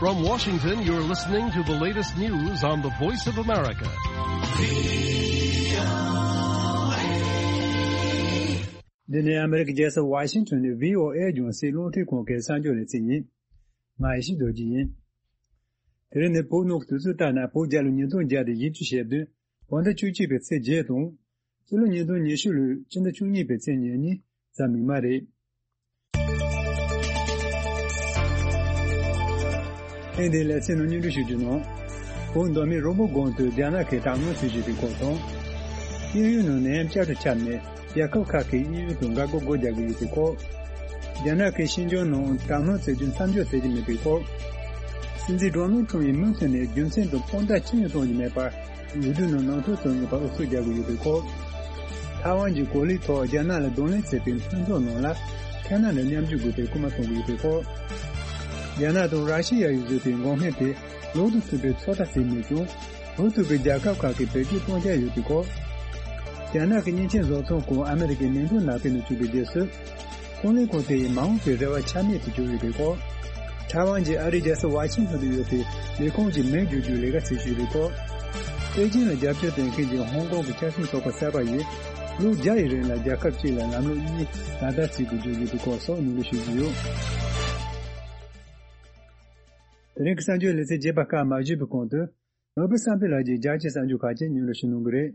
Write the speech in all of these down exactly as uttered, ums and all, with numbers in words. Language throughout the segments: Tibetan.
From Washington, you're listening to the latest news on the Voice of America. འདི་ནི་ཨ་མེ་རི་ཀའི་རྒྱལ་ས་ཝ་ཤིང་ཊོན་ནས་བྷི་ཨོ་ཨེ་རྒྱང་སྲིང་རླུང་འཕྲིན་ཁང་གི་གསར་འགྱུར་ལེ་ཚན་ཡིན། ང་ཡེ་ཤེས་རྡོ་རྗེ་ཡིན། དེ་རིང་ནི་བོད་ནང་གི་དུས་ཚོད་ལྟར་ན་བོད་རྒྱལ་ལོ་ཉིས་སྟོང་བརྒྱ་དང་བཞི་བཅུ་ཞེ་བདུན། བོད་ཟླ་བཅུ་གཅིག་པའི་ཚེས་བརྒྱད་དང་། སྤྱི་ལོ་ཉིས་སྟོང་ཉི་ཤུ་ལོའི་ཕྱི་ཟླ་བཅུ་གཉིས་པའི་ཚེས་ཉེར་གཉིས་གཟའ་མིག་དམར་རེད། ཐེངས་འདིའི་ལེ་ཚན་ནང་སྙན་སྒྲོན་ཞུ་རྒྱུ་ནང་། བོད་མདོ་སྨད་རོང་པོ་སྒང་དུ་རྒྱ་ནག་གིས་དྲག་གནོན་བྱེད་བཞིན་པའི་སྐོར་དང་། དབྱིན་ཡུལ་ནང་ནད་ཡམས་བསྐྱར་དུ་ཁྱབ་ནས་རྒྱལ་ཁབ་ཁག་གིས་དབྱིན་ཡུལ་དང་འགལ་སྒོ་སྒོ་རྒྱག་གི་ཡོད་པའི་སྐོར། རྒྱ་ནག་གིས་ཤིན་ཅང་ནང་དྲག་གནོན་བྱེད་རྒྱུ་མཚམས་འཇོག་བྱེད་ཀྱི་མེད་པའི་སྐོར། སྲིད་འཛིན་ཌོ་ནལ་ཁྲམ་ཡིས་མུ་མཐུད་ནས་རྒྱུ་མཚན་དང་དཔང་རྟགས་ཅི་ཡང་བཏོན་གྱི་མེད་པར། འོས་བསྡུ་ནང་ནང་འཁྲུག་བཟོ་ནུས་པར་ཨུ་ཚུགས་རྒྱག་གི་ཡོད་པའི་སྐོར། ཐའེ་ཝན་གྱི་གོ་ལའི་ཐོག་རྒྱ་ནག་ལ་གདོང་ལེན་བྱས་པའི་མཐུན་ཚོགས་ནང་ལ་ཁེ་ན་ཌ་མཉམ་ཞུགས་དགོས་པའི་སྐུལ་མ་གཏོང་གི་ཡོད་པའི་སྐོར། རྒྱ་ནག་དང་ར་ཤི་ཡ་ཡི་བཟོས་པའི་འགོག་སྨན་དེ་ལོག་ཏུ་ཐུག་པའི་ཚོད་ལྟ་བྱས་མེད་ཀྱང་། འོས་ཐུབ་པའི་རྒྱལ་ཁབ་ཁག་གིས་བེད་སྤྱོད་གཏོང་འཆར་ཡོད་པའི་སྐོར། རྒྱ་ནག་གི་མཉེན་ཆས་བཟོ་ཚོང་ཁང་ཨ་མེ་རི་ཀའི་ནན་ཏན་ནགས་ཁུལ་ནང་བཙུགས་པའི་རྗེས་སུ། ཀུང་ལེ་ཁོང་ཚོ་ཡི་མ་འོངས་པའི་རེ་བ་ཆ་མེད་དུ་གྱུར་ཡོད་པའི་སྐོར། ཐའེ་ཝན་གྱི་ཨ་རིའི་རྒྱལ་ས་ཝ་ཤིང་ཊོན་དུ་ཡོད་པའི་ལས་ཁུངས་ཀྱི་མིང་བསྒྱུར་རྒྱུའི་ལས་ཀ་བྱེད་བཞིན་ཡོད་པའི་སྐོར། པེ་ཅིང་ལ་རྒྱབ་སྐྱོར་དོན་མཁན་གྱི་ཧོང་ཀོང་གི་ཆབ་སྲིད་ཚོགས་པ་གསར་པ་ཡིས་ལོ་བརྒྱ་ཡི་རིང་ལ་རྒྱལ་ཁབ་གཅིག་ལ་ལམ་ལུགས་གཉིས་ལག་བསྟར་བྱེད་དགོས་རྒྱུ་ཡོད་པའི་སྐོར་སོགས་སྙན་སྒྲོན་ཞུ་རྒྱུ་ཡོད། དེ་རིང་གི་གསར་འགྱུར་ལེ་ཚན་རྒྱས་པ་ཁག་མ་ཞུས་པའི་གོང་དུ། ནོར་བུ་བསམ་འཕེལ་ལགས་ཀྱིས་རྒྱ་ཆེའི་གསར་འགྱུར་ཁག་ཅིག་སྙན་སྒྲོན་ཞུ་གནང་གི་རེད།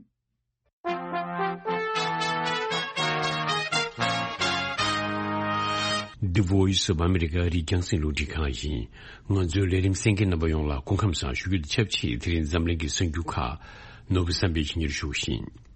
The Voice of America ཨ་རིའི་རྒྱང་སྲིང་རླུང་འཕྲིན་ཁང་ཡིན། ང་ཚོའི་ལས་རིམ་གསན་མཁན་རྣམ་པ་ཡོངས་ལ་སྐུ་ཁམས་བཟང་ཞུ་རྒྱུ་དང་ཆབས་ཅིག་དེ་རིང་འཛམ་གླིང་གི་གསར་འགྱུར་ཁག་ནོར་བུ་བསམ་འཕེལ་གྱིས་སྙན་སྒྲོན་ཞུ་བཞིན།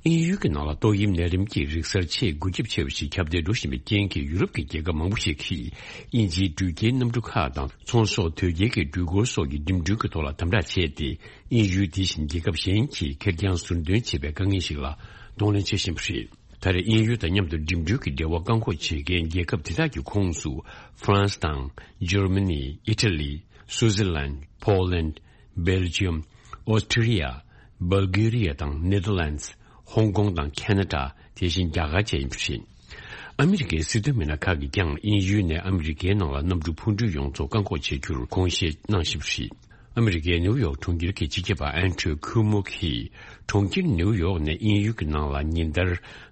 དབྱིན་ཡུལ་གྱི་ནང་ལ་ཏོག་དབྱིབས་ནད་རིམས་ཀྱི་རིག་གསར་ཆེས་འགོས་ཁྱབ་ཆེ་བ་ཞིག་ཁྱབ་གདལ་འགྲོ་བཞིན་པའི་རྐྱེན་གྱིས། ཡུ་རོབ་ཀྱི་རྒྱལ་ཁབ་མང་པོ་ཞིག་གིས་དབྱིན་ཇིའི་འགྲུལ་སྐྱེལ་གནམ་གྲུ་ཁག་དང་ཚོང་ཟོག་དོས་སྐྱེལ་གྱི་འགྲུལ་འཁོར་སོགས་ཀྱི་འགྲིམ་འགྲུལ་གྱི་ཐོག་ལ་དམ་དྲག་བྱས་ཏེ། དབྱིན་ཡུལ་དེ་བཞིན་རྒྱལ་ཁབ་གཞན་གྱིས་ཁེར་རྐྱང་ཟུར་འདོན་བྱེད་པའི་དཀའ་ངལ་ཞིག་ལ་གདོང་ལེན་བྱེད་བཞིན་པ་རེད། ད་རེས་དབྱིན་ཡུལ་དང་མཉམ་དུ་འགྲིམ་འགྲུལ་གྱི་འབྲེལ་བ་བཀག་འགོག་བྱེད་མཁན་རྒྱལ་ཁབ་དེ་དག་གི་ཁོངས་སུ་ཧྥ་རན་སི་དང་། འཇར་མ་ནི། ཨི་ཊ་ལི། སུའུ་ཛི་ལན། ཕོ་ལན། སྦེལ་ཇི་ཡམ། ཨོ་སི་ཊི་རི་ཡ། སྦལ་གྷི་རི་ཡ་དང་ནེ་དར་ལན་ཌི། ཧོང་ཀོང་དང་ཁེ་ན་ཌ། དེ་བཞིན་རྒྱ་གར་བཅས་ཡིན་པ་རེད། ཨ་མི་རི་ཀའི་སྲིད་དོན་མི་སྣ་ཁག་གིས་ཀྱང་དབྱིན་ཡུལ་ནས་ཨ་མི་རི་ཀའི་ནང་ལ་གནམ་གྲུ་འཕུར་འགྲུལ་ཡོངས་རྫོགས་བཀག་འགོག་བྱེད་རྒྱུར་དགོངས་བཞེས་གནང་བཞིན་པ་རེད། ཨ་མི་རི་ཀའི་ནེའུ་ཡོག་གྲོང་ཁྱེར་གྱི་སྤྱི་ཁྱབ་པ་ཨན་ཌྲུ་ཁུ་མོ་གིས། གྲོང་ཁྱེར་ནེའུ་ཡོག་ནས་དབྱིན་ཡུལ་གྱི་ནང་ལ་ཉིན་ལྟར་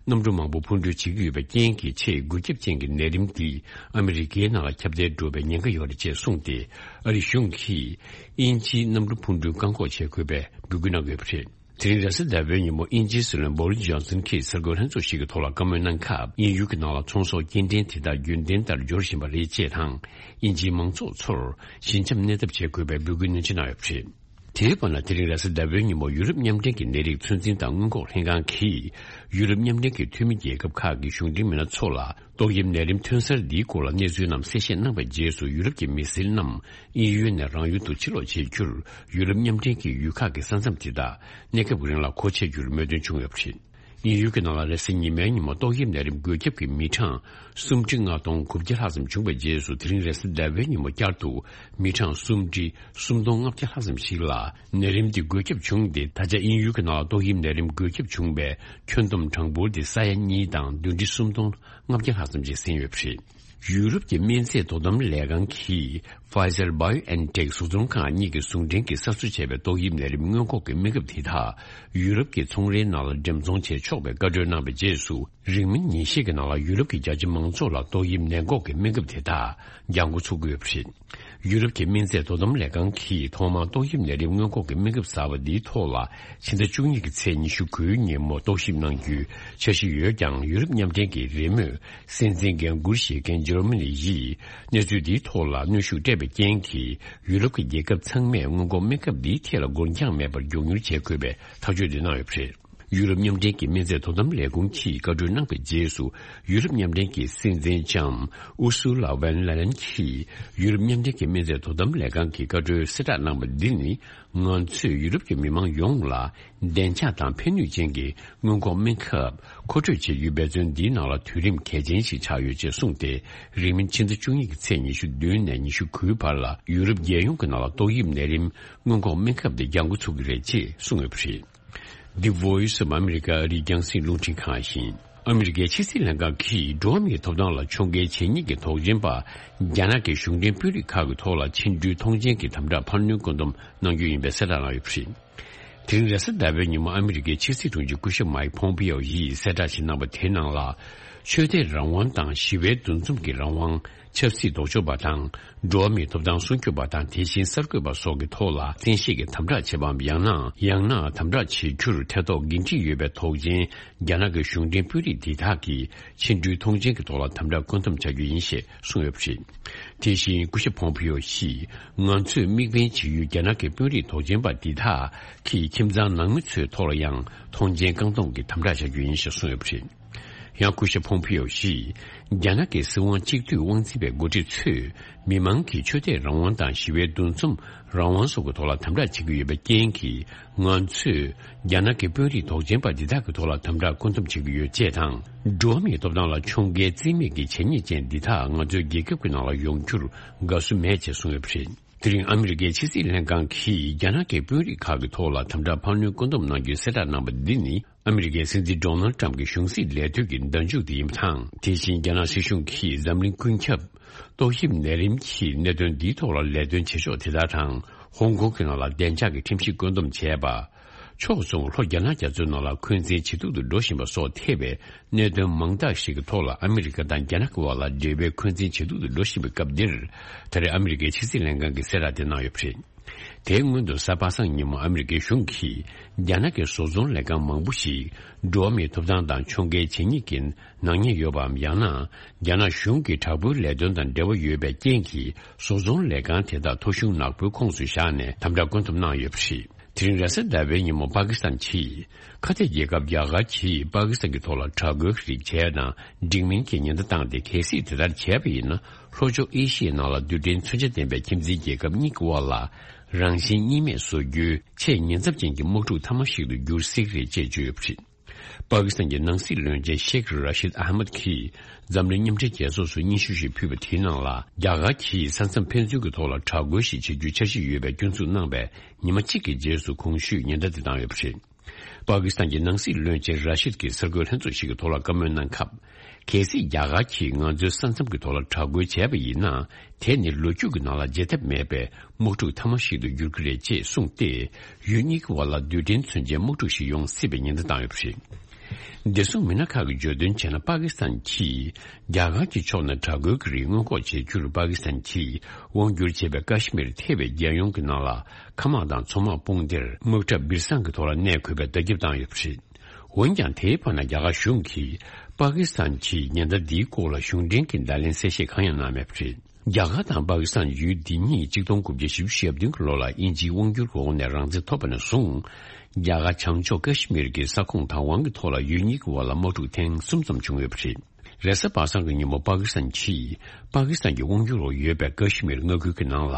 གནམ་གྲུ་མང་པོ་འཕུར་འགྲུལ་བྱེད་ཀྱི་ཡོད་པའི་རྐྱེན་གྱིས། ཆེས་འགོས་ཁྱབ་ཅན་གྱི་ནད་རིམས་འདི་ཨ་མི་རི་ཀའི་ནང་ལ་ཁྱབ་གདལ་འགྲོ་བའི་ཉེན་ཁ་ཡོད་རེད་ཅེས་གསུངས་ཏེ། ཨ་རིའི་གཞུང་གིས་དབྱིན་ཇིའི་གནམ་གྲུ་འཕུར་འགྲུལ་བཀག་འགོག་བྱེད་དགོས་པའི་འབོད་སྐུལ་གནང་ཡོད་པ་རེད། དེ་རིང་རེས་གཟའ་ཟླ་བའི་ཉིན་མོ་དབྱིན་ཇིའི་སྲིད་བློན་བོ་རིས་ཇོན་སན་གྱིས་གསར་འགོད་ལྷན་ཚོགས་ཤིག་གི་ཐོག་ལ་བཀའ་མོལ་གནང་སྐབས། དབྱིན་ཡུལ་གྱི་ནང་ལ་ཚོང་ཟོག་སྐྱེལ་འདྲེན་དེ་དག་རྒྱུན་ལྡན་ལྟར་འབྱོར་བཞིན་པ་རེད་ཅེས་དང་། དབྱིན་ཇིའི་མང་ཚོགས་ཚོར་ཞི་འཇམ་གནས་ཐབས་བྱེད་དགོས་པའི་འབོད་སྐུལ་ནན་ཆེ་གནང་ཡོད་པ་རེད། དེའི་བར་ན། དེ་རིང་རེས་གཟའ་ཟླ་བའི་ཉིན་མོ་ཡུ་རོབ་མཉམ་འབྲེལ་གྱི་ནད་རིགས་ཚོད་འཛིན་དང་སྔོན་འགོག་ལྷན་ཁང་གིས། ཡུ་རོབ་མཉམ་འབྲེལ་གྱི་འཐུས་མི་རྒྱལ་ཁབ་ཁག་གི་གཞུང་འབྲེལ་མི་སྣ་ཚོ་ལ། ཏོག་དབྱིབས་ནད་རིམས་ཐོན་གསར་འདིའི་སྐོར་ལ་གནས་ཚུལ་རྣམས་གསལ་བཤད་གནང་བའི་རྗེས་སུ། ཡུ་རོབ་ཀྱི་མི་སེར་རྣམས་དབྱིན་ཡུལ་ནས་རང་ཡུལ་དུ་ཕྱིར་ལོག་བྱེད་རྒྱུར། ཡུ་རོབ་མཉམ་འབྲེལ་གྱི་ཡུལ་ཁག་གི་ས་མཚམས་དེ་དག་གནས་སྐབས་རིང་ལ་སྒོ་ཕྱེ་རྒྱུར་མོས་མཐུན་བྱུང་ཡོད་པ་རེད། དབྱིན་ཡུལ་གྱི་ནང་ལ་རེས་གཟའ་ཉི་མའི་ཉིན་མོ་ཏོག་དབྱིབས་ནད་རིམས་འགོས་ཁྱབ་ཀྱི་མི་གྲངས་སུམ་ཁྲི་ལྔ་སྟོང་དགུ་བརྒྱ་ལྷག་ཙམ་བྱུང་བའི་རྗེས་སུ། དེ་རིང་རེས་གཟའ་ཟླ་བའི་ཉིན་མོ་བསྐྱར་དུ་མི་གྲངས་སུམ་ཁྲི་སུམ་སྟོང་ལྔ་བརྒྱ་ལྷག་ཙམ་ཞིག་ལ་ནད་རིམས་འདི་འགོས་ཁྱབ་བྱུང་སྟེ། ད་ཆ་དབྱིན་ཡུལ་གྱི་ནང་ལ་ཏོག་དབྱིབས་ནད་རིམས་འགོས་ཁྱབ་བྱུང་བའི་ཁྱོན་བསྡོམས་གྲངས་འབོར་དེ་ས་ཡ་གཉིས་དང་བདུན་ཁྲི་སུམ་སྟོང་ལྔ་བརྒྱ་ལྷག་ཙམ་ཞིག་ཟིན་ཡོད་པ་རེད། ཡུ་རོབ་ཀྱི་སྨན་རྫས་དོ་དམ་ལས་ཁང་གིས་Pfizer BioNTech བཟོ་ཚོང་ཁང་གཉིས་ཀྱིས་ཟུང་འབྲེལ་གྱིས་གསར་བཟོ་བྱས་པའི་ཏོག་དབྱིབས་ནད་རིམས་སྔོན་འགོག་གི་སྨན་ཁབ་དེ་དག་ཡུ་རོབ་ཀྱི་ཚོང་རའི་ནང་ལ་འགྲེམས་ཚོང་བྱེད་ཆོག་པའི་བཀའ་འཁྲོལ་གནང་བའི་རྗེས་སུ། རིང་མིན་ཉིན་ཤས་ཀྱི་ནང་ལ་ཡུ་རོབ་ཀྱི་རྒྱ་ཆེ་མང་ཚོགས་ལ་ཏོག་དབྱིབས་ནད་འགོག་གི་སྨན་ཁབ་དེ་དག་འགྱངས་འགོ་ཚུགས་ཀྱི་ཡོད་པ་རེད། ཡུ་རོབ་ཀྱི་སྨན་རྫས་དོ་དམ་ལས་ཁང་གིས་ཐོག་མར་ཏོག་དབྱིབས་ནད་རིམས་སྔོན་འགོག་གི་སྨན་ཁབ་གསར་པ་འདིའི་ཐོག་ལ་ཕྱི་ཟླ་བཅུ་གཉིས་ཀྱི་ཚེས་ཉི་ཤུ་དགུའི་ཉིན་མོ་རྟོག་ཞིབ་གནང་རྒྱུའི་འཆར་གཞི་ཡོད་ཀྱང་། ཡུ་རོབ་མཉམ་འབྲེལ་གྱི་རེས་མོས་སྲིད་འཛིན་འགན་འཁུར་བཞེས་མཁན་འཇར་མ་ནི་ཡིས་གནས་ཚུལ་འདིའི་ཐོག་ལ་གནོན་ཤུགས་སྤྲད་པའི་རྐྱེན་གྱིས། ཡུ་རོབ་ཀྱི་རྒྱལ་ཁབ་ཚང་མས་སྔོན་འགོག་སྨན་ཁབ་འདིའི་ཐད་ལ་འགོར་འགྱངས་མེད་པར་མགྱོགས་མྱུར་བྱེད་དགོས་པའི་ཐག་གཅོད་འདི་གནང་ཡོད་པ་རེད། ཡུ་རོབ་མཉམ་འབྲེལ་གྱི་སྨན་རྫས་དོ་དམ་ལས་ཁུངས་ཀྱིས་བཀའ་འཁྲོལ་གནང་བའི་རྗེས་སུ། ཡུ་རོབ་མཉམ་འབྲེལ་གྱི་སྲིད་འཛིན་ལྕམ་ཨུ་སུ་ལ་ཝན་ལ་ལན་གྱིས། ཡུ་རོབ་མཉམ་འབྲེལ་གྱི་སྨན་རྫས་དོ་དམ་ལས་ཁང་གིས་བཀའ་འཁྲོལ་གསལ་བསྒྲགས་གནང་བ་འདི་ནི། ང་ཚོས་ཡུ་རོབ་ཀྱི་མི་མང་ཡོངས་ལ་བདེ་འཇགས་དང་ཕན་ནུས་ཅན་གྱི་སྔོན་འགོག་སྨན་ཁབ་མཁོ་སྤྲོད་བྱེད་རྒྱུའི་འབད་བརྩོན་འདིའི་ནང་ལ་དུས་རིམ་གལ་ཆེན་ཞིག་ཆགས་ཡོད་ཅེས་གསུངས་ཏེ། རིང་མིན་ཕྱི་ཟླ་བཅུ་གཉིས་ཀྱི་ཚེས་ཉི་ཤུ་བདུན་ནས་ཉི་ཤུ་དགུའི་བར་ལ། ཡུ་རོབ་རྒྱལ་ཡོངས་ཀྱི་ནང་ལ་ཏོག་དབྱིབས་ནད་རིམས་སྔོན་འགོག་སྨན་ཁབ་དེ་འགྱངས་འགོ་ཚུགས་ཀྱི་རེད་ཅེས་གསུངས་ཡོད་པ་རེད། The Voice of America ཨ་རིའི་རྒྱང་སྲིང་རླུང་འཕྲིན་ཁང་ཡིན། ཨ་མི་རི་ཀའི་ཕྱི་སྲིད་ལྷན་ཁང་གིས་འགྲོ་བ་མིའི་ཐོབ་ཐང་ལ་ཕྱོགས་འགལ་བྱེད་མཁན་གྱི་དོགས་ཅན་པ་རྒྱ་ནག་གི་གཞུང་འབྲེལ་དཔོན་རིགས་ཁག་གི་ཐོག་ལ་ཕྱིར་འབྲུའི་ཐོངས་མཆན་གྱི་དམ་དྲག་འཕར་སྣོན་བཀོད་འདོམས་གནང་རྒྱུ་ཡིན་པའི་གསལ་བསྒྲགས་གནང་ཡོད་པ་རེད། དེ་རིང་རེས་གཟའ་ཟླ་བའི་ཉིན་མོ་ཨ་མི་རི་ཀའི་ཕྱི་སྲིད་དྲུང་ཆེ་སྐུ་ཞབས་མའིག་ཕོམ་པིའོ་ཡིས་གསལ་བསྒྲགས་ཤིག་གནང་པ་དེའི་ནང་ལ། ཆོས་དད་རང་དབང་དང་ཞི་བའི་འདུ་འཛོམས་ཀྱི་རང་དབང་། ཆབ་སྲིད་ལྡོག་ཕྱོགས་པ་དང་། འགྲོ་བ་མིའི་ཐོབ་ཐང་སྲུང་སྐྱོབ་པ་དང་། དེ་བཞིན་གསར་འགོད་པ་སོགས་ཀྱི་ཐོག་ལ་བཙན་ཤེད་ཀྱིས་དམ་དྲག་བྱེད་པའམ། ཡང་ན་ཡང་ན་དམ་དྲག་བྱེད་རྒྱུར་ཐེ་གཏོགས་འགན་འཁྲི་ཡོད་པའི་དོགས་ཅན་རྒྱ་ནག་གི་གཞུང་འབྲེལ་དཔོན་རིགས་འདི་དག་གིས་ཕྱིར་འབྲུའི་ཐོངས་མཆན་གྱི་ཐོག་ལ་དམ་དྲག་བཀོད་འདོམས་བྱ་རྒྱུ་ཡིན་ཞེས་གསུངས་ཡོད་པ་རེད། དེ་བཞིན་སྐུ་ཞབས་ཕོམ་པིའོ་ཡིས། ང་ཚོས་དམིགས་འབེན་བྱེད་ཡུལ་རྒྱ་ནག་གི་དཔོན་རིགས་དོགས་ཅན་པ་འདི་དག་གིས་ཁྱིམ་ཚང་ནང་མི་ཚོའི་ཐོག་ལ་ཡང་ཐོངས་མཆན་བཀང་གཏོང་གི་དམ་དྲག་བྱ་རྒྱུ་ཡིན་ཞེས་གསུངས་ཡོད་པ་རེད། ཡང་སྐུ་ཞབས་ཕོམ་པིའོ་ཡིས། རྒྱ་ནག་གི་སྲིད་དབང་གཅིག་སྡུད་དབང་འཛིན་པའི་འགོ་ཁྲིད་ཚོས། མི་མང་གི་ཆོས་དད་རང་དབང་དང་ཞི་བའི་འདུ་འཛོམས་རང་དབང་སོགས་ཀྱི་ཐོག་ལ་དམ་དྲག་བྱེད་ཀྱི་ཡོད་པའི་རྐྱེན་གྱིས། ང་ཚོས་རྒྱ་ནག་གི་དཔོན་རིགས་དོགས་ཅན་པ་འདི་དག་གི་ཐོག་ལ་དམ་དྲག་བཀོད་འདོམས་བྱེད་ཀྱི་ཡོད་ཅེས་དང་། འགྲོ་བ་མིའི་ཐོབ་ཐང་ལ་ཕྱོགས་འགལ་བརྩི་མེད་ཀྱི་བྱེད་ཉེས་ཅན་འདི་དག་ང་ཚོའི་རྒྱལ་ཁབ་ཀྱི་ནང་ལ་ཡོང་རྒྱུར་དགའ་བསུ་མེད་ཅེས་གསུངས་ཡོད་པ་རེད། དེ་རིང་ཨ་མི་རི་ཀའི་ཕྱི་སྲིད་ལྷན་ཁང་གིས་རྒྱ་ནག་གི་དཔོན་རིགས་ཁག་གི་ཐོག་ལ་དམ་དྲག་འཕར་སྣོན་བཀོད་འདོམས་གནང་རྒྱུའི་གསལ་བསྒྲགས་གནང་པ་འདི་ནི། ཨ་མི་རི་ཀའི་སྲིད་འཛིན་ཌོ་ནལ་ཊམ་གྱི་གཞུང་སྲིད་ལས་དོན་གྱི་བརྡ་འཇུག་དེ་ཡིན་པ་དང་། དེ་བཞིན་རྒྱ་ནག་སྲིད་གཞུང་གིས་འཛམ་གླིང་ཀུན་ཁྱབ་ཏོག་དབྱིབས་ནད་རིམས་ཀྱི་གནད་དོན་འདིའི་ཐོག་ལ་ལས་དོན་བྱེད་ཕྱོགས་དེ་དག་དང་། ཧོང་ཀོང་གི་ནང་ལ་བདེ་འཇགས་ཀྱི་ཁྲིམས་གཞི་བཀོད་འདོམས་བྱས་པ། ཕྱོགས་མཚུངས་ལྷོ་རྒྱ་ནག་རྒྱ་མཚོའི་ནང་ལ་འཁོན་འཛིན་ཇེ་སྡུག་ཏུ་འགྲོ་བཞིན་པ་སོགས་ཐེ་བའི་གནད་དོན་མང་དག་ཞིག་གི་ཐོག་ལ་ཨ་མི་རི་ཀ་དང་རྒྱ་ནག་གི་དབར་ལ་འབྲེལ་བའི་འཁོན་འཛིན་ཇེ་སྡུག་ཏུ་འགྲོ་བཞིན་པའི་སྐབས་འདིར། ད་རེས་ཨ་མི་རི་ཀའི་ཕྱི་སྲིད་ལྷན་ཁང་གིས་གསལ་བསྒྲགས་དེ་གནང་ཡོད་པ་རེད། དེའི་སྔོན་དུ་གཟའ་པ་སངས་ཉིན་མོ་ཨ་མི་རི་ཀའི་གཞུང་གིས་རྒྱ་ནག་གི་བཟོ་ཚོང་ལས་ཁང་མང་པོ་ཞིག་འགྲོ་བ་མིའི་ཐོབ་ཐང་དང་ཕྱོགས་འགལ་བྱེད་ཉེས་ཀྱི་ནག་ཉེས་ཡོད་པའམ། ཡང་ན་རྒྱ་ནག་གཞུང་གི་དྲག་པོའི་ལས་དོན་དང་འབྲེལ་བ་ཡོད་པའི་རྐྱེན་གྱིས། བཟོ་ཚོང་ལས་ཁང་དེ་དག་ཐོ་གཞུང་ནག་པོའི་ཁོངས་སུ་བཞག་ནས་དམ་དྲག་བཀོད་འདོམས་གནང་ཡོད་པ་རེད། དེ་རིང་རེས་གཟའ་ཟླ་བའི་ཉིན་མོ་པ་ཀི་སི་ཐན་གྱིས། ཁ་གཏད་རྒྱལ་ཁབ་རྒྱ་གར་གྱིས་པ་ཀི་སི་ཐན་གྱི་ཐོག་ལ་དྲག་རྒོལ་གྱི་རིགས་བྱས་དང་འགྲིག་མིན་གྱི་ཉེན་བརྡ་བཏང་སྟེ། གལ་སྲིད་དེ་ལྟར་བྱས་པ་ཡིན་ན། ལྷོ་ཕྱོགས་ཨེ་ཤི་ཡའི་ནང་ལ་རྡུལ་ཕྲན་མཚོན་ཆ་ལྡན་པའི་ཁྱིམ་མཚེས་རྒྱལ་ཁབ་གཉིས་ཀྱི་དབར་ལ་རང་བཞིན་གཉིས་མེད་བཟོ་རྒྱུའི་ཆེས་ཉེན་ཚབས་ཅན་གྱི་དམག་འཁྲུག་མཐའ་མ་ཞིག་ཏུ་འགྱུར་སྲིད་ཀྱི་རེད་ཅེས་བརྗོད་ཡོད་པ་རེད། པ་ཀི་སི་ཐན་གྱི་ནང་སྲིད་བློན་ཆེན་ཤེག་ར་ཤིད་ཨ་མད་ཀྱིས་འཛམ་གླིང་མཉམ་འབྲེལ་རྒྱལ་ཚོགས་སུ་སྙན་ཞུ་ཞིག་ཕུལ་བ་དེའི་ནང་ལ། རྒྱ་གར་གྱིས་ས་མཚམས་ཕན་ཚུན་གྱི་ཐོག་ལ་དྲག་རྒོལ་ཞིག་བྱེད་རྒྱུའི་འཆར་གཞི་ཡོད་པའི་སྐྱོན་འཛུགས་གནང་བའི་ཉི་མ་གཅིག་གི་རྗེས་སུ། གོང་ཞུས་ཉེན་བརྡ་དེ་བཏང་ཡོད་པ་རེད། པ་ཀི་སི་ཐན་གྱི་ནང་སྲིད་བློན་ཆེན་ར་ཤིད་ཀྱིས་གསར་འགོད་ལྷན་ཚོགས་ཤིག་གི་ཐོག་ལ་བཀའ་མོལ་གནང་སྐབས། གལ་སྲིད་རྒྱ་གར་གྱིས་ང་ཚོའི་ས་མཚམས་ཀྱི་ཐོག་ལ་དྲག་རྒོལ་བྱས་པ་ཡིན་ན། དེ་ནི་ལོ་རྒྱུས་ཀྱི་ནང་ལ་བརྗེད་ཐབས་མེད་པའི་དམག་འཁྲུག་མཐའ་མ་ཞིག་ཏུ་འགྱུར་གྱི་རེད་ཅེས་གསུངས་ཏེ། ཡུལ་གཉིས་ཀྱི་དབར་ལ་རྡུལ་ཕྲན་མཚོན་ཆའི་དམག་འཁྲུག་ཞིག་ཡོང་སྲིད་པའི་ཉེན་བརྡ་བཏང་ཡོད་པ་རེད། བདེ་སྲུང་མི་སྣ་ཁག་གིས་བརྗོད་དོན་བྱས་ན། པ་ཀི་སི་ཐན་གྱིས་རྒྱ་གར་གྱི་ཕྱོགས་ནས་དྲག་རྒོལ་གྱི་རིགས་སྔོན་འགོག་བྱེད་རྒྱུར་པ་ཀི་སི་ཐན་གྱིས་དབང་བསྒྱུར་བྱས་པའི་ཀ་ཤི་མིར་ཐེ་བའི་རྒྱལ་ཡོངས་ཀྱི་ནང་ལ། མཁའ་དམག་དང་མཚོ་དམག་དཔུང་སྡེར་དམག་གྲབས་སྦིར་སང་གི་ཐོག་ལ་གནས་དགོས་པའི་བརྡ་ཁྱབ་བཏང་ཡོད་པ་རེད། འོན་ཀྱང་། དེའི་བར་ན་རྒྱ་གར་གཞུང་གིས་པ་ཀི་སི་ཐན་གྱི་ཉེན་བརྡ་འདིའི་སྐོར་ལ་གཞུང་འབྲེལ་གྱི་བརྡ་ལན་གསལ་བཤད་གང་ཡང་གནང་མེད་པ་རེད། རྒྱ་གར་དང་པ་ཀི་སི་ཐན་ཡུལ་འདི་གཉིས་གཅིག་སྟོང་དགུ་བརྒྱ་བཞི་བཅུ་ཞེ་བདུན་གྱི་ལོ་ལ་དབྱིན་ཇིའི་དབང་སྒྱུར་གྱི་འོག་ནས་རང་བཙན་ཐོབ་པ་ནས་བཟུང་། རྒྱ་གར་བྱང་ཕྱོགས་ཀ་ཤི་མིར་གྱི་ས་ཁོངས་བདག་དབང་གི་ཐོག་ལ་ཡུལ་གཉིས་ཀྱི་དབར་ལ་དམག་འཁྲུག་ཐེངས་གསུམ་ཙམ་བྱུང་ཡོད་པ་རེད། རེས་གཟའ་པ་སངས་ཀྱི་ཉིན་མོ་པ་ཀི་སི་ཐན་གྱིས་པ་ཀི་སི་ཐན་གྱི་དབང་སྒྱུར་འོག་ཡོད་པའི་ཀ་ཤི་མིར་མངའ་ཁུལ་གྱི་ནང་ལ།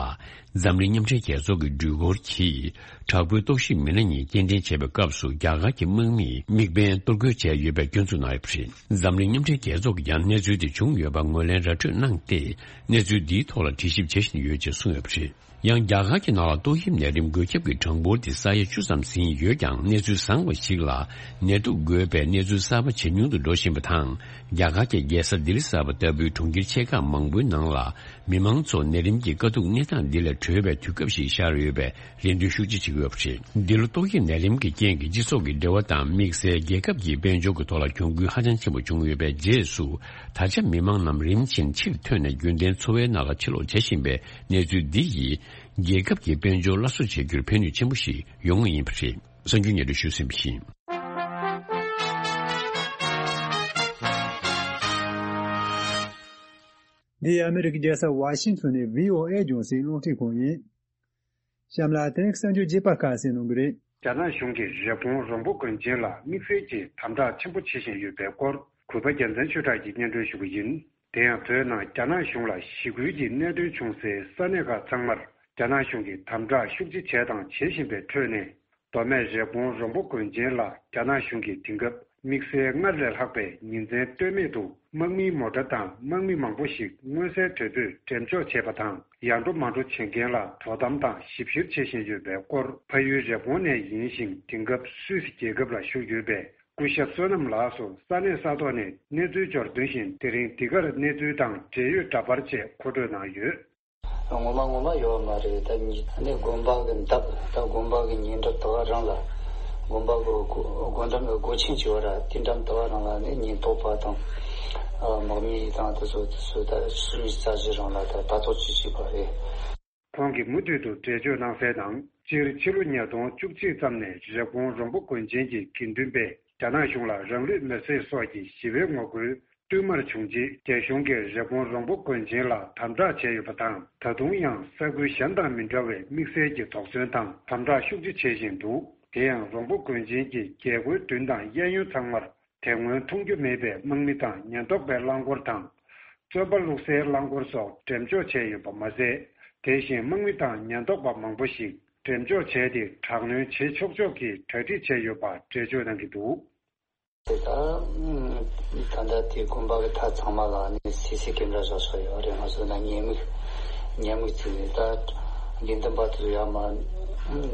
འཛམ་གླིང་མཉམ་འབྲེལ་རྒྱལ་ཚོགས་ཀྱི་འགྲུལ་འཁོར་གྱིས་དྲག་པོའི་རྟོག་ཞིབ་མི་སྣ་གཉིས་སྐྱེལ་འདྲེན་བྱས་པའི་སྐབས་སུ། རྒྱ་གར་གྱི་དམག་མིས་དམིགས་འབེན་གཏོར་རྒོལ་བྱས་ཡོད་པའི་སྐྱོན་འཛུགས་གནང་ཡོད་པ་རེད། འཛམ་གླིང་མཉམ་འབྲེལ་རྒྱལ་ཚོགས་ཀྱིས་ཀྱང་གནས་ཚུལ་དེ་བྱུང་ཡོད་པ་ངོས་ལེན་ར་སྤྲོད་གནང་སྟེ། གནས་ཚུལ་འདིའི་ཐོག་ལ་དྲི་ཞིབ་བྱེད་བཞིན་ཡོད་ཅེས་གསུངས་ཡོད་པ་རེད། ཡང་རྒྱ་གར་གྱི་ནང་ལ་ཏོག་དབྱིབས་ནད་རིམས་འགོས་ཁྱབ་ཀྱི་གྲངས་འབོར་དེ་ས་ཡ་བཅུ་ཙམ་ཟིན་ཡོད་ཀྱང་། གནས་ཚུལ་བཟང་བ་ཞིག་ལ། ནད་དུག་འགོས་པའི་གནས་ཚུལ་གསར་པ་ཇེ་ཉུང་དུ་འགྲོ་བཞིན་པ་དང་། རྒྱ་གར་གྱི་རྒྱལ་ས་ལྡི་ལི་གསར་པ་ལྟ་བུའི་གྲོང་ཁྱེར་ཆེ་ཁག་མང་པོའི་ནང་ལ། མི་མང་ཚོ་ནད་རིམས་ཀྱི་དཀའ་སྡུག་གནས་སྟངས་འདི་ལས་གྲོལ་བའི་དུས་སྐབས་ཤིག་ཤར་ཡོད་པའི་ལན་འདེབས་ཤུགས་ཆེ་བྱེད་ཀྱི་ཡོད་པ་རེད། འདི་ལོ་ཏོག་དབྱིབས་ནད་རིམས་ཀྱི་རྐྱེན་གྱིས་སྤྱི་ཚོགས་ཀྱི་འབྲེལ་བ་དང་། དམིགས་བསལ་རྒྱལ་ཁབ་ཀྱི་དཔལ་འབྱོར་གྱི་ཐོག་ལ་གྱོང་གུན་ཧ་ཅང་ཆེན་པོ་བྱུང་ཡོད་པའི་རྗེས་སུ། ད་ཆ་མི་མང་རྣམས་རིམ་བཞིན་ཕྱིར་ཐོན་ནས་རྒྱུན་ལྡན་འཚོ་བའི་ནང་ལ་ཕྱིར་ལོག་བྱེད་བཞིན་པའི་གནས་ཚུལ་འདི་ཡིས། རྒྱལ་ཁབ་ཀྱི་དཔལ་འབྱོར་སླར་གསོ་བྱེད་རྒྱུར་ཕན་ནུས་ཆེན་པོ་ཞིག་ཡོང་ངེས་ཡིན་པ་རེད། གསར་འགྱུར་སྙན་སྒྲོན་ཞུས་ཟིན་པ་ཡིན། འདི་ཨ་མི་རི་ཀའི་རྒྱལ་ས་ཝ་ཤིང་ཊོན་ནས་བྷི་ཨོ་ཨེ་རྒྱང་སྲིང་རླུང་འཕྲིན་ཁང་ཡིན། གཤམ་ལ་དེ་རིང་གསར་འགྱུར་རྒྱས་པ་ཁ་གསལ་གནང་གི་རེད། རྒྱ་ནག་གཞུང་གིས་རི་བོང་རོང་པོ་དགོན་ཆེན་ལ་དམིགས་བསལ་གྱིས་དམ་དྲག་ཆེན་པོ་བྱེད་བཞིན་ཡོད་པའི་སྐོར། གུས་པ་རྒྱལ་མཚན་ཆོས་གྲགས་ཀྱིས་སྙན་སྒྲོན་ཞུ་གི་ཡིན། དེ་ཡང་། བོད་ནང་རྒྱ་ནག་གཞུང་ལ་ཞི་རྒོལ་གྱི་གནད་དོན་བྱུང་སའི་ས་གནས་ཁག་ཚང་མར་རྒྱ་ནག་གཞུང་གིས་དམ་དྲག་ཤུགས་ཆེ་བྱས་དང་བྱེད་བཞིན་པའི་ཁྲོད་ནས། མདོ་སྨད་རི་བོང་རོང་པོ་དགོན་ཆེན་ལ་རྒྱ་ནག་གཞུང་གིས་དེང་སྐབས་དམིགས་བསལ་སྔར་ལས་ལྷག་པའི་ཉིན་མཚན་ལྟོས་མེད་དུ་དམག་མིའི་མོ་ཊ་དང་དམག་མི་མང་པོ་ཞིག་མངོན་གསལ་དོད་པོས་འགྲེམས་འཇོག་བྱས་པ་དང་། ཡར་འགྲོ་མར་འགྲོ་བྱེད་མཁན་ལ་དོ་དམ་དང་ཞིབ་བཤེར་བྱེད་བཞིན་ཡོད་པའི་སྐོར། ཕ་ཡུལ་རི་བོང་ནས་ཡིན་ཞིང་། དེང་སྐབས་སུད་སི་རྒྱལ་ཁབ་ལ་བཞུགས་ཡོད་པའི་ སྐུ་ཞབས་བསོད་ནམས་ལགས་སུ་ས་གནས་ས་ཐོག་ནས་གནས་ཚུལ་འབྱོར་དོན་བཞིན། དེ་རིང་འདི་གར་གནས་ཚུལ་དང་འབྲེལ་ཡོད་འདྲ་པར་ཆེད་མཁོ་སྤྲོད་གནང་ཡོད། ངོ་མ་ངོ་མ་ཡོད་མ་རེད། ད་ཉི་ནས་དགོན་པ་གི་འདབས། ད་དགོན་པ་གི་ཉེ་འགྲམ་དེ་ག་རང་ལ། དགོན་པ་གི་སྒོ་སྒོ་འགྲམ་གི་སྒོ་ཆེན་ཅིག་ཡོད་ར། དེ་འགྲམ་དེ་ག་རང་ལ་ནི་ཉེན་རྟོག་པ་དང་། ཨ། དམག་མི་དང་དེ་ཚོ་དེ་ཚོ་ད་སུམ་ཅུ་རྩ་བཞི་རང་ལ་ད་ལྟ་རྟོག་ཅིག་བྱས་པ་རེད། ཁོང་གིས་མུ་མཐུད་དུ་འགྲེལ་བརྗོད་གནང་གསལ་ནང་། སྤྱིར་ཕྱི་ལོ་ཉིས་སྟོང་བཅུ་གཅིག་ཙམ་ནས་རེབ་གོང་རོང་པོ་དགོན་ཆེན་གྱི་དགེ་འདུན་པས་རྒྱ་ནག་གཞུང་ལ་རང་ལུས་མེར་སྲེག་སོགས་ཀྱི་ཞི་བའི་ངོ་རྒོལ་བསྟུད་མར་བྱུང་རྗེས། རྒྱ་གཞུང་གིས་རེབ་གོང་རོང་པོ་དགོན་ཆེན་ལ་དམ་དྲག་བྱས་ཡོད་པ་དང་། ད་དུང་ཡང་ས་ཁུལ་གཞན་དང་མི་འདྲ་བའི་དམིགས་བསལ་གྱི་དོགས་ཟོན་དང་དམ་དྲག་ཤུགས་ཆེ་བྱེད་བཞིན་འདུག་དེ་ཡང་རོང་པོ་དགོན་ཆེན་གྱི་རྒྱལ་སྒོའི་མདུན་དང་གཡས་གཡོན་ཚང་མར། དེ་སྔོན་མཐོང་རྒྱུ་མེད་པའི་དམག་མི་དང་ཉེན་རྟོག་པའི་རླངས་འཁོར་དང་། བཙོན་པ་བླུགས་སའི་རླངས་འཁོར་སོགས་འགྲེམས་འཇོག་བྱས་ཡོད་པ་མ་ཟད། དེ་བཞིན་དམག་མི་དང་ཉེན་རྟོག་པ་མང་པོ་ཞིག་འགྲེམས་འཇོག་བྱས་ཏེ། དྲག་གནོན་བྱེད་ཆོག་ཆོག་གི་གྲ་སྒྲིག་བྱས་ཡོད་པ་འགྲེལ་བརྗོད་གནང་གི་འདུག་དེ་ལྟར། ད་ལྟ་དེ་དགོན་པ་གི་མཐའ་ཚང་མ་ལ་ནི་སི་སི་ཀེ་མ་ར་བཞག་ཆོག་ཡོད་རེད། ང་ཚོ་ན་ཉེན་མིག་ཉེན་མིག་བརྩིས་ནས། ད་དགེ་འདུན་པ་དེ་ཚོ་ཡར་མར་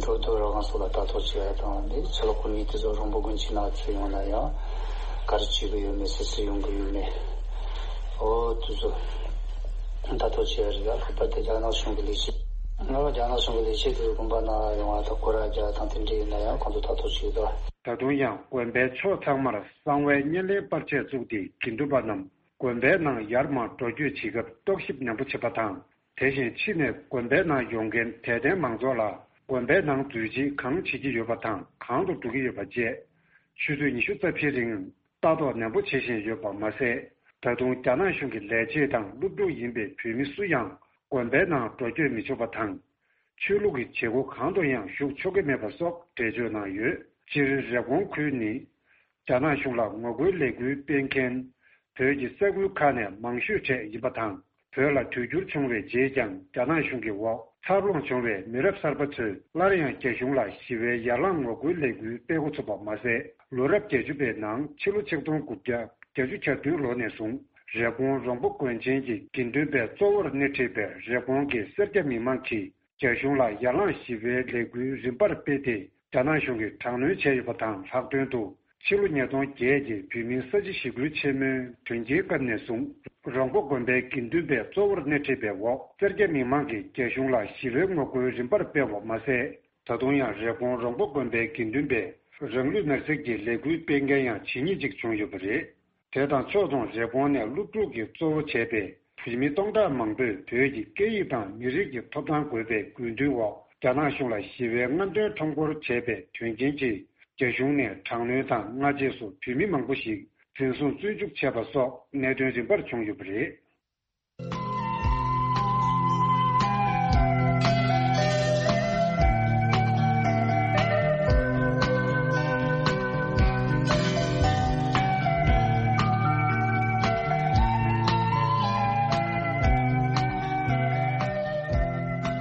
འགྲོ་འདུག་རོགས་ཁང་སོགས་ལ་ལྟ་རྟོག་བྱེད་ཡ་དང་། འདི་ཕྱི་ལོགས་ཁོ་མི་དེ་ཚོ་རོང་པོ་དགོན་ཆེན་ནང་ཚུར་ཡོང་ན་ཡང་ག་རེ་བྱེད་གི་ཡོད་མེད། སུ་སུ་ཡོང་གི་ཡོད་མེད། འོ་དེ་ཚོ་ལྟ་རྟོག་བྱེད་ཡ་རེད། ཡ་ལྷག་པར་དུ་རྒྱ་ནག་གཞུང་གི་ལས་བྱེད། ང་རྒྱ་ནག་གཞུང་གི་ལས་བྱེད་དེ་ཚོ་དགོན་པ་ནང་ཡོང་བ་དང་སྐོར་ར་རྒྱག་དང་དེ་འདྲ་ཡིན་ན་ཡང་ཁོང་ཚོ་ལྟ་རྟོག་བྱེད་དོ། ད་དུང་ཡང་དགོན་པའི་ཕྱོགས་ཚང་མར་གསང་བའི་བརྙན་ལེན་པར་ཆས་བཙུགས་ཏེ། དགེ་འདུན་པ་རྣམས་དགོན་པའི་ནང་ཡར་མར་འགྲོ་སྐྱོད་བྱེད་སྐབས་རྟོག་ཞིབ་ནན་པོ་བྱེད་པ་དང་། དེ་བཞིན་ཕྱི་ནས་དགོན་པའི་ནང་ཡོང་མཁན་དད་ལྡན་མང་ཚོགས་ལ་དགོན་པའི་ནང་འཛུལ་རྗེས་གང་བྱེད་ཀྱི་ཡོད་པ་དང་། གང་དུ་འགྲོ་གི་ཡོད་པ་བཅས། ཆུ་ཚོད་ཉི་ཤུ་རྩ་བཞིའི་རིང་ལྟ་རྟོག་ནན་པོ་བྱེད་བཞིན་ཡོད་པ་མ་ཟད། ད་དུང་རྒྱ་ནག་གཞུང་གི་ལས་བྱེད་དང་སློབ་ཕྲུག་ཡིན་པའི་བོད་མི་སུ་ཡང་དགོན་པའི་ནང་འགྲོ་སྐྱོད་མི་ཆོག་པ་དང་། ཆོས་ལུགས་ཀྱི་བྱེད་སྒོ་གང་དུ་ཡང་ཞུགས་ཆོག་གི་མེད་པ་སོགས་འགྲེལ་བརྗོད་གནང་ཡོད། སྤྱིར་རེབ་གོང་ཁུལ་ནི་རྒྱ་ནག་གཞུང་ལ་ངོ་རྒོལ་ལས་འགུལ་སྤེལ་མཁན་བོད་ཀྱི་ས་ཁུལ་ཁག་ནས་མང་ཤོས་གྲས་ཡིན་པ་དང་། བོད་ལ་དུས་འགྱུར་བྱུང་བའི་རྗེས་ཀྱང་རྒྱ་ནག་གཞུང་གི་འོག་འཚར་ལོངས་བྱུང་བའི་མི་རབས་གསར་པ་ཚོས་སླར་ཡང་རྒྱ་གཞུང་ལ་ཞི་བའི་ཡར་ལངས་ངོ་རྒོལ་ལས་འགུལ་སྤེལ་འགོ་ཚུགས་པ་མ་ཟད། ལོ་རབས་བརྒྱད་ཅུ་པའི་ནང་ཕྱི་ལོ་ཆིག་སྟོང་དགུ་བརྒྱ་བརྒྱད་ཅུ་གྱ་བདུན་ལོ་ནས་བཟུང་རེབ་གོང་རོང་པོ་དགོན་ཆེན་གྱི་དགེ་འདུན་པའི་གཙོ་བོར་སྣེ་ཁྲིད་པའི་རེབ་གོང་གི་སེར་སྐྱ་མི་མང་གིས་རྒྱ་གཞུང་ལ་ཡར་ལངས་ཞི་བའི་ལས་འགུལ་རིམ་པར་སྤེལ་ཏེ། རྒྱ་ནག་གཞུང་གིས་དྲག་གནོན་བྱས་ཡོད་པ་དང་། ལྷག་དོན་དུ་ཕྱི་ལོ་ཉིས་སྟོང་བརྒྱད་ཀྱི་བོད་མིའི་ས་བྱི་ཞི་རྒོལ་ཆེན་མོའི་དོན་རྐྱེན་སྐབས་ནས་བཟུང་། རོང་པོ་དགོན་པའི་དགེ་འདུན་པའི་གཙོ་བོར་སྣེ་ཁྲིད་པའི་འོག་སེར་སྐྱ་མི་མང་གིས་རྒྱ་གཞུང་ལ་ཞི་བའི་ངོ་རྒོལ་རིམ་པར་སྤེལ་བ་མ་ཟད། ད་དུང་ཡང་རེབ་གོང་རོང་པོ་དགོན་པའི་དགེ་འདུན་པས་རང་ལུས་མེར་སྲེག་གི་ལས་འགུལ་སྤེལ་མཁན་ཡང་ཇི་སྙེད་ཅིག་བྱུང་ཡོད་པ་རེད། དེ་དང་ཕྱོགས་མཚུངས་རེབ་གོང་ནས་སློབ་ཕྲུག་གིས་གཙོ་བོ་བྱས་པའི་བོད་མི་སྟོང་ཕྲག་མང་པོས་བོད་ཀྱི་སྐད་ཡིག་དང་མི་རིགས་ཀྱི་ཐོབ་ཐང་དགོས་པའི་དགོས་འདུན་འོག་རྒྱ་ནག་གཞུང་ལ་ཞི་བའི་རྔམ་སྟོན་ཁྲོམ་སྐོར་བྱས་པའི་དོན་རྐྱེན་གྱིས། རྒྱ་གཞུང་ནས་དྲག་གནོན་དང་སྔ་རྗེས་སུ་བོད་མི་མང་པོ་ཞིག་འཛིན་བཟུང་བཙོན་འཇུག་བྱས་པ་སོགས་གནད་དོན་རིམ་པར་བྱུང་ཡོད་པ་རེད།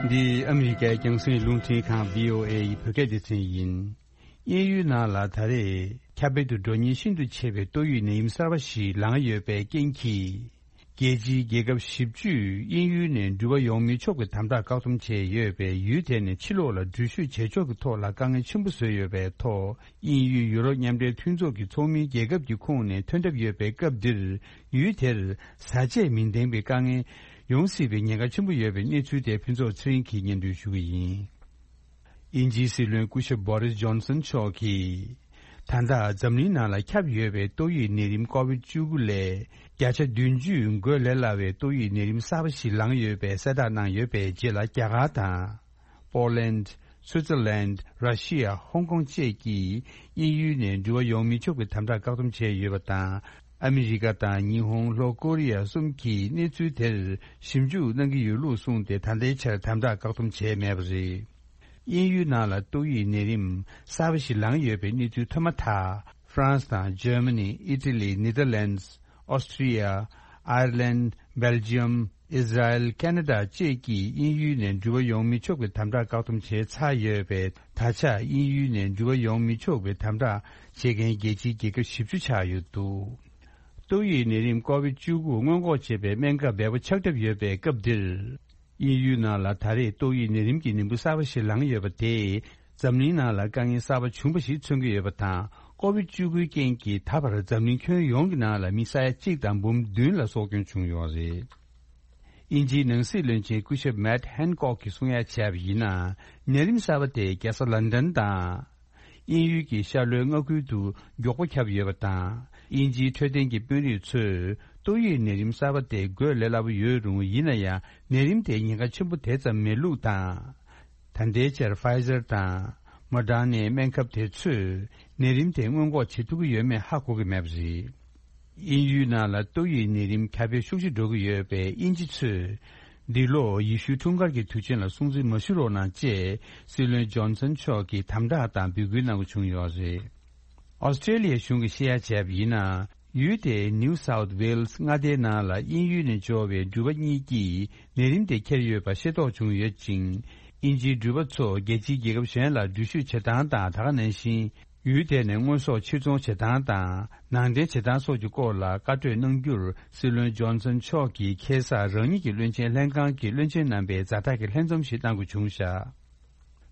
འདི་ཨ་མི་རི་ཀའི་རྒྱང་སྲིང་རླུང་འཕྲིན་ཁང་བྷི་ཨོ་ཨེ་ཡི་བོད་སྐད་སྡེ་ཚན་ཡིན། དབྱིན་ཡུལ་ནང་ལ་ད་རེས་ཁྱབ་སྤེལ་དུ་འགྲོ་ཉེན་ཤིན་ཏུ་ཆེ་བའི་ཏོག་དབྱིབས་ནད་ཡམས་གསར་པ་ཞིག་ལངས་ཡོད་པའི་རྐྱེན་གྱིས། རྒྱལ་སྤྱིའི་རྒྱལ་ཁབ་བཞི་བཅུས་དབྱིན་ཡུལ་ནས་འགྲུལ་བ་ཡོང་མི་ཆོག་པའི་དམ་དྲག་བཀག་སྡོམ་བྱས་ཡོད་པས། ཡུལ་དེ་ནས་ཕྱི་ལོགས་ལ་འགྲུལ་བཞུད་བྱེད་ཕྱོགས་ཀྱི་ཐོག་ལ་དཀའ་ངལ་ཆེན་པོ་བཟོས་ཡོད་པའི་ཐོག་དབྱིན་ཡུལ་ཡུ་རོབ་མཉམ་འབྲེལ་མཐུན་ཚོགས་ཀྱི་ཚོགས་མིའི་རྒྱལ་ཁབ་ཀྱི་ཁོངས་ནས་ཐོན་གྲབས་ཡོད་པའི་སྐབས་འདིར། ཡུལ་དེར་བཟའ་ཆས་མི་ལྡན་པའི་དཀའ་ངལ་ཡོང་སྲིད་པའི་ཉེན་ཁ་ཆེན་པོ་ཡོད་པའི་གནས་ཚུལ་དེ་ཕུན་ཚོགས་ཚེ་རིང་གིས་སྙན་སྒྲོན་ཞུ་གི་ཡིན། དབྱིན་ཇིའི་སྲིད་བློན་སྐུ་ཞབས་བྷོ་རིས་ཇོན་སན་མཆོག་གིས། ད་ལྟ་འཛམ་གླིང་ནང་ལ་ཁྱབ་ཡོད་པའི་ཏོག་དབྱིབས་ནད་རིམས་ཀོ་བིད་བཅུ་དགུ་ལས་བརྒྱ་ཆ་བདུན་ཅུ་འགོས་ལས་སླ་བའི་ཏོག་དབྱིབས་ནད་རིམས་གསར་པ་ཞིག་ལངས་ཡོད་པའི་གསལ་བསྒྲགས་གནང་ཡོད་པའི་རྗེས་ལ། རྒྱ་གར་དང་། པོ་ལན། སུའི་ཙར་ལན། ར་ཤི་ཡ། ཧོང་ཀོང་བཅས་ཀྱིས་དབྱིན་ཡུལ་ནས་འགྲུལ་བ་ཡོང་མི་ཆོག་པའི་དམ་དྲག་བཀག་སྡོམ་བྱས་ཡོད་པ་དང་། ཨ་མི་རི་ཀ་དང་ཉི་ཧོང་། ལྷོ་ཀོ་རི་ཡ་གསུམ་གྱིས་གནས་ཚུལ་དེར་ཞིབ་འཇུག་གནང་གི་ཡོད་ལུགས་གསུངས་ཏེ། ད་ལྟའི་ཆར་དམ་དྲག་བཀག་སྡོམ་བྱས་མེད་པ་རེད། དབྱིན་ཡུལ་ནང་ལ་ཏོག་དབྱིབས་ནད་རིམས་གསར་པ་ཞིག་ལངས་ཡོད་པའི་གནས་ཚུལ་ཐོན་མ་ཐག་ཧྥ་རན་སི་དང་། འཇར་མ་ནི། ཨི་ཊ་ལི། ནེ་དར་ལན་སི། ཨོ་སི་ཀྲི་ཡ། ཨའི་ར་ལན། སྦེལ་ཇི་ཡམ། ཨིས་ར་ཨེལ། ཁེ་ན་ཌ་བཅས་ཀྱིས་དབྱིན་ཡུལ་ནས་འགྲུལ་བ་ཡོང་མི་ཆོག་པའི་དམ་དྲག་བཀག་སྡོམ་བྱས་ཚར་ཡོད་པས། ད་ཆ་དབྱིན་ཡུལ་ནས་འགྲུལ་བ་ཡོང་མི་ཆོག་པའི་དམ་དྲག་བྱེད་མཁན་རྒྱལ་སྤྱིའི་རྒྱལ་ཁབ་བཞི་བཅུ་ཆགས་ཡོད་འདུག་ཏོག་དབྱིབས་ནད་རིམས་ཀོ་བིད་བཅུ་དགུ་སྔོན་འགོག་བྱེད་པའི་སྨན་ཁབ་འབེལ་པོ་ཆགས་གྲབས་ཡོད་པའི་སྐབས་འདིར། དབྱིན་ཡུལ་ནང་ལ་ད་རེས་ཏོག་དབྱིབས་ནད་རིམས་ཀྱི་ནད་འབུ་གསར་པ་ཞིག་ལངས་ཡོད་པ་དེས། འཛམ་གླིང་ནང་ལ་དཀའ་ངལ་གསར་པ་བྱུང་བ་ཞིག་མཚོན་གྱི་ཡོད་པ་དང་། ཀོ་བིད་བཅུ་དགུའི་རྐྱེན་གྱིས་ད་བར་འཛམ་གླིང་ཁྱོན་ཡོངས་ཀྱི་ནང་ལ་མི་ས་ཡ་གཅིག་དང་འབུམ་བདུན་ལ་སྲོག་སྐྱོན་བྱུང་ཡོད་རེད། དབྱིན་ཇིའི་ནང་སྲིད་བློན་ཆེན་སྐུ་ཞབས་མེད་ཧན་ཀོག་གིས་གསུང་ཡ་བྱས་པ་ཡིན་ན། ནད་རིམས་གསར་པ་དེ་རྒྱལ་ས་ལན་ཌན་དང་། དབྱིན་ཡུལ་གྱི་ཤར་ལྷོའི་མངའ་ཁུལ་དུ་མགྱོགས་པོ་ཁྱབ་ཡོད་པ་དང་། དབྱིན་ཇིའི་འཕྲོད་བསྟེན་གྱི་དཔོན་རིགས་ཚོས་ཏོག་དབྱིབས་ནད་རིམས་གསར་པ་དེ་འགོས་ལས་སླ་པོ་ཡོད་རུང་། ཡིན་ན་ཡང་ནད་རིམས་དེ་ཉེན་ཁ་ཆེན་པོ་དེ་ཙམ་མེད་ལུགས་དང་། ད་ལྟའི་ཆར་ཕའི་ཛར་དང་མོ་ཌར་ནའི་སྨན་ཁབ་དེ་ཚོས་ནད་རིམས་དེ་སྔོན་འགོག་བྱེད་ཐུབ་ཀྱི་ཡོད་མེད་ཧ་གོ་གི་མེད་པ་རེད། དབྱིན་ཡུལ་ནང་ལ་ཏོག་དབྱིབས་ནད་རིམས་ཁྱབ་སྤེལ་ཤུགས་ཆེ་འགྲོ་གི་ཡོད་པས། དབྱིན་ཇི་ཚོས་འདི་ལོ་ཡེ་ཤུའི་འཁྲུངས་སྐར་གྱི་དུས་ཆེན་ལ་སྲུང་བརྩི་མ་ཞུ་རོགས་གནང་ཅེས་སྲིད་བློན་ཇོན་སན་མཆོག་གིས་དམ་དྲག་དང་འབོད་སྐུལ་གནང་དགོས་བྱུང་ཡོད་རེད། ཨོ་སི་ཀྲེ་ལི་ཡའི་གཞུང་གིས་བཤད་ཡ་བྱས་པ་ཡིན་ན། ཡུལ་དེའི་ནིའུ་སའུཐ་ཝེལ་སི་མངའ་སྡེའི་ནང་ལ་དབྱིན་ཡུལ་ནས་འབྱོར་བའི་འགྲུལ་པ་གཉིས་ཀྱིས་ནད་རིམས་དེ་འཁྱེར་ཡོད་པ་ཤེས་རྟོགས་བྱུང་ཡོད་ཅིང་། དབྱིན་ཇིའི་འགྲུལ་པ་ཚོ་རྒྱལ་སྤྱིའི་རྒྱལ་ཁབ་གཞན་ལ་འགྲུལ་བཞུད་བྱེད་སྟངས་དང་། ད་ག་ནང་བཞིན་ཡུལ་དེ་ནས་དངོས་ཟོག་ཕྱིར་ཚོང་བྱེད་སྟངས་དང་ནང་འདྲེན་བྱེད་སྟངས་སོགས་ཀྱི་སྐོར་ལ་བཀའ་གྲོས་གནང་རྒྱུར། སྲིད་བློན་ཇོན་སན་མཆོག་གིས་ཁ་སང་རང་ཉིད་ཀྱི་བློན་ཆེན་ལྷན་ཁང་གི་བློན་ཆེན་རྣམ་པའི་ཛ་དྲག་གི་ལྷན་འཛོམས་ཤིག་གནང་དགོས་བྱུང་བཞག་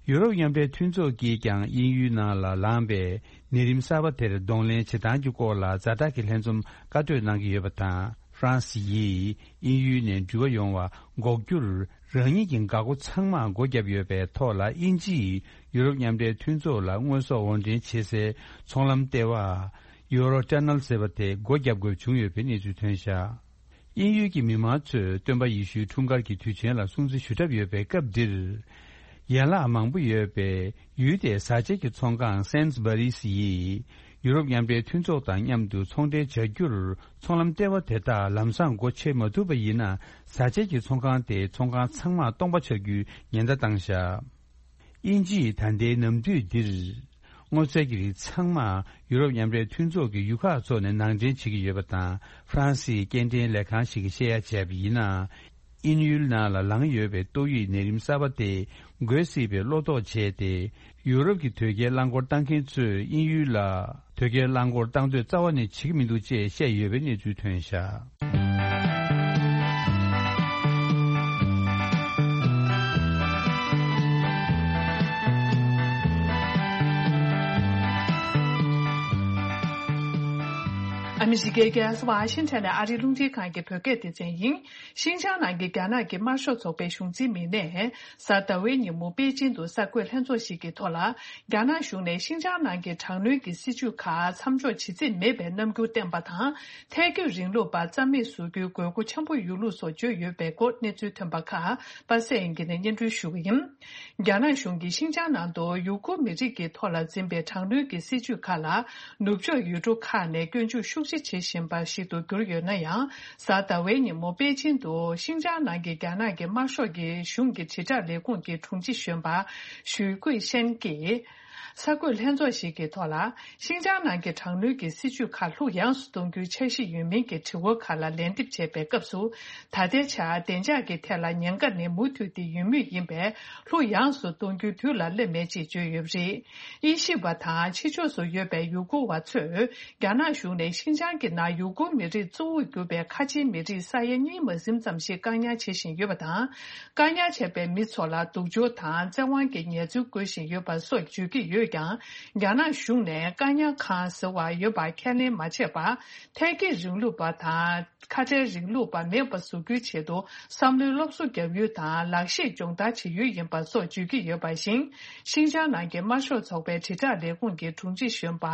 ཡུ་རོབ་མཉམ་འབྲེལ་མཐུན་ཚོགས་ཀྱིས་ཀྱང་དབྱིན་ཡུལ་ནང་ལ་ལངས་པའི་ནད་རིམས་གསར་པ་དེར་གདོང་ལེན་བྱེད་སྟངས་ཀྱི་སྐོར་ལ་ཛ་དྲག་གི་ལྷན་འཛོམས་བཀའ་གྲོས་གནང་གི་ཡོད་པ་དང་། ཧྥ་རན་སི་ཡིས་དབྱིན་ཡུལ་ནས་འགྲུལ་བ་ཡོང་བ་འགོག་རྒྱུར་རང་ཉིད་ཀྱི་འགག་སྒོ་ཚང་མར་སྒོ་བརྒྱབ་ཡོད་པའི་ཐོག་ལ། དབྱིན་ཇིས་ཡུ་རོབ་མཉམ་འབྲེལ་མཐུན་ཚོགས་ལ་དངོས་ཟོག་དབོར་འདྲེན་བྱེད་སའི་ཚོང་ལམ་ལྟེ་བ་ཡུ་རོ་ཊ་ནལ་ཟེར་བ་དེ་སྒོ་བརྒྱབ་དགོས་བྱུང་ཡོད་པའི་གནས་ཚུལ་ཐོན་བཞག་དབྱིན་ཡུལ་གྱི་མི་མང་ཚོས་སྟོན་པ་ཡེ་ཤུའི་འཁྲུངས་སྐར་གྱི་དུས་ཆེན་ལ་སྲུང་བརྩི་ཞུ་གྲབས་ཡོད་པའི་སྐབས་འདིར། ཡན་ལག་མང་པོ་ཡོད་པའི་ཡུལ་དེའི་བཟའ་བཅའ་གྱི་ཚོང་ཁང་སེན་སྦ་རིས་ཡིས་ཡུ་རོབ་མཉམ་འབྲེལ་མཐུན་ཚོགས་དང་མཉམ་དུ་ཚོང་འབྲེལ་བྱ་རྒྱུར། ཚོང་ལམ་ལྟེ་བ་དེ་དག་ལམ་སང་སྒོ་ཕྱེ་མ་ཐུབ་པ་ཡིན་ན། བཟའ་བཅའ་གྱི་ཚོང་ཁང་དེའི་ཚོང་ཁང་ཚང་མ་སྟོང་པ་ཆགས་རྒྱུའི་ཉེན་བརྡ་བཏང་བཞག་དབྱིན་ཇིས་ད་ལྟའི་ནམ་དུས་འདིར། སྔོ་ཚལ་གྱི་རིགས་ཚང་མ་ཡུ་རོབ་མཉམ་འབྲེལ་མཐུན་ཚོགས་ཀྱི་ཡུལ་ཁག་ཚོ་ནས་ནང་འདྲེན་བྱེད་ཀྱི་ཡོད་པ་དང་། ཧྥ་རན་སིའི་སྐྱེལ་འདྲེན་ལས་ཁང་ཞིག་གིས་བཤད་ཡ་བྱས་པ་ཡིན་ན། དབྱིན་ཡུལ་ནང་ལ་ལངས་ཡོད་པའི་ཏོག་དབྱིབས་ནད་རིམས་གསར་པ་དེ་འགོས་སྲིད་པའི་བློ་དོགས་བྱས་ཏེ། ཡུ་རོབ་ཀྱི་དོས་སྐྱེལ་རླངས་འཁོར་བཏང་མཁན་ཚོས་དབྱིན་ཡུལ་ལ་དོས་སྐྱེལ་རླངས་འཁོར་བཏང་འདོད་རྩ་བ་ནས་བྱེད་ཀྱི་མི་འདུག་ཅེས་བཤད་ཡོད་པའི་གནས་ཚུལ་ཐོན་བཞག་ཨ་མི་རི་ཀའི་རྒྱལ་ས་ཝ་ཤིང་ཊོན་ནས་ཨ་རིའི་རླུང་འཕྲིན་ཁང་གི་བོད་སྐད་སྡེ་ཚན་ཡིན། ཤིན་ཅང་ནང་གི་རྒྱ་ནག་གི་དམར་ཤོག་ཚོགས་པའི་གཞུང་འཛིན་མི་སྣས་གཟའ་ཟླ་བའི་ཉིན་མོ་པེ་ཅིན་དུ་གསར་འགོད་ལྷན་ཚོགས་ཤིག་གི་ཐོག་ལ། རྒྱ་ནག་གཞུང་ནས་ཤིན་ཅང་ནང་གི་དྲག་གནོན་གྱི་སྲིད་བྱུས་ཁག་མཚམས་འཇོག་བྱེད་རྩིས་མེད་པའི་རྣམ་འགྱུར་བསྟན་པ་དང་། ཐལ་སྐྱོད་རིང་ལུགས་པ་རྩ་མེད་བཟོ་རྒྱུའི་དགོས་མཁོ་ཆེན་པོ་ཡོད་ལུགས་སོགས་བརྗོད་ཡོད་པའི་སྐོར་གནས་ཚུལ་ཐོན་པ་ཁག་པ་སེ་ཡིན་གྱི་ནས་སྙན་སྒྲོན་ཞུ་གི་ཡིན། རྒྱ་ནག་གཞུང་གིས་ཤིན་ཅང་ནང་དུ་ཡུ་གུར་མི་རིགས་ཀྱི་ཐོག་ལ་འཛིན་པའི་དྲག་གནོན་གྱི་སྲིད་བྱུས་ཁག་ལ། ནུབ་ཕྱོགས་ཡུལ་གྲུ་ཁག་ནས་སྐྱོན་འཛུགས་ཤུགས་ཆེ་བྱེད་བཞིན་པ་ཞིག་ཏུ་གྱུར་ཡོད་ན་ཡང་། གཟའ་ཟླ་བའི་ཉིན་མོ་པེ་ཅིན་དུ་ཤིན་ཅང་ནང་གི་རྒྱ་ནག་གི་དམར་ཤོག་གི་གཞུང་གི་དྲིལ་བསྒྲགས་ལས་ཁུངས་ཀྱི་དྲུང་ཆེ་གཞོན་པ་ཞུས་ཀུའེ་ཤན་གྱིས། གསར་འགོད་ལྷན་ཚོགས་ཤིག་གི་ཐོག་ལ། ཤིན་ཅང་ནང་གི་དྲག་གནོན་གྱི་སྲིད་བྱུས་ཁག་ལྷུག་ཡངས་སུ་གཏོང་རྒྱུའི་འཆར་གཞི་ཡོད་མིན་གྱི་དྲི་བ་ཁག་ལ་ལན་འདེབས་བྱས་པའི་སྐབས་སུ། ད་ལྟའི་ཆར་བདེ་འཇགས་ཀྱི་ཐད་ལ་ཉེན་ཁ་ནི་མུ་མཐུད་དེ་ཡོད་མུས་ཡིན་པས། ལྷུག་ཡངས་སུ་གཏོང་རྒྱུའི་དུས་ལ་སླེབས་མེད་ཅེས་བརྗོད་ཡོད་པ་རེད། དབྱེ་ཞིབ་པ་དང་ཕྱི་ཕྱོགས་སུ་ཡོད་པའི་ཡུ་གུར་བ་ཚོས། རྒྱ་ནག་གཞུང་ནས་ཤིན་ཅང་གི་ནང་ཡུ་གུར་མི་རིགས་གཙོ་བོར་གྱུར་པའི་ཁ་ཆེའི་མི་རིགས་ས་ཡ་གཉིས་མ་ཟིན་ཙམ་ཞིག་བཀག་ཉར་བྱེད་བཞིན་ཡོད་པ་དང་། བཀག་ཉར་བྱས་པའི་མི་ཚོ་ལ་སྡུག་སྦྱོར་དང་བཙན་དབང་གི་ཉེས་འཛུགས་བཀོད་བཞིན་ཡོད་པ་སོགས་བརྗོད་ཀྱི་ཡོད་ཀྱང་། རྒྱ་ནག་གཞུང་ནས་བཀག་ཉར་ཁང་ཟེར་བ་ཡོད་པ་ཁས་ལེན་མ་བྱས་པར། ཐལ་སྐྱེད་རིང་ལུགས་པ་དང་། ཁ་བྲལ་རིང་ལུགས་པ་མེད་པ་བཟོ་རྒྱུའི་ཆེད་དུ། བསམ་བློའི་སློབ་གསོ་བརྒྱབ་ཡུལ་དང་། ལག་ཤེས་སྦྱོང་བརྡར་བྱེད་ཡུལ་ཡིན་པ་སོགས་བརྗོད་ཀྱི་ཡོད་པ་བཞིན། ཤིན་ཅང་ནང་གི་དམར་ཤོག་ཚོགས་པའི་དྲིལ་བསྒྲགས་ལས་ཁུངས་ཀྱི་དྲུང་ཆེ་གཞོན་པ།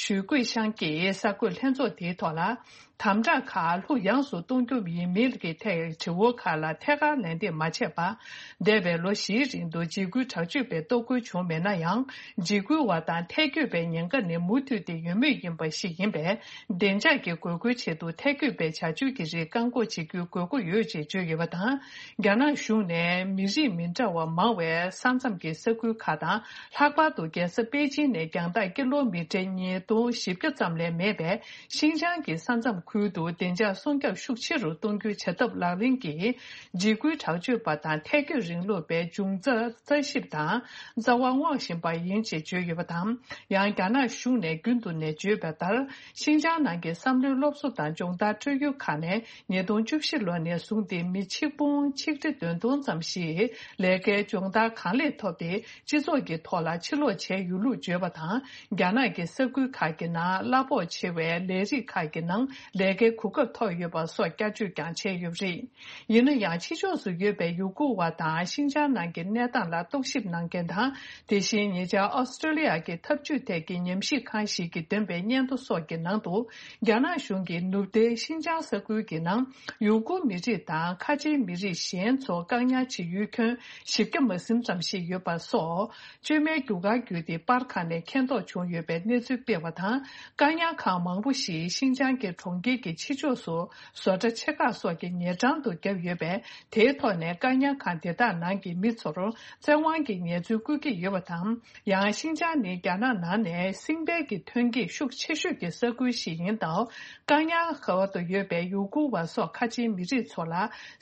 ཞུས་ཀུའེ་ཤང་གིས་གསར་འགོད་ལྷན་ཚོགས་དེའི་ཐོག་ལ། དམ་དྲག་ཁག་ལྷུག་ཡངས་སུ་གཏོང་རྒྱུ་ཡིན་མིན་གྱི་ཐད་དྲི་བ་ཁག་ལ་ཐད་ཀར་ལན་འདེབས་མ་བྱས་པར། འདས་པའི་ལོ་བཞིའི་རིང་དུ་འཇིགས་སྐུལ་དྲག་སྤྱོད་པའི་གཏོར་རྒོལ་བྱུང་མེད་ན་ཡང་། འཇིགས་སྐུལ་བ་དང་ཐལ་སྐྱོད་པའི་ཉེན་ཁ་ནི་མུ་མཐུད་དེ་ཡོད་མུས་ཡིན་པ་ཞིག་ཡིན་པས། བདེ་འཇགས་ཀྱི་དགོས་མཁོའི་ཆེད་དུ་ཐལ་སྐྱོད་པའི་བྱ་སྤྱོད་ཀྱི་རིགས་བཀག་འགོག་བྱེད་རྒྱུའི་དགོས་མཁོ་ཡོད་ཅེས་བརྗོད་ཡོད་པ་དང་། རྒྱ་ནག་གཞུང་ནས་མི་རིགས་མི་འདྲ་བ་མང་བའི་ས་མཚམས་ཀྱི་ས་ཁུལ་ཁག་དང་། ལྷག་པར་དུ་རྒྱལ་ས་པེ་ཅིན་ནས་རྒྱང་ཐག་ཀི་ལོ་མི་ཊར་ཉིས་སྟོང་བཞི་བརྒྱ་ཙམ་ལས་མེད་པའི་ཤིན་ཅང་གི་ས་མཚམས་ཁུལ་དུ་བདེ་འཇགས་སྲུང་སྐྱོབ་ཤུགས་ཆེ་རུ་གཏོང་རྒྱུའི་བྱ་ཐབས་ལག་ལེན་གྱིས། འཇིགས་སྐུལ་དྲག་སྤྱོད་པ་དང་ཐལ་སྐྱོད་རིང་ལུགས་པའི་འབྱུང་རྩ་རྩད་ཞིབ་དང་རྩ་བ་སྔོག་བཞིན་པ་ཡིན་ཅེས། བརྗོད་ཡོད་པ་དང་། ཡང་རྒྱ་ནག་གཞུང་ནས་རྒྱུན་དུ་ནས་བརྗོད་པ་ལྟར། ཤིན་ཅང་ནང་གི་བསམ་བློའི་སློབ་གསོ་དང་སྦྱོང་བརྡར་སྤྲོད་ཡུལ་ཁག་ནས་ཉིས་སྟོང་བཅུ་བཞི་ལོ་ནས་བཟུང་སྟེ་མི་ཆིག་སྟོང་ཆིག་ཁྲི་བདུན་སྟོང་ཙམ་ཞིག་ལས་ཀའི་སྦྱོང་བརྡར་གང་ལེགས་ཐོབ་སྟེ། སྤྱི་ཚོགས་ཀྱི་ཐོག་ལ་ཕྱིར་ལོག་བྱས་ཡོད་ལུགས་བརྗོད་པ་དང་། རྒྱ་ནག་གི་ས་ཁུལ་ཁག་གི་ནང་གླ་ཕོགས་ཆེ་བའི་ལས་རིགས་ཁག་གི་ནང་ལས་ཀའི་གོ་སྐབས་ཐོབ་ཡོད་པ་སོགས་བསྐྱར་བརྗོད་ཀྱང་བྱས་ཡོད་པ་རེད། ཡིན་ན་ཡང་། ཕྱི་ཕྱོགས་སུ་ཡོད་པའི་ཡུ་གུར་བ་དང་ཤིན་ཅང་ནང་གི་གནས་སྟངས་ལ་རྟོག་ཞིབ་གནང་མཁན་དང་། དེ་བཞིན་ཉེ་ཆར་ཨོ་སི་ཀྲོ་ལི་ཡ་གི་འཐབ་ཇུས་ཐད་ཀྱི་ཉམས་ཞིབ་ཁང་ཞིག་གིས་བཏོན་པའི་སྙན་ཐོ་སོགས་ཀྱི་ནང་དུ། རྒྱ་ནག་གཞུང་གིས་ནུབ་མཐའི་ཤིན་ཅང་ས་ཁུལ་གྱི་ནང་ཡུ་གུར་མི་རིགས་དང་ཁ་ཆེའི་མི་རིགས་གཞན་ཚོ་བཀག་ཉར་བྱེད་ཡུལ་ཁྱོན་བཞི་བརྒྱ་མ་ཟིན་ཙམ་ཞིག་ཡོད་པ་སོགས། བཅོས་མའི་རྒྱུ་སྐར་བརྒྱུད་དེ་པར་ཁང་ནས་མཁྱེན་རྟོགས་བྱུང་ཡོད་པའི་གནས་ཚུལ་སྤེལ་བ་དང་། བཀག་ཉར་ཁང་མང་པོ་ཞིག་ཤིན་ཅང་གི་གྲོང་ཁྱེར་གྱི་ཕྱི་ཕྱོགས་སུ་བཟོ་གྲྭ་ཆེ་ཁག་སོགས་ཀྱི་ཉེ་འགྲམ་དུ་བརྒྱབ་ཡོད་པས། དེའི་ཐོག་ནས་བཀག་ཉར་ཁང་དེ་དག་ནང་གི་མི་ཚོར་བཙན་དབང་གིས་ཉེས་འཛུགས་བཀོད་ཀྱི་ཡོད་པ་དང་། ཡང་ཤིན་ཅང་ནི་རྒྱ་ནག་ནང་ནས་སྲིང་བལ་གྱི་ཐོན་སྐྱེད་ཤུགས་ཆེ་ཤོས་ཀྱི་ས་ཁུལ་ཞིག་ཡིན་སྟབས། བཀག་ཉར་ཁང་དུ་ཡོད་པའི་ཡུ་གུར་བ་སོགས་ཁ་ཆེའི་མི་རིགས་ཚོ་ལ་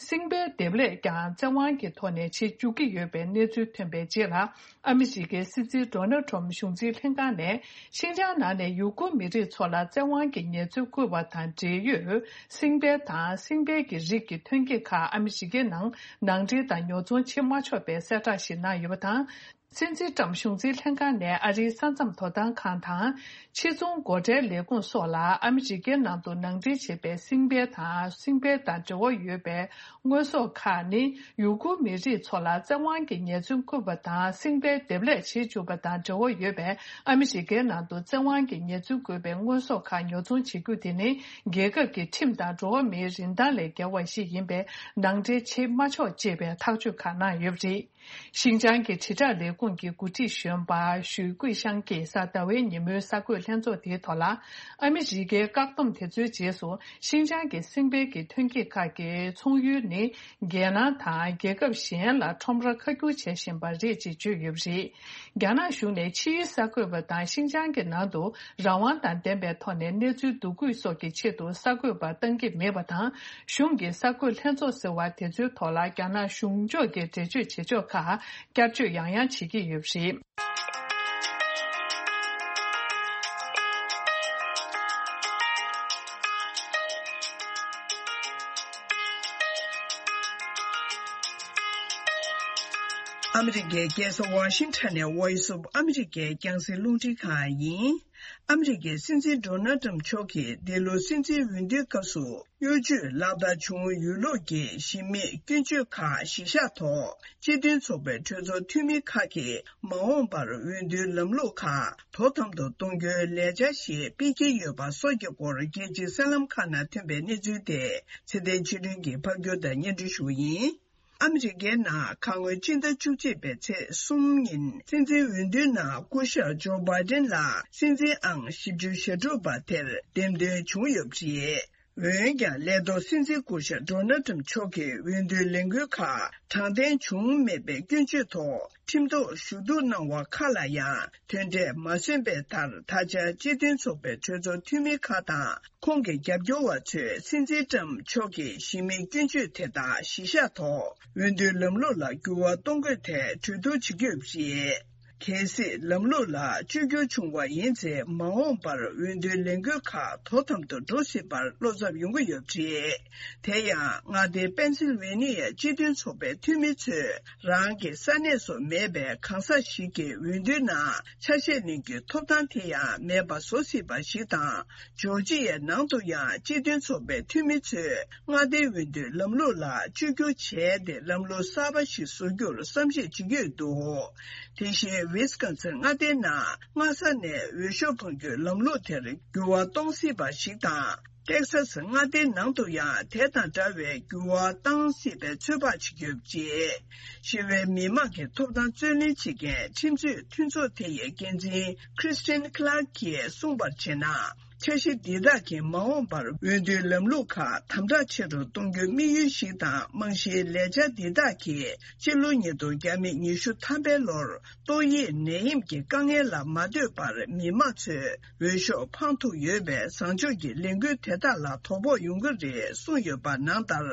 སྲིང་བལ་འདེབས་ལས་ཀྱང་བཙན་དབང་གི་ཐོག་ནས་བྱེད་བཅུག་གི་ཡོད་པའི་གནས་ཚུལ་ཐོན་པའི་རྗེས་ལ། ཨ་མི་རི་ཀའི་སྲིད་འཛིན་ཌོ་ནལ་ཊམ་གཞུང་འཛིན་ལྷན་ཁང་ནས་ཤིན་ཅང་ནང་ནས་ཡུ་གུར་མི་རིགས་ཚོ་ལ་བཙན་དབང་གིས་ཉེས་འཛུགས་བཀོད་པ་དང་འབྲེལ་ཡོད་སྲིང་བལ་དང་སྲིང་བལ་གྱི་རིགས་ཀྱི་ཐོན་སྐྱེད་ཁག་ཨ་མི་རི་ཀའི་ནང་ནང་འདྲེན་དང་ཉོ་ཚོང་བྱེད་མ་ཆོག་པའི་གསལ་བསྒྲགས་ཤིག་གནང་ཡོད་པ་དང་། སྲིད་འཛིན་ཊམ་གཞུང་འཛིན་ལྷན་ཁང་ནས་ཨ་རིའི་ས་མཚམས་དོ་དམ་ཁང་དང་། ཕྱི་ཚོང་སྒོ་ཁྲལ་ལས་ཁུངས་སོགས་ལ་ཨ་མི་རི་ཀའི་ནང་དུ་ནང་འདྲེན་བྱས་པའི་སྲིང་བལ་དང་སྲིང་བལ་དང་འབྲེལ་བ་ཡོད་པའི་དངོས་ཟོག་ཁག་ནི་ཡུ་གུར་མི་རིགས་ཚོ་ལ་བཙན་དབང་གིས་ཉེས་འཛུགས་བཀོད་པ་དང་སྲིང་བལ་འདེབས་ལས་བྱེད་བཅུག་པ་དང་འབྲེལ་བ་ཡོད་པའི་ཨ་མི་རི་ཀའི་ནང་དུ་བཙན་དབང་གིས་ཉེས་འཛུགས་བཀོད་པའི་དངོས་ཟོག་ཁག་ཉོ་ཚོང་བྱེད་རྒྱུ་དེ་ནི་རྒྱལ་ཁབ་ཀྱི་ཁྲིམས་དང་འགྲོ་བ་མིའི་རིན་ཐང་ལས་བརྒལ་བ་ཞིག་ཡིན་པས་ནང་འདྲེན་བྱེད་མ་ཆོག་ཅེས་པའི་ཐག་གཅོད་ཁག་གནང་ཡོད་པ་རེད། ཤིན་ཅང་གི་དྲིལ་བསྒྲགས་ལས་ཁུངས་ཀྱི་འགོ་ཁྲིད་གཞོན་པ་ཞུས་ཀུའེ་ཤང་གིས་གཟའ་ཟླ་བའི་ཉིན་མོའི་གསར་འགོད་ལྷན་ཚོགས་དེའི་ཐོག་ལ། ཨ་མི་རི་ཀའི་བཀག་སྡོམ་དེ་ཚོའི་རྗེས་སུ་ཤིན་ཅང་གི་སྲིང་བལ་གྱི་ཐོན་སྐྱེད་ཁག་གི་ཚོང་ཡུལ་ནི་རྒྱལ་ནང་དང་རྒྱལ་ཁབ་གཞན་ལ་ཁྲོམ་ར་ཁ་བསྒྱུར་བྱེད་བཞིན་པ་རེད་ཅེས་བརྗོད་ཡོད་པ་རེད། རྒྱ་ནག་གཞུང་ནས་ཕྱིའི་གསར་འགོད་པ་དང་ཤིན་ཅང་གི་ནང་དུ་རང་དབང་དང་ལྡན་པའི་ཐོག་ནས་གནས་ཚུལ་བསྡུ་སྐུལ་སོགས་ཀྱི་ཆེད་དུ་གསར་འགོད་པ་བཏང་གི་མེད་པ་དང་། གཞུང་གི་གསར་འགོད་ལྷན་ཚོགས་ཟེར་བ་དེ་ཚོའི་ཐོག་ལ་རྒྱ་ནག་གཞུང་ཕྱོགས་ཀྱི་འགྲེལ་བརྗོད་བྱེད་ཕྱོགས་ཁག་བསྐྱར་བརྗོད་ཡང་ཡང་བྱེད་ཀྱི་ཡོད་པ་རེད། ཨ་མི་རི་ཀའི་རྒྱལ་ས་ཝ་ཤིང་ཊོན་ནས་Voice of America རྒྱང་སྲིང་རླུང་འཕྲིན་ཁང་ཡིན། ཨ་མི་རི་ཀའི་སྲིད་འཛིན་ཌོ་ནལ་ཊམ་མཆོག་གིས་འདི་ལོ་སྲིད་འཛིན་འོས་བསྡུའི་སྐབས་སུ་གཡོ་ཇུས་ལག་བསྟར་བྱུང་ཡོད་ལུགས་ཀྱི་གཞི་མེད་སྐྱོན་བརྗོད་ཁག་གཞི་བཞག་ཐོག་སྤྱི་མཐུན་ཚོགས་པའི་གྲོས་ཚོགས་འཐུས་མི་ཁག་གིས་མ་འོངས་པར་འོས་བསྡུའི་ལམ་ལུགས་ཁག་དོ་དམ་དུ་གཏོང་རྒྱུའི་ལས་འཆར་ཞིག་སྤེལ་གྱི་ཡོད་པ་སོགས་ཀྱི་སྐོར་རྒྱལ་སྤྱིའི་གསར་ལམ་ཁག་ནང་ཐོན་པའི་གནས་ཚུལ་དེ་ཚེ་བརྟན་ཆོས་སྒྲོན་གྱིས་ཕབ་སྒྱུར་དང་སྙན་སྒྲོན་ཞུ་བ་ཡིན། ཨ་མི་རི་ཀའི་ནང་ཁ་སྔོན་སྤྱི་ཟླ་བཅུ་གཅིག་པའི་ཚེས་གསུམ་ཉིན་སྲིད་འཛིན་འོས་བསྡུའི་ནང་སྐུ་ཞབས་ཇོ་བྷའི་ཌེན་ལ་སྲིད་འཛིན་ཨང་བཞི་བཅུ་ཞེ་དྲུག་པ་དེར་འདེམས་ཐོན་བྱུང་ཡོད་པ་རེད། འོན་ཀྱང་ལས་ཐོག་སྲིད་འཛིན་སྐུ་ཞབས་ཌོ་ནལ་ཊམ་མཆོག་གིས་འོས་བསྡུའི་ལས་འགུལ་ཁག་དྲང་བདེན་བྱུང་མེད་པའི་སྐྱོན་བརྗོད་ཐོག་ཁྲིམས་ཐོག་ཞུ་གཏུག་གནང་བ་ཁག་ལ་ཡང་དོན་འབྲས་མ་སོན་པའི་མཐར། ད་ཆ་སྤྱི་མཐུན་ཚོགས་པའི་གྲོས་ཚོགས་འཐུས་མི་ཁག་དང་། ཁོང་གི་རྒྱབ་སྐྱོར་བ་ཚོས་སྲིད་འཛིན་ཊམ་མཆོག་གི་གཞི་མེད་སྐྱོན་བརྗོད་དེ་དག་གཞི་བཞག་ཐོག་འོས་བསྡུའི་ལམ་ལུགས་ལ་འགྱུར་བ་གཏོང་དགོས་ཐད་གྲོས་བསྡུར་བྱེད་ཀྱི་ཡོད་པ་རེད། གལ་སྲིད་ལམ་ལུགས་ལ་བཅོས་བསྒྱུར་བྱུང་བ་ཡིན་ཚེ། མ་འོངས་པར་འོས་བསྡུའི་ལས་འགུལ་ཁག་དོ་དམ་དུ་འགྲོ་སྲིད་པར་བློ་འཚབ་ཡོང་གི་ཡོད་པ་རེད། དེ་ཡང་མངའ་སྡེ་པེན་སིལ་ཝེ་ནི་ཡའི་སྤྱི་མཐུན་ཚོགས་པའི་འཐུས་མི་ཚོས། རང་གི་ས་གནས་སུ་མེད་པའི་གང་ཟག་ཞིག་གིས་འོས་བསྡུའི་ནང་ཆ་ཤས་ལེན་རྒྱུའི་ཐོབ་ཐང་དེ་ཡང་མེད་པ་བཟོ་སྲིད་པ་ཞིག་དང་། ཇོར་ཇི་ཡའི་ནང་དུ་ཡང་སྤྱི་མཐུན་ཚོགས་པའི་འཐུས་མི་ཚོས་མངའ་སྡེའི་འོས་བསྡུའི་ལམ་ལུགས་ལ་བཅོས་བསྒྱུར་བྱས་ཏེ། ལམ་ལུགས་གསར་པ་ཞིག་བཟོ་རྒྱུར་བསམ་གཞིག་བྱེད་ཀྱི་ཡོད་འདུག་དེ་བཞིན་ཝི་སི་ཀོན་སིན་མངའ་སྡེའི་ནང་སྔ་ས་ནས་འོས་ཤོག་འཕང་རྒྱུའི་ལམ་ལུགས་དེར་འགྱུར་བ་གཏོང་སྲིད་པ་ཞིག་དང་། ཏེག་ས་སི་མངའ་སྡེའི་ནང་དུ་ཡང་དེ་དང་འདྲ་བའི་འགྱུར་བ་བཏང་སྲིད་པའི་ཚོད་དཔག་བྱེད་ཀྱི་ཡོད་པ་རེད། ཞི་བའི་མི་མང་གི་ཐོབ་ཐང་རྩོད་ལེན་བྱེད་མཁན་ཁྲིམས་རྩོད་མཐུན་ཚོགས་དེ་ཡི་འགན་འཛིན་Christine Clark གིས་གསུངས་པར་བྱས་ན། འཆར་གཞི་འདི་དག་གིས་མ་འོངས་པར་འོས་བསྡུའི་ལམ་ལུགས་ཁག་དམ་དྲག་ཆེ་རུ་གཏོང་རྒྱུའི་དམིགས་ཡུལ་ཞིག་དང་། རྨང་གཞིའི་ལས་འཆར་འདི་དག་གིས་སྤྱི་ལོ་ཉིས་སྟོང་ཉི་ཤུ་ཐམ་པའི་ལོར། ཏོག་དབྱིབས་ནད་ཡམས་ཀྱི་དཀའ་ངལ་ལ་མ་ལྟོས་པར་མི་མང་ཚོས་འོས་ཤོག་འཕང་ཐུབ་ཡོད་པའི་བཟང་ཕྱོགས་ཀྱི་ལས་འགུལ་དེ་དག་ལ་དོ་ཕོག་ཡོང་གི་རེད་གསུངས་ཡོད་པ་ནང་ལྟར།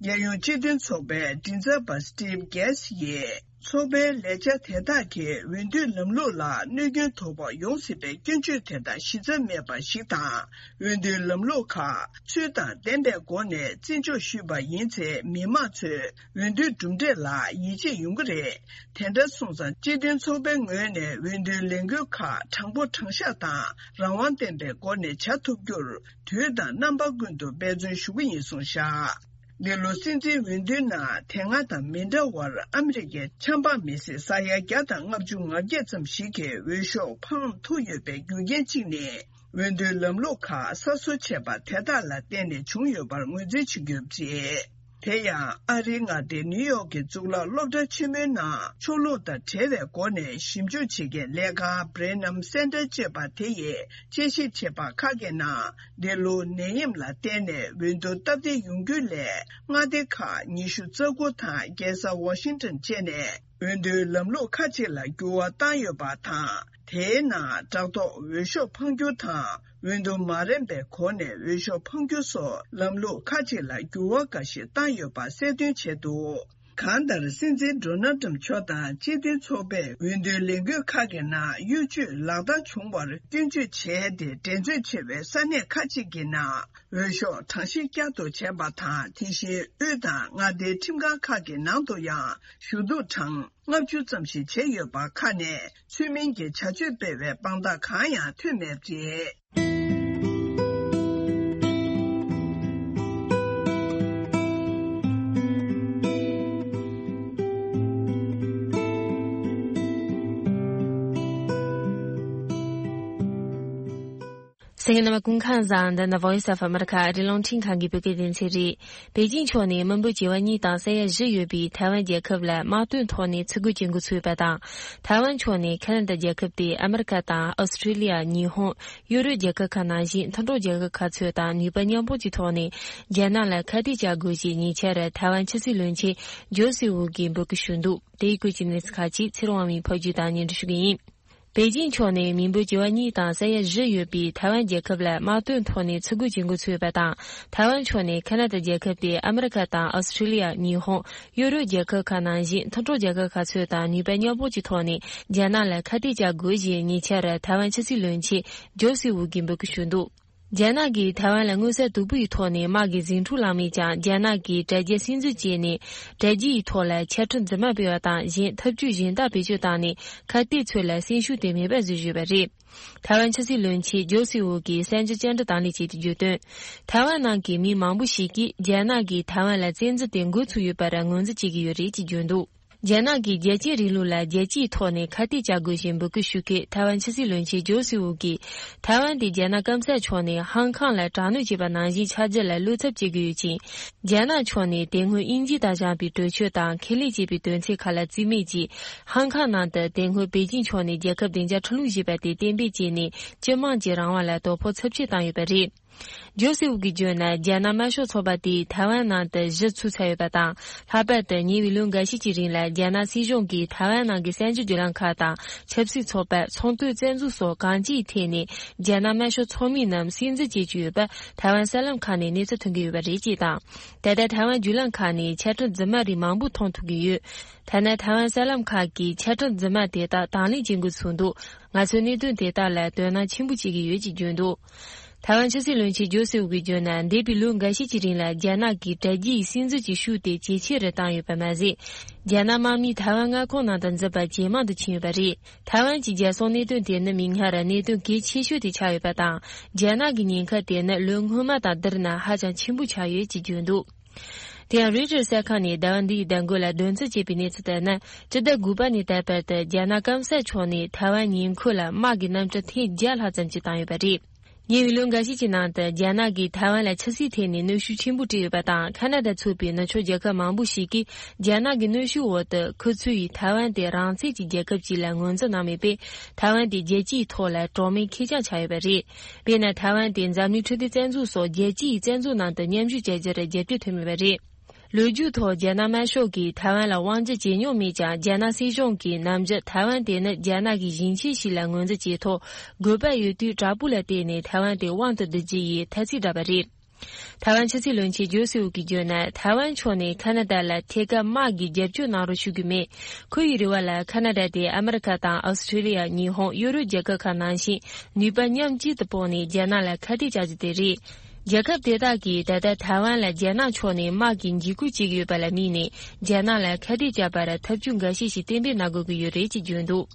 རྒྱལ་ཡོངས་སྤྱི་མཐུན་ཚོགས་པའི་མགྲིན་ཚབ་པ་Steve Gass ཡིས་ ཚོགས་པའི་ལས་འཆར་དེ་དག་གིས་འོས་བསྡུའི་ལམ་ལུགས་ལ་གནོད་སྐྱོན་དོ་ཕོག་ཡོང་སྲིད་པའི་སྐྱོན་བརྗོད་དེ་དག་གཞི་རྩ་མེད་པ་ཞིག་དང་། འོས་བསྡུའི་ལམ་ལུགས་ཁག་ཚུལ་དང་ལྡན་པའི་སྒོ་ནས་བརྩི་འཇོག་ཞུས་པ་ཡིན་ཚེ། མི་མང་ཚོས་འོས་བསྡུའི་གྲུབ་འབྲས་ལ་ཡིད་ཆེས་ཡོང་གི་རེད། དེ་འདྲ་སོང་ཙང་། སྤྱི་མཐུན་ཚོགས་པའི་ངོས་ནས་འོས་བསྡུའི་ལས་འགུལ་ཁག་དྲང་པོ་དྲང་གཞག་དང་རང་དབང་ལྡན་པའི་སྒོ་ནས་བྱ་ཐུབ་རྒྱུར། དུས་དང་རྣམ་པ་ཀུན་ཏུ་འབད་བརྩོན་ཞུ་གི་ཡིན་གསུངས་བཞག་འདི་ལོ་སྲིད་འཛིན་འོས་བསྡུའི་ནང་། དེ་སྔ་དང་མི་འདྲ་བར། ཨ་མི་རི་ཀའི་ཆབ་འབངས་མི་སེར་ས་ཡ་བརྒྱ་དང་ལྔ་བཅུ་ང་བརྒྱད་ཙམ་ཞིག་གིས་འོས་ཤོག་འཕངས་ཐུབ་ཡོད་པའི་རྒྱུ་རྐྱེན་གཅིག་ནི། འོས་བསྡུའི་ལམ་ལུགས་ཁག་གསར་བཟོ་བྱས་པ་དེ་དག་ལ་བརྟེན་ནས་བྱུང་ཡོད་པར་ངོས་འཛིན་བྱེད་ཀྱི་ཡོད་པ་རེད། དེ་ཡང་། ཨ་རིའི་མངའ་སྡེ་ནིའུ་ཡོག་གི་གཙུག་ལག་སློབ་གྲྭ་ཆེན་མོའི་ནང་། ཕྱོགས་ལྷུང་དང་བྲལ་བའི་སྒོ་ནས་ཞིབ་འཇུག་བྱེད་མཁན་ལས་ཁང་Brenham Center ཅེས་པ་དེ་ཡིས་དཔྱད་ཞིབ་བྱས་པ་ཁག་གི་ནང་། འདི་ལོ་ནད་ཡམས་ལ་བརྟེན་ནས་འོས་བསྡུ་སྟབས་བདེ་ཡོང་རྒྱུ་ལས། མངའ་སྡེ་ཁག་ཉི་ཤུ་རྩ་དགུ་དང་རྒྱལ་ས་ཝ་ཤིང་ཏོན་བཅས་ནས། འོས་བསྡུའི་ལམ་ལུགས་ཁག་ཅིག་ལ་འགྱུར་བ་བཏང་ཡོད་པ་དང་། དེའི་ནང་དྲ་ཐོག་འོས་ཤོག་འཕངས་རྒྱུ་དང་། འོས་བསྡུ་མ་རན་པའི་སྒོ་ནས་འོས་ཤོག་འཕངས་རྒྱུ་སོགས་ལམ་ལུགས་ཁག་ཅིག་ལ་འགྱུར་བ་འགའ་ཞིག་བཏང་ཡོད་པ་གསལ་སྟོན་བྱས་འདུག་གང་ལྟར། སྲིད་འཛིན་ཌོ་ནལ་ཏྲམ་མཆོག་དང་སྤྱི་མཐུན་ཚོགས་པས་འོས་བསྡུའི་ལས་འགུལ་ཁག་གི་ནང་གཡོ་ཇུས་ལག་བསྟར་བྱུང་བར་སྐྱོན་བརྗོད་བྱས་ཏེ། འགྲན་རྩོད་ཆེ་བའི་ས་གནས་ཁག་ཅིག་གི་ནང་འོས་ཤོག་གྲངས་བཤེར་བསྐྱར་དུ་བྱས་པ་དང་། དེ་བཞིན་དབུས་དང་མངའ་སྡེའི་ཁྲིམས་ཁང་ཁག་གི་ནང་དུ་ཡང་ཞུ་གཏུག་གྲངས་ལྔ་བཅུ་ཙམ་ཞིག་བྱས་ཡོད་པ་ཁག་ནས་ཚུལ་མིན་གྱི་བྱ་སྤྱོད་སྤེལ་བའི་དཔང་རྟགས་གང་ཡང་ཐོན་མེད་པ་རེད། གསན་མཁན་རྣམ་པ་སྐུ་ཁམས་བཟང་། འདི་ནི་Voice of America ཨ་རིའི་རླུང་འཕྲིན་ཁང་གི་བོད་སྐད་སྡེ་ཚན་རེད། པེ་ཅིང་ཕྱོགས་ནས་མི་འབོར་བྱེ་བ་གཉིས་དང་ས་ཡ་བཞི་ཡོད་པའི་ཐའེ་ཝན་རྒྱལ་ཁབ་ལ་དམག་དོན་ཐོག་ནས་ཚུར་རྒོལ་བྱེད་འགོ་ཚུགས་ཡོད་པ་དང་། ཐའེ་ཝན་ཕྱོགས་ནས་ཁ་ན་ཌ་རྒྱལ་ཁབ་དེ་ཨ་མི་རི་ཀ་དང་ཨོ་སི་ཁྲི་ལི་ཡ། ཉི་ཧོང་། ཡུ་རོབ་རྒྱལ་ཁབ་ཁག་ནང་བཞིན་མཐུན་གྲོགས་རྒྱལ་ཁབ་ཁག་ཚོ་དང་ནུས་པ་མཉམ་སྤུངས་ཀྱི་ཐོག་ནས་རྒྱ་ནག་ལ་ཁ་གཏད་བཅག་དགོས་ཞེས་ཉེ་ཆར་ཐའེ་ཝན་ཕྱི་སྲིད་བློན་ཆེན་ཇོ་སི་ཝུ་གིས་འབོད་སྐུལ་ཞུས་འདུག་དེའི་སྐོར་གྱི་གནས་ཚུལ་ཁག་ཅིག་ཚེ་རིང་དབང་མོས་ཕབ་སྒྱུར་དང་སྙན་སྒྲོན་ཞུ་གི་ཡིན། པེ་ཅིང་ཕྱོགས་ནས་མི་འབོར་བྱེ་བ་གཉིས་དང་ས་ཡ་བཞི་ཡོད་པའི་ཐའེ་ཝན་རྒྱལ་ཁབ་ལ་དམག་དོན་ཐོག་ནས་ཚུར་རྒོལ་བྱེད་འགོ་ཚུགས་ཡོད་པ་དང་། ཐའེ་ཝན་ཕྱོགས་ནས་ཁ་ན་ཌ་རྒྱལ་ཁབ་དེ་ཨ་མི་རི་ཀ་དང་ཨོ་སི་ཁྲི་ལི་ཡ། ཉི་ཧོང་། ཡུ་རོབ་རྒྱལ་ཁབ་ཁག་ནང་བཞིན་མཐུན་གྲོགས་རྒྱལ་ཁབ་ཁག་ཚོ་དང་ནུས་པ་མཉམ་སྤུངས་ཀྱི་ཐོག་ནས་རྒྱ་ནག་ལ་ཁ་གཏད་བཅག་དགོས་ཞེས་ཉེ་ཆར་ཐའེ་ཝན་ཕྱི་སྲིད་བློན་ཆེན་ཇོ་སི་ཝུ་གིས་འབོད་སྐུལ་ཞུས་འདུག་རྒྱ་ནག་གིས་ཐའེ་ཝན་ལ་མངོན་གསལ་དོད་པོ་ཡི་ཐོག་ནས་དམག་གི་ཟིང་འཁྲུག་བསླངས་མེད་ཀྱང་། རྒྱ་ནག་གིས་དྲ་རྒྱའི་སྲིད་འཛིན་བྱས་ནས་དྲ་རྒྱ་ཡི་ཐོག་ལ་འཆད་ཁྲིད་རྫུན་མ་སྤེལ་བ་དང་། གཞན་ཐབས་ཇུས་གཞན་དག་བེད་སྤྱོད་བཏང་ནས་ཁ་གཏད་ཚོད་ལ་སེམས་ཤུགས་དེ་མེད་པར་བཟོས་ཡོད་པ་རེད། ཐའེ་ཝན་ཕྱི་སྲིད་བློན་ཆེན་ཇོ་སི་ཝུ་གིས་གསར་འགྱུར་བཅར་འདྲི་དང་ལེན་བྱས་ཏེ་བརྗོད་དོན། ཐའེ་ཝན་ནང་གི་མི་མང་པོ་ཞིག་གིས་རྒྱ་ནག་གིས་ཐའེ་ཝན་ལ་བཙན་འཛུལ་དེ་འགོ་ཚུགས་ཡོད་པར་ངོས་འཛིན་བྱེད་ཀྱི་ཡོད་རེད་ཅེས་བརྗོད་འདུག་རྒྱ་ནག་གིས་རྒྱལ་གཅེས་རིང་ལུགས་ལ་རྒྱལ་སྤྱིའི་ཐོག་ནས་ཁ་གཏད་བཅག་དགོས་ཞེས་འབོད་སྐུལ་ཞུ་མཁན་ཐའེ་ཝན་ཕྱི་སྲིད་བློན་ཆེན་ཇོ་སི་ཝུ་གིས། ཐའེ་ཝན་དེ་རྒྱ་ནག་སྐམ་ས་ཕྱོགས་ནས་ཧང་ཀང་ལ་དྲག་གནོན་བྱས་པ་ནང་བཞིན་ཆགས་རྒྱུ་ལ་བློ་འཚབ་བྱེད་ཀྱི་ཡོད་ཅིང་། རྒྱ་ནག་ཕྱོགས་ནས་དེ་སྔོན་དབྱིན་ཇི་དང་བྱམས་པའི་གྲོས་ཆོད་དང་ཁེ་ལས་བཅས་པའི་དོན་ཚན་ཁག་ལ་རྩིས་མེད་ཀྱིས། ཧང་ཀང་ནང་དུ་དེ་སྔོན་པེ་ཅིང་ཕྱོགས་ནས་རྒྱལ་ཁབ་བདེ་འཇགས་ཁྲིམས་ལུགས་ཞེས་པ་དེ་གཏན་འབེབས་བྱས་ནས་སྤྱི་དམངས་ཀྱི་རང་དབང་ལ་དོ་ཕོག་ཚབས་ཆེ་བཏང་ཡོད་པ་རེད། ཇོ་སི་ཝུ་གིས་བརྗོད་ན། རྒྱ་ནག་དམར་ཤོག་ཚོགས་པ་དེས་ཐའེ་ཝན་ནང་དུ་གཞི་ཚུགས་ཚར་ཡོད་པ་དང་། ལྷག་པར་དུ་ཉེ་བའི་ལོ་འགའ་ཤས་ཀྱི་རིང་ལ་རྒྱ་ནག་སྲིད་གཞུང་གིས་ཐའེ་ཝན་ནང་གི་གསར་འགྱུར་བརྒྱུད་ལམ་ཁག་དང་ཆབ་སྲིད་ཚོགས་པ། ཚོང་དོན་རྩ་འཛུགས་སོགས་གང་ཅིའི་ཐད་ནས་རྒྱ་ནག་དམར་ཤོག་ཚོགས་མིའི་རྣམས་སྲིད་འཛིན་བྱེད་ཀྱི་ཡོད་པ་ཐའེ་ཝན་གསར་ལམ་ཁག་ནས་གནས་ཚུལ་ཐོན་གྱི་ཡོད་པ་རེད་ཅེས་དང་། ད་ལྟ་ཐའེ་ཝན་བརྒྱུད་ལམ་ཁག་ནས་འཆད་ཁྲིད་རྫུན་མ་རིགས་མང་པོ་མཐོང་ཐུབ་ཀྱི་ཡོད། ཐ་ན་ཐའེ་ཝན་གསར་ལམ་ཁག་གིས་འཆད་ཁྲིད་རྫུན་མ་དེ་དག་དང་ལེན་བྱེད་འགོ་ཚུགས་འདུག་ང་ཚོས་གནད་དོན་དེ་དག་ལ་དོ་སྣང་ཆེན་པོ་བྱེད་ཀྱི་ཡོད་ཅེས་བརྗོད་འདུག་ཐའེ་ཝན་ཕྱི་སྲིད་བློན་ཆེན་ཇོ་སི་ཝུ་གིས་བརྗོད་ན། འདས་པའི་ལོ་འགའ་ཤས་ཀྱི་རིང་ལ་རྒྱ་ནག་གིས་དྲ་རྒྱའི་སྲིད་འཛིན་གྱི་ཤུགས་དེ་ཇེ་ཆེ་རུ་བཏང་ཡོད་པ་མ་ཟད། རྒྱ་ནག་དམག་མིས་ཐའེ་ཝན་མངའ་ཁོངས་ནང་དུ་འཛུལ་བ་ཇེ་མང་དུ་ཕྱིན་ཡོད་པ་རེད། ཐའེ་ཝན་གྱི་རྒྱལ་སྲུང་གནད་དོན་དེ་ནི་མིག་སྔར་གནད་དོན་གལ་ཆེ་ཤོས་དེ་ཆགས་ཡོད་པ་དང་། རྒྱ་ནག་གི་ཉེན་ཁ་དེ་ནི་ལོ་སྔོན་མ་དང་བསྡུར་ན་ཧ་ཅང་ཆེན་པོ་ཆགས་ཡོད་ཅེས་བརྗོད་འདུག་དེ་ཡང་རོའི་ཊར་གསར་ཁང་ནས་ཟླ་བ་འདིའི་ཟླ་འགོ་ལ་བདུན་ཚིགས་བྱས་པའི་གནས་ཚུལ་ལྟར་ན། སྤྱི་ཟླ་དགུ་པ་ནས་ད་བར་དུ་རྒྱ་ནག་སྐམ་ས་ཕྱོགས་ནས་ཐའེ་ཝན་ཉེ་འཁོར་ལ་དམག་གི་གནམ་གྲུ་ཐེངས་བརྒྱ་ལྷག་ཙམ་ཞིག་བཏང་ཡོད་པ་རེད། ཉེ་བའི་ལོ་འགའ་ཤས་ཀྱི་ནང་དུ་རྒྱ་ནག་གིས་ཐའེ་ཝན་ལ་ཆབ་སྲིད་ཐད་ནས་གནོན་ཤུགས་ཆེན་པོ་སྤྲད་ཡོད་པ་དང་། ཁ་ན་ཌ་ཚུད་པའི་ནུབ་ཕྱོགས་རྒྱལ་ཁབ་མང་པོ་ཞིག་གིས་རྒྱ་ནག་གི་གནོན་ཤུགས་འོག་ཏུ་ཁུ་ཚུར་ཡིས་ཐའེ་ཝན་དེ་རང་བཙན་གྱི་རྒྱལ་ཁབ་ཅིག་ལ་ངོས་འཛིན་གནང་མེད་པས། ཐའེ་ཝན་དེ་རྒྱལ་སྤྱིའི་ཐོག་ལ་གྲོགས་མེད་ཁེར་རྐྱང་ཆགས་ཡོད་པ་རེད། དཔེར་ན། ཐའེ་ཝན་དེ་འཛམ་གླིང་འཕྲོད་བསྟེན་རྩ་འཛུགས་སོགས་རྒྱལ་སྤྱིའི་རྩ་འཛུགས་ནང་དུ་མཉམ་ཞུགས་བྱ་རྒྱུར་རྒྱབ་སྐྱོར་ཐོན་མེད་པ་རེད། ལོ་རྒྱུས་ཐོག་རྒྱ་ནག་དམར་ཤོག་གིས་ཐའེ་ཝན་ལ་དབང་སྒྱུར་བྱེད་མྱོང་མེད་ཀྱང་། རྒྱ་ནག་སྲིད་གཞུང་གིས་ནམ་རྒྱུན་ཐའེ་ཝན་དེ་ནི་རྒྱ་ནག་གི་ཞིང་ཆེན་ཞིག་ལ་ངོས་འཛིན་བྱས་ཐོག་དགོས་པ་ཡོད་དུས་དྲག་པོ་ལ་བརྟེན་ནས་ཐའེ་ཝན་དེ་དབང་དུ་བསྡུ་རྒྱུ་ཡི་ཐ་ཚིག་བསྒྲགས་པ་རེད། ཐའེ་ཝན་ཕྱི་སྲིད་བློན་ཆེན་ཇོ་སི་ཝུ་གིས་བརྗོད་ན། ཐའེ་ཝན་ཕྱོགས་ནས་ཁ་ན་ཌ་ལ་ཐད་ཀར་དམག་གི་རྒྱབ་སྐྱོར་གནང་རོགས་ཞུ་གི་མེད། ཁོ་ཡི་རེ་བ་ལ་ཁ་ན་ཌ་དེ་ཨ་མི་རི་ཁ་དང་ཨོ་སི་ཁྲེ་ལི་ཡ། ཉི་ཧོང་། ཡོ་རོབ་རྒྱལ་ཁབ་ཁག་ནང་བཞིན་ནུས་པ་མཉམ་གཅིག་ཏུ་སྤུངས་ནས་རྒྱ་ནག་ལ་ཁ་གཏད་བཅག་རྒྱུ་དེ་རེད། རྒྱལ་ཁབ་དེ་དག་གིས་ད་ལྟ་ཐའེ་ཝན་ལ་རྒྱ་ནག་ཕྱོགས་ནས་དམག་གི་འཇིགས་སྐུལ་བྱེད་ཀྱི་ཡོད་པ་ལ་དམིགས་ནས། རྒྱ་ནག་ལ་ཁ་གཏད་བཅག་པར་ཐབས་ཇུས་འགའ་ཤས་ཤིག་གཏན་འབེབས་གནང་དགོས་ཀྱི་ཡོད་རེད་ཅེས་བརྗོད་འདུག་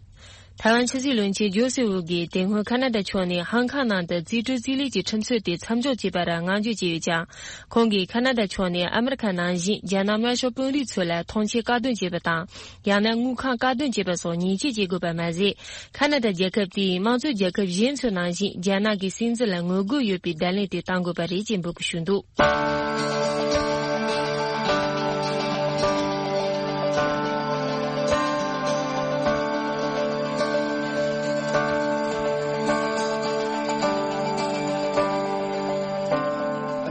ཐའེ་ཝན་ཕྱི་སྲིད་བློན་ཆེན་ཇོ་སི་ཝུ་གིས་དེ་སྔོན་ཁ་ན་ཌ་ཕྱོགས་ནས་ཧང་ཁང་ནང་དུ་རྩིས་སྤྲོད་རྩིས་ལེན་གྱི་ཁྲིམས་རྩོད་དེ་མཚམས་འཇོག་བྱས་པར་བསྔགས་བརྗོད་བྱས་ཡོད་ཀྱང་། ཁོང་གིས་ཁ་ན་ཌ་ཕྱོགས་ནས་ཨ་མི་རི་ཁ་ནང་བཞིན་རྒྱ་ནག་དམར་ཤོག་དཔོན་རིགས་ཚོ་ལ་ཐོངས་མཆན་བཀག་སྡོམ་བྱེད་པ་དང་། ཡང་ན་དངུལ་ཁང་བཀག་སྡོམ་བྱེད་པ་སོགས་ཉེས་ཆད་བཅད་དགོས་པ་མ་ཟད། ཁ་ན་ཌ་རྒྱལ་ཁབ་དེས་དམངས་གཙོ་རྒྱལ་ཁབ་གཞན་ཚོ་ནང་བཞིན་རྒྱ་ནག་གི་སྲིད་འཛིན་ལ་ངོ་རྒོལ་ཡོད་པའི་བརྡ་ལན་དེ་གཏང་དགོས་པ་རེད་ཅེས་འབོད་སྐུལ་ཞུས་འདུག་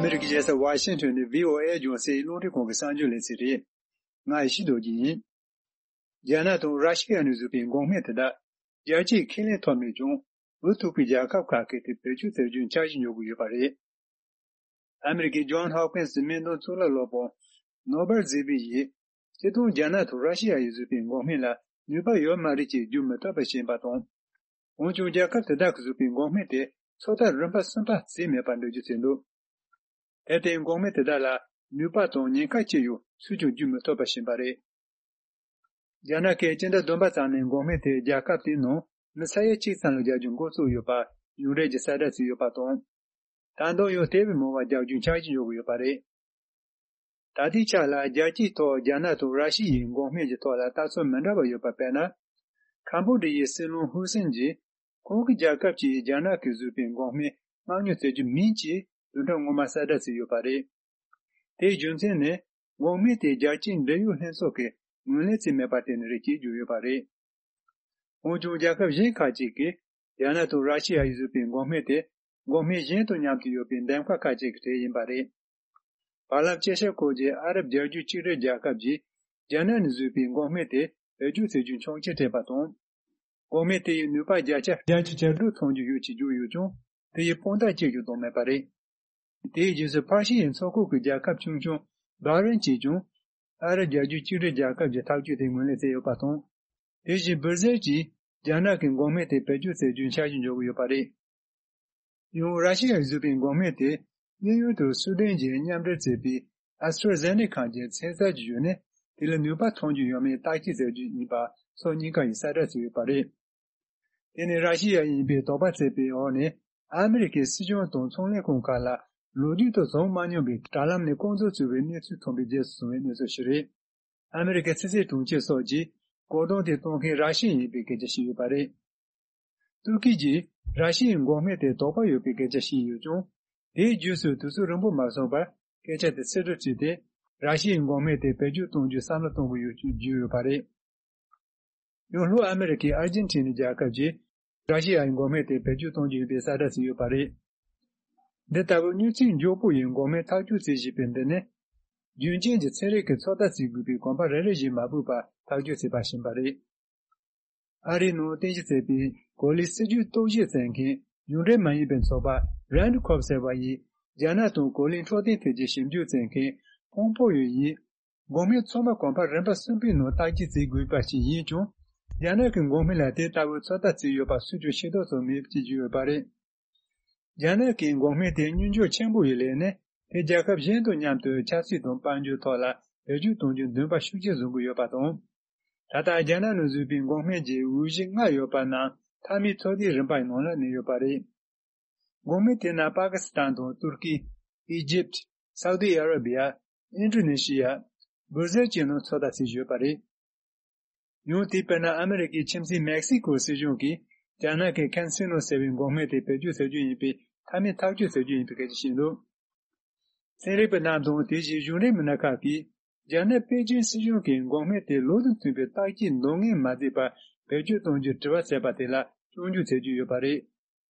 ཨ་མི་རི་ཀའི་རྒྱལ་ས་ཝ་ཤིང་ཊོན་ནས་བྷི་ཨོ་ཨེ་རྒྱང་སྲིང་རླུང་འཕྲིན་ཁང་གི་གསར་འགྱུར་ལེ་ཚན་རེད། ང་ཡེ་ཤེས་རྡོ་རྗེ་ཡིན། རྒྱ་ནག་དང་ར་ཤི་ཡ་ནས་བཟོས་པའི་འགོག་སྨན་དེ་དག་རྒྱལ་སྤྱིའི་ཁས་ལེན་ཐོབ་མེད་ཀྱང་། འུ་ཐུག་པའི་རྒྱལ་ཁབ་ཁག་གིས་དེ་བེད་སྤྱོད་བྱ་རྒྱུའི་འཆར་གཞི་འཇོག་གི་ཡོད་པ་རེད། ཨ་མི་རི་ཀའི་ཇོན་ཧོབ་ཀིན་སི་སྨན་དོན་གཙུག་ལག་སློབ་དཔོན་ནོ་བར་ཛི་བི་ཡིས། སྤྱིར་བཏང་རྒྱ་ནག་དང་ར་ཤི་ཡ་ཡིས་བཟོས་པའི་འགོག་སྨན་ལ་ནུས་པ་ཡོད་མ་རེད་ཅེས་བརྗོད་མི་ཐུབ་པ་ཞིག་ཡིན་པ་དང་། འོན་ཀྱང་རྒྱལ་ཁབ་དེ་དག་གིས་བཟོས་པའི་འགོག་སྨན་དེ་ཚོད་ལྟ་རིམ་པ་གསུམ་པ་བརྩིས་མེད་པར་འགྲེལ་བརྗོད་བྱས་འདུག་དེར་བརྟེན་འགོག་སྨན་དེ་དག་ལ་ནུས་པ་དང་ཉེན་ཁ་ཅི་ཡོད་སུས་ཀྱང་བརྗོད་མི་ཐུབ་པ་ཞིག་ཡིན་པ་རེད། རྒྱ་ནག་གིས་སྤྱི་ཟླ་བདུན་པ་ཙམ་ནས་འགོག་སྨན་དེ་རྒྱལ་ཁབ་དེའི་ནང་མི་ས་ཡ་གཅིག་ཙམ་ལ་རྒྱག་རྒྱུ་འགོ་བཙུགས་ཡོད་པ་གཞུང་འབྲེལ་གྱི་གསལ་བསྒྲགས་བྱས་ཡོད་པ་དང་། ད་དུང་ཡང་དེ་བས་མང་བ་རྒྱག་རྒྱུའི་འཆར་གཞི་འཇོག་གི་ཡོད་པ་རེད། ད་ལྟའི་ཆ་ལ་རྒྱལ་སྤྱིའི་ཐོག་རྒྱ་ནག་དང་ར་ཤི་ཡའི་འགོག་སྨན་གྱི་ཐོག་ལ་ལྟ་ཚུལ་མི་འདྲ་བ་ཡོད་པ། དཔེར་ན། ཁམ་བྷོ་ཌི་ཡའི་སྲིད་བློན་ཧུ་སེན་གྱིས་ཁོང་གི་རྒྱལ་ཁབ་ཀྱིས་རྒྱ་ནག་གིས་བཟོས་པའི་འགོག་སྨན་མངགས་ཉོ་བྱེད་རྒྱུ་མིན་ཅེས་དུས་དྲན་སྔོན་མ་གསལ་བསྒྲགས་བྱས་ཡོད་པ་རེད། དེའི་རྒྱུ་མཚན་ནི། འགོག་སྨན་དེ་རྒྱལ་སྤྱིའི་འབྲེལ་ཡོད་ལྷན་ཚོགས་ཀྱིས་ངོས་ལེན་བྱས་མེད་པར་བརྟེན་ནས་རེད་ཅེས་བརྗོད་ཡོད་པ་རེད། འོན་ཀྱང་རྒྱལ་ཁབ་གཞན་ཁག་ཅིག་གིས་རྒྱ་ནག་དང་ར་ཤི་ཡ་ཡིས་བཟོས་པའི་འགོག་སྨན་དེ་འགོག་སྨན་གཞན་དང་མཉམ་དུ་ཡོད་པའི་འདེམས་ཀ་ཁག་ཅིག་གི་གྲས་ཡིན་པ་རེད། བར་ལམ་དཔྱད་ཞིབ་སྐོར་གྱི་ཨ་རབ་རྒྱལ་རྒྱུད་གཅིག་སྒྲིལ་རྒྱལ་ཁབ་ཀྱིས་རྒྱ་ནག་ནས་བཟོས་པའི་འགོག་སྨན་དེ་བེད་སྤྱོད་བྱེད་རྒྱུའི་ཆོག་མཆན་སྤྲད་པ་དང་། འགོག་སྨན་དེ་ཡི་ནུས་པ་བརྒྱ་ཆ་བརྒྱད་ཅུ་གྱ་དྲུག་ཐོན་རྒྱུ་ཡོད་ཅེས་བརྗོད་ཡོད་ཀྱང་། དེ་ཡི་དཔང་རྟགས་གཅིག་ཀྱང་བཏོན་མེད་པ་རེད། དེའི་རྗེས་སུ་ཕར་ཤི་ཡའི་མཚོ་ཁུག་གི་རྒྱལ་ཁབ་ཆུང་ཆུང་བྷ་རེན་གྱིས་ཀྱང་། ཨ་རི་རྒྱལ་རྒྱུད་གཅིག་སྒྲིལ་རྒྱལ་ཁབ་ཀྱི་ཐག་གཅོད་དེ་ངོས་ལེན་བྱས་ཡོད་པ་དང་། དེ་བཞིན་སྦིར་ཟེར་གྱིས་རྒྱ་ནག་གི་འགོག་སྨན་དེ་བེད་སྤྱོད་བྱེད་རྒྱུའི་འཆར་གཞི་འཇོག་གི་ཡོད་པ་རེད། ཡང་ར་ཤི་ཡས་བཟོས་པའི་འགོག་སྨན་དེ་དབྱིན་ཡུལ་དུ་སུའུ་ཏན་གྱིས་མཉམ་འབྲེལ་བྱས་པའི་ཨ་སི་ཊྲ་ཛེ་ནེ་ཁ་གྱི་ཚན་རྩལ་གྱི་བརྒྱུད་ནས་དེ་ལ་ནུས་པ་ཐོན་རྒྱུ་ཡོད་མེད་བརྟག་དཔྱད་བྱ་རྒྱུ་ཡིན་པ་ཕྱོགས་གཉིས་ཀ་ཡིས་གསལ་བསྒྲགས་བྱས་ཡོད་པ་རེད། དེ་ནི་ར་ཤི་ཡ་ཡིན་པའི་དོགས་པ་བྱས་པའི་འོག་ནས་ཨ་མི་རི་ཀའི་སྲིད་གཞུང་དང་ཚོང་ལས་ཁང་ཁག་ལ་ལོ་རྒྱུས་དང་བྱུང་མ་མྱོང་བའི་དྲ་ལམ་ནས་རྐང་འཛུགས་བྱུང་བའི་གནས་ཚུལ་ཐོན་པའི་རྗེས་སུ་བྱུང་བའི་གནས་ཚུལ་ཞིག་རེད། ཨ་མི་རི་ཀའི་ཕྱི་སྲིད་དྲུང་ཆེ་སོགས་ཀྱིས་བཀོད་སྡོམ་དེ་གཏོང་མཁན་ར་ཤི་ཡ་ཡིན་པའི་སྐད་ཆ་བཤད་ཡོད་པ་རེད། ཏུར་ཀི་གྱིས་ར་ཤི་ཡའི་འགོག་སྨན་དེ་དོགས་པ་ཡོད་པའི་སྐད་ཆ་བཤད་ཡོད་ཀྱང་། དེའི་རྗེས་སུ་དུས་ཚོད་རིང་པོ་མ་སོང་བར་སྐད་ཆ་དེ་ཕྱིར་སྒྲུབ་བྱས་ཏེ། ར་ཤི་ཡའི་འགོག་སྨན་དེ་བེད་སྤྱོད་གཏོང་རྒྱུའི་བསམ་བློ་གཏོང་གི་ཡོད་ཅེས་བརྗོད་ཡོད་པ་རེད། ཡང་ལྷོ་ཨ་མི་རི་ཀའི་ཨར་ཇེན་ཊི་ནི་རྒྱལ་ཁབ་ཀྱིས་ར་ཤི་ཡའི་འགོག་སྨན་དེ་བེད་སྤྱོད་གཏོང་རྒྱུ་ཡིན་པའི་གསལ་བསྒྲགས་བྱས་ཡོད་པ་རེད། འདི་ལྟ་བུའི་མྱུར་ཚད་མགྱོགས་པོ་ཡི་འགོག་སྨན་ཐག་གཅོད་བྱེད་བཞིན་པའི་འདི་ནི། རྒྱུན་རྐྱེན་གྱི་ཚན་རིག་གི་ཚོད་ལྟ་བྱེད་དགོས་པའི་གོམ་པ་རེ་རེ་བཞིན་མ་ཕོད་པར་ཐག་གཅོད་བྱས་པ་ཞིག་ཡིན་པ་རེད། ཨ་རིའི་ནང་རྟེན་གཞི་བྱས་པའི་གོ་ལའི་སྲིད་ཇུས་རྟོག་ཞིབ་བྱེད་མཁན་གཞུང་འབྲེལ་མ་ཡིན་པའི་ཚོགས་པ་རན་ཁོབ་ཟེར་བ་ཡིས། རྒྱ་ནག་དང་གོ་ལའི་འཕྲོད་བསྟེན་ཐད་ཀྱི་ཞིབ་འཇུག་བྱེད་མཁན་ཕོང་པོ་ཡོ་ཡིས། འགོག་སྨན་ཚང་མ་གོམ་པ་རིམ་པ་གསུམ་པའི་ནང་བརྟག་དཔྱད་བྱེད་དགོས་པ་ཞིག་ཡིན་ཀྱང་། རྒྱ་ནག་གི་འགོག་སྨན་ལ་དེ་ལྟ་བུའི་ཚོད་ལྟ་བྱས་ཡོད་པ་སུས་ཀྱང་ཤེས་རྟོགས་བྱུང་མེད་ཅེས་བརྗོད་ཡོད་པ་རེད། རྒྱ་ནག་གི་འགོག་སྨན་དེ་སྙོམས་འཇུག་ཆེན་པོ་ཡི་ལས་ནི། དེ་རྒྱལ་ཁབ་གཞན་དང་མཉམ་དུ་ཆབ་སྲིད་དང་དཔལ་འབྱོར་ཐོག་ལ་བེད་སྤྱོད་གཏོང་རྒྱུ་འདུན་པ་ཤུགས་ཆེ་བཟུང་གི་ཡོད་པ་དང་། ད་ལྟ་རྒྱ་ནག་ནང་བཟོས་པའི་འགོག་སྨན་གྱི་འོས་གཞི་ལྔ་ཡོད་པ་ནང་མཐའ་མའི་ཚོད་ལྟའི་རིམ་པའི་ནང་ལ་གནས་ཡོད་པ་རེད། འགོག་སྨན་དེ་ནང་པ་ཀི་སི་ཐན་དང་ཏུར་ཀི། ཨི་ཇིབ། སའུ་དི་ཨ་ར་བི་ཡ། ཨིན་ཌོ་ནེ་ཤི་ཡ། སྦིར་ཟེར་བཅས་ནང་ཚོད་ལྟ་བྱས་ཡོད་པ་རེད། ཡང་དེ་དཔེར་ན་ཨ་མི་རི་ཀའི་ཁྱིམ་མཚེས་མེག་སི་ཀོ་སྲིད་གཞུང་གིས་རྒྱ་ནག་གི་ཁན་སི་ནོ་ཟེར་བའི་འགོག་སྨན་དེ་བེད་སྤྱོད་བྱ་རྒྱུ་ཡིན་པའི་མཐའ་མའི་ཐག་གཅོད་བྱ་རྒྱུ་ཡིན་པའི་སྐད་ཆ་བཤད་འདུག་ཚན་རིག་པ་རྣམས་དང་དེ་བཞིན་གཞུང་འབྲེལ་མི་སྣ་ཁག་གིས་རྒྱ་ནག་པེ་ཅིན་སྲིད་གཞུང་གིས་འགོག་སྨན་དེ་ལུགས་དང་མཐུན་པའི་བརྟག་དཔྱད་འདང་ངེས་མ་བྱས་པར་བེད་སྤྱོད་གཏོང་རྒྱུར་དྲི་བ་བྱས་པ་དེ་ལ་སྐྱོན་བརྗོད་བྱེད་ཀྱི་ཡོད་པ་རེད།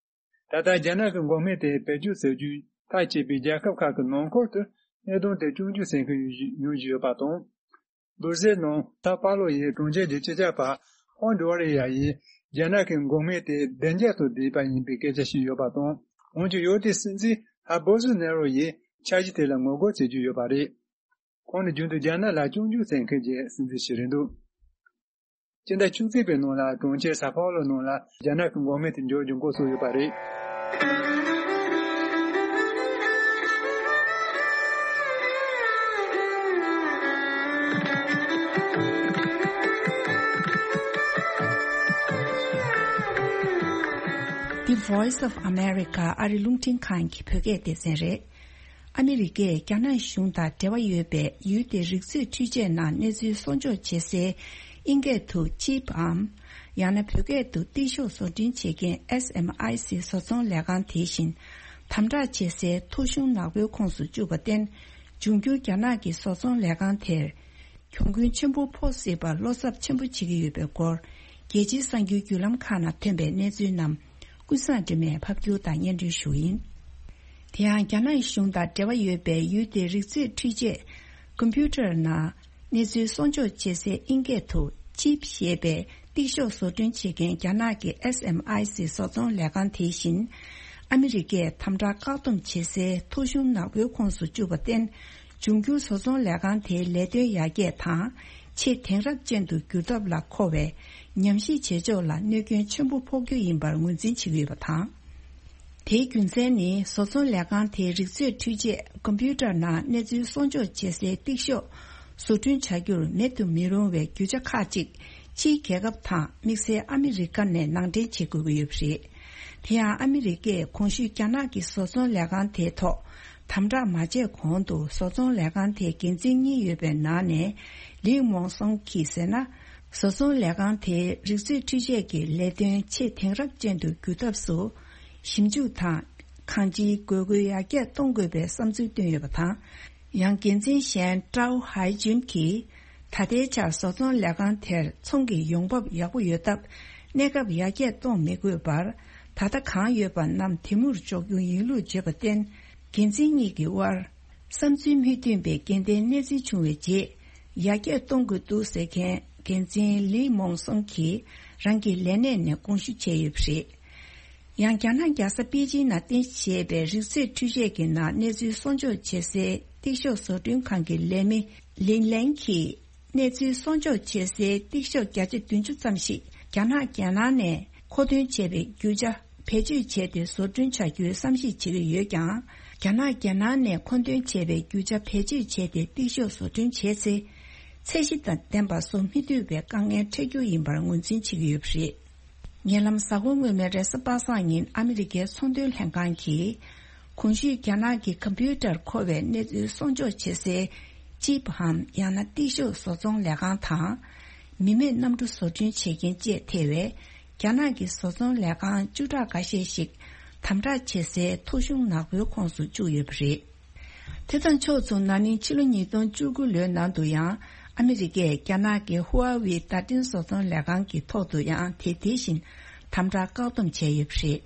ད་ལྟ་རྒྱ་ནག་གི་འགོག་སྨན་དེ་བེད་སྤྱོད་བྱ་རྒྱུའི་ཐག་བཅད་པའི་རྒྱལ་ཁབ་ཁག་གི་ནང་ཁུལ་དུ་གནད་དོན་དེ་སྐྱོན་བརྗོད་བྱེད་མཁན་ཡོང་བཞིན་ཡོད་པ་དང་། སྦིར་ཟེར་ནང་སའོ་པའོ་ལོ་ཡི་གྲོང་ཁྱེར་གྱི་སྤྱི་ཁྱབ་པ་ཧོན་ཌི་ཝ་རི་ཡ་ཡིས་རྒྱ་ནག་གི་འགོག་སྨན་དེ་བདེ་འཇགས་དང་ལྡན་པ་ཡིན་པའི་སྐད་ཆ་བཤད་ཡོད་པ་དང་། འོན་ཀྱང་ཡུལ་དེའི་སྲིད་འཛིན་ཧ་བོ་སི་ནེ་རོ་ཡིས་ འཆར་གཞི་དེ་ལ་ངོ་རྒོལ་བྱེད་རྒྱུ་ཡོད་པ་རེད། ཁོང་ནི་རྒྱུན་དུ་རྒྱ་ནག་ལ་སྐྱོན་བརྗོད་བྱེད་མཁན་གྱི་སྲིད་འཛིན་ཞིག་རེད་འདུག་སྤྱི་ཟླ་བཅུ་གཅིག་པའི་ནང་ལ་གྲོང་ཁྱེར་སཱ་ཕའོ་ལོ་ནང་ལ་རྒྱ་ནག་གི་འགོག་སྨན་དེ་འབྱོར་རྒྱུ་འགོག་སོང་ཡོད་པ་རེད། The Voice of America ཨ་རི་རླུང་འཕྲིན་ཁང་གི་བོད་སྐད་སྡེ་ཚན་རེད། ཨ་མི་རི་ཀས་རྒྱ་ནག་གཞུང་དང་འབྲེལ་བ་ཡོད་པའི་ཡུལ་དེའི་རིག་མཛོད་འཕྲུལ་ཆས་ནང་གནས་ཚུལ་གསོག་འཇོག་བྱེད་སའི་ཨིན་སྐད་དུ་ཅིབ་འམ། ཡང་ན་བོད་སྐད་དུ་ཏིག་ཤོག་བཟོ་སྐྲུན་བྱེད་མཁན་SMIC བཟོ་ཚོང་ལས་ཁང་དེ་བཞིན་དམ་དྲག་བྱེད་སའི་ཐོ་གཞུང་ནག་པོའི་ཁོངས་སུ་བཅུག་པར་བརྟེན། འབྱུང་འགྱུར་རྒྱ་ནག་གི་བཟོ་ཚོང་ལས་ཁང་དེར་གྱོང་གུན་ཆེན་པོ་ཕོག་སྲིད་པར་བློ་འཚབ་ཆེན་པོ་བྱེད་ཀྱི་ཡོད་པའི་སྐོར། རྒྱལ་སྤྱིའི་གསར་འགྱུར་བརྒྱུད་ལམ་ཁག་ནང་ཐོན་པའི་གནས་ཚུལ་རྣམས་ཀུན་བཟང་སྒྲོལ་མས་ཕབ་སྒྱུར་དང་སྙན་སྒྲོན་ཞུ་ཡིན། དེ་ཡང་རྒྱ་ནག་གཞུང་དང་འབྲེལ་བ་ཡོད་པའི་ཡུལ་དེའི་རིག་མཛོད་འཕྲུལ་ཆས་ཀམ་པུ་ཊར་ནང་གནས་ཚུལ་གསོག་འཇོག་བྱེད་སའི་ཨིན་སྐད་དུ་ཅིབ་ཞེས་པའི་ཏིག་ཤོག་བཟོ་སྐྲུན་བྱེད་མཁན་རྒྱ་ནག་གི་SMIC བཟོ་ཚོང་ལས་ཁང་དེ་བཞིན་ཨ་མི་རི་ཀས་དམ་དྲག་བཀག་སྡོམ་བྱེད་སའི་ཐོ་གཞུང་ནག་པོའི་ཁོངས་སུ་བཅུག་པར་བརྟེན། འབྱུང་འགྱུར་བཟོ་ཚོང་ལས་ཁང་དེའི་ལས་དོན་ཡར་རྒྱས་དང་ཆེས་དེང་རབས་ཅན་དུ་འགྱུར་ཐབས་ལ་མཁོ་བའི་ཉམས་ཞིབ་བྱེད་ཕྱོགས་ལ་གནོད་སྐྱོན་ཆེན་པོ་ཕོག་རྒྱུ་ཡིན་པར་ངོས་འཛིན་བྱེད་ཀྱི་ཡོད་པ་དང་། དེའི་རྒྱུ་མཚན་ནི་བཟོ་ཚོང་ལས་ཁང་དེའི་རིག་མཛོད་འཕྲུལ་ཆས་ཀམ་པུ་ཊར་ནང་གནས་ཚུལ་གསོག་འཇོག་བྱེད་སའི་ཏིག་ཤོག་བཟོ་སྐྲུན་བྱ་རྒྱུར་མེད་དུ་མི་རུང་བའི་རྒྱུ་ཆ་ཁག་ཅིག་ཕྱིའི་རྒྱལ་ཁབ་དང་དམིགས་བསལ་ཨ་མི་རི་ཀ་ནས་ནང་འདྲེན་བྱེད་དགོས་ཀྱི་ཡོད་པ་རེད། དེ་ཡང་ཨ་མི་རི་ཀས་གོང་ཞུས་རྒྱ་ནག་གི་བཟོ་ཚོང་ལས་ཁང་དེའི་ཐོག་དམ་དྲག་མ་བྱས་གོང་དུ་བཟོ་ཚོང་ལས་ཁང་དེའི་འགན་འཛིན་གཉིས་ཡོད་པའི་ནང་ནས་ལི་མོང་སོང་གིས་ཟེར་ན། བཟོ་ཚོང་ལས་ཁང་དེའི་རིག་མཛོད་འཕྲུལ་ཆས་ཀྱི་ལས་དོན་ཆེས་དེང་རབས་ཅན་དུ་འགྱུར་ཐབས་སུ་ཞིབ་འཇུག་དང་གང་ཅིའི་དགོས་མཁོ་ཡར་རྒྱས་གཏོང་དགོས་པའི་བསམ་ཚུལ་བཏོན་ཡོད་པ་དང་། ཡང་འགན་འཛིན་གཞན་ཀྲའོ་ཧའེ་ཅུན་གྱིས། ད་ལྟའི་ཆར་བཟོ་ཚོང་ལས་ཁང་དེར་ཚོང་གི་ཡོང་འབབ་ཡག་པོ་ཡོད་སྟབས། གནས་སྐབས་ཡར་རྒྱས་གཏོང་མི་དགོས་པར། ད་ལྟ་གང་ཡོད་པ་རྣམས་དེ་མུར་འཇོག་རྒྱུ་ཡིན་ལུགས་བརྗོད་པར་བརྟེན། འགན་འཛིན་གཉིས་ཀྱི་དབར། བསམ་ཚུལ་མི་མཐུན་པའི་སྐྱེ་ལྡན་གནས་ཚུལ་བྱུང་བའི་རྗེས། ཡར་རྒྱས་གཏོང་དགོས་འདུག་ཟེར་མཁན་འགན་འཛིན་ལི་མོང་སོང་གིས་རང་གི་ལས་གནས་ནས་དགོངས་ཞུ་བྱས་ཡོད་པ་རེད། ཡང་རྒྱ་ནག་རྒྱལ་ས་པེ་ཅིན་ནང་རྟེན་གཞི་བྱས་པའི་རིག་མཛོད་འཕྲུལ་ཆས་ཀྱི་ནང་གནས་ཚུལ་གསོག་འཇོག་བྱེད་སའི་ཏིག་ཤོག་བཟོ་སྐྲུན་ཁང་གི་ལས་མི་ལིན་ལན་གྱིས། གནས་ཚུལ་གསོག་འཇོག་བྱེད་སའི་ཏིག་ཤོག་བརྒྱ་ཆ་བདུན་ཅུ་ཙམ་ཞིག་རྒྱ་ནག་རྒྱལ་ནང་ནས་མཁོ་འདོན་བྱས་པའི་རྒྱུ་ཆ་བེད་སྤྱོད་བྱས་ཏེ་བཟོ་སྐྲུན་བྱ་རྒྱུའི་བསམ་གཞིག་བྱེད་ཀྱི་ཡོད་ཀྱང་། རྒྱ་ནག་རྒྱལ་ནང་ནས་མཁོ་འདོན་བྱས་པའི་རྒྱུ་ཆ་བེད་སྤྱོད་བྱས་ཏེ་ཏིག་ཤོག་བཟོ་སྐྲུན་བྱས་ཚེ། ཚད་གཞི་དང་ལྡན་པ་བཟོ་མི་ཐུབ་པའི་དཀའ་ངལ་འཕྲད་རྒྱུ་ཡིན་པར་ངོས་འཛིན་བྱེད་ཀྱི་ཡོད་པ་རེད། ཉེ་ལམ་གཟའ་འཁོར་སྔོན་མའི་རེས་གཟའ་པ་སངས་ཉིན་ཨ་མི་རི་ཀའི་ཚོང་དོན་ལྷན་ཁང་གིས། གོང་ཞུས་རྒྱ་ནག་གི་ཀམ་པུ་ཊར་མཁོ་བའི་གནས་ཚུལ་གསོག་འཇོག་བྱེད་སའི་ཅིབ་འམ་ཡང་ན་ཏིག་ཤོག་བཟོ་ཚོང་ལས་ཁང་དང་། མི་མེད་གནམ་གྲུ་བཟོ་སྐྲུན་བྱེད་མཁན་བཅས་ཐེ་བའི་རྒྱ་ནག་གི་བཟོ་ཚོང་ལས་ཁང་བཅུ་ཕྲག་འགའ་ཤས་ཤིག་དམ་དྲག་བྱེད་སའི་ཐོ་གཞུང་ནག་པོའི་ཁོངས་སུ་བཅུག་ཡོད་པ་རེད། དེ་དང་ཕྱོགས་མཚུངས་ན་ནིང་ཕྱི་ལོ་ཉིས་སྟོང་བཅུ་དགུ་ལོའི་ནང་དུ་ཡང་ཨ་མི་རི་ཀས་རྒྱ་ནག་གི་ཧུའུ་ཝེ་བརྡ་འཕྲིན་བཟོ་ཚོང་ལས་ཁང་གི་ཐོག་ཏུ་ཡང་དེ་དེ་བཞིན་དམ་དྲག་བཀག་སྡོམ་བྱས་ཡོད་པ་རེད།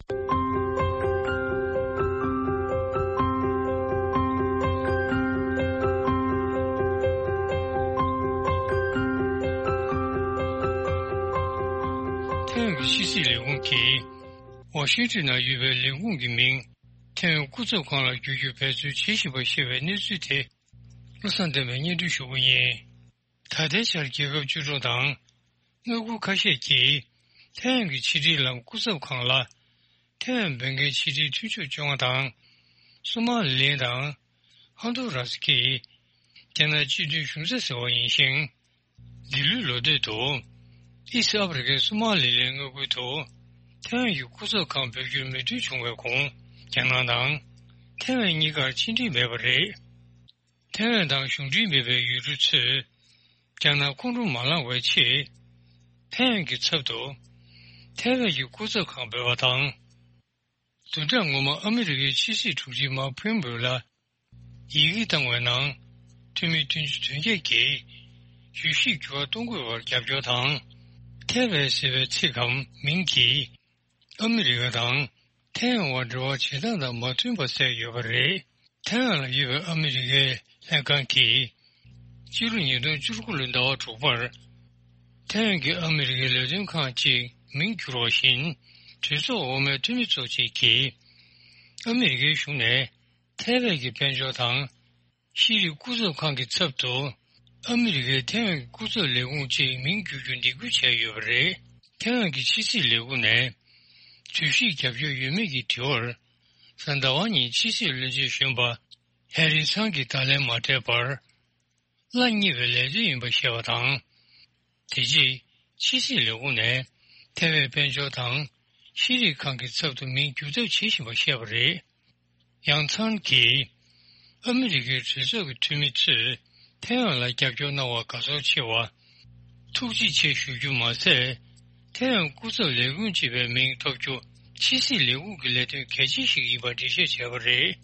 ཐའེ་ཝན་གྱི་ཕྱི་སྲིད་ལས་ཁུངས་ཀྱིས་ཝ་ཤིང་ཏོན་ནང་ཡོད་པའི་ལས་ཁུངས་ཀྱི་མིང་ཐའེ་ཝན་སྐུ་ཚབ་ཁང་ལ་བསྒྱུར་རྒྱུའི་འབད་རྩོལ་བྱེད་བཞིན་པ་ཞེས་པའི་གནས་ཚུལ་དེ། བློ་བཟང་བསྟན་པས་སྙན་སྒྲོན་ཞུ་རྒྱུ་ཡིན། ད་ལྟའི་ཆར་རྒྱལ་ཁབ་བཅུ་དྲུག་དང་། མངའ་ཁུལ་ཁ་ཤས་ཀྱིས་ཐའེ་ཝན་གྱི་ཕྱི་དྲིལ་ལམ་སྐུ་ཚབ་ཁང་ལ། ཐའེ་ཝན་འབོད་མཁན་ཕྱི་དྲིལ་དོན་གཅོད་བཅོ་ལྔ་དང་། སོ་མ་ལི་ལན་དང་། ཧོན་དུ་ར་སི་ཀྱིས། རྒྱ་ནག་སྤྱི་མཐུན་གཞུང་ཚབ་ཟེར་བ་ཡིན་ཞིང་། འདི་ལོའི་ལོ་སྟོད་དུ། ཨི་སི་ཨ་ཕི་རི་ཀའི་སོ་མ་ལི་ལན་མངའ་ཁུལ་དུ། ཐའེ་ཝན་གྱི་སྐུ་ཚབ་ཁང་འབོད་རྒྱུར་མོས་མཐུན་བྱུང་བའི་གོང་། རྒྱ་ནག་དང་། ཐའེ་ཝན་གཉིས་ཀར་ཕྱི་འབྲེལ་མེད་པ་རེད། ཐའེ་ཝན་དང་གཞུང་འབྲེལ་མེད་པའི་ཡུལ་གྲུ་ཚོས། རྒྱ་ནག་ཁོང་ཁྲོ་མ་ལངས་པའི་ཆེད། ཐའེ་ཝན་གྱི་ཚབ་ཏུ། ཐའེ་ཝན་གྱི་སྐུ་ཚབ་ཁང་འབོད་པ་དང་། བདུན་ཕྲག་སྔོན་མ་ཨ་མི་རི་ཀའི་ཕྱི་སྲིད་དྲུང་ཆེ་མཱིག་ཕོམ་པེའོ་ལ། ཡི་གེ་བཏང་བའི་ནང་། འཐུས་མི་བདུན་ཅུ་དོན་བརྒྱད་ཀྱིས། ཡུལ་གཞིས་འགྱུར་བ་གཏོང་དགོས་པར་རྒྱབ་སྐྱོར་དང་། ཐའེ་ཝན་ཟེར་བའི་ཚིག་གམ་མིང་གིས། ཨ་མི་རི་ཀ་དང་། ཐའེ་ཝན་བར་འབྲེལ་བ་བྱེད་སྟངས་དང་མ་མཐུན་པ་བསལ་ཡོད་པ་རེད། ཐའེ་ཝན་ལ་ཡོད་པའི་ཨ་མི་རི་ཀའི་ལྷན་ཁང་གིས། སྤྱི་ལོ་ཉིས་སྟོང་བཅུ་དགུ་ལོའི་ཟླ་བ་དྲུག་པར། ཐའེ་ཝན་གྱི་ཨ་མི་རི་ཀའི་ལས་དོན་ཁང་གཅིག་མིང་བསྒྱུར་བ་བཞིན། གྲོས་ཚོགས་འོག་མའི་འཐུས་མི་ཚོ་གཅིག་གིས། ཨ་མི་རི་ཀའི་གཞུང་ནས། ཐའེ་ཝན་གྱི་དཔལ་འབྱོར་དང་ཤེས་རིག་སྐུ་ཚབ་ཁང་གི་ཚབ་ཏུ་ཨ་མི་རི་ཀའི་ཐའེ་ཝན་གྱི་སྐུ་ཚབ་ལས་ཁུངས་ཅིག་མིང་བསྒྱུར་རྒྱུ་འདེད་སྐུལ་བྱས་ཡོད་པ་རེད། ཐའེ་ཝན་གྱི་ཕྱི་སྲིད་ལས་ཁུངས་ནས་གྲོས་གཞིར་རྒྱབ་སྐྱོར་ཡོད་མེད་ཀྱི་དྲི་བར། གཟའ་ཟླ་བ་ཉིན་ཕྱི་སྲིད་བློན་ཆེན་གཞོན་པ་ཧེ་རི་སང་གིས་བརྡ་ལན་མ་སྤྲད་པར། གླ་རྙེད་པའི་ལས་དོན་ཡིན་པ་བཤད་པ་དང་། དེ་རྗེས་ཕྱི་སྲིད་ལས་ཁུངས་ནས་ཐའེ་ཝན་དཔལ་འབྱོར་དང་ཤེས་རིག་ཁང་གི་ཚབ་ཏུ་མིང་བསྒྱུར་ཐབས་བྱེད་བཞིན་པ་བཤད་པ་རེད། ཡང་ཚང་གིས་ཨ་མི་རི་ཀའི་གྲོས་ཚོགས་ཀྱི་འཐུས་མི་ཚོས་ཐའེ་ཝན་ལ་རྒྱབ་སྐྱོར་གནང་བར་དགའ་ཚོར་ཆེ་བ། ཐུགས་རྗེ་ཆེ་ཞུ་རྒྱུ་མ་ཟད། ཐའེ་ཝན་སྐུ་ཚབ་ལས་ཁུངས་ཅེས་པའི་མིང་ཐོབ་རྒྱུ་ཕྱི་སྲིད་ལས་ཁུངས་ཀྱི་ལས་དོན་གལ་ཆེན་ཞིག་ཡིན་པར་འགྲེལ་བཤད་བྱས་པ་རེད།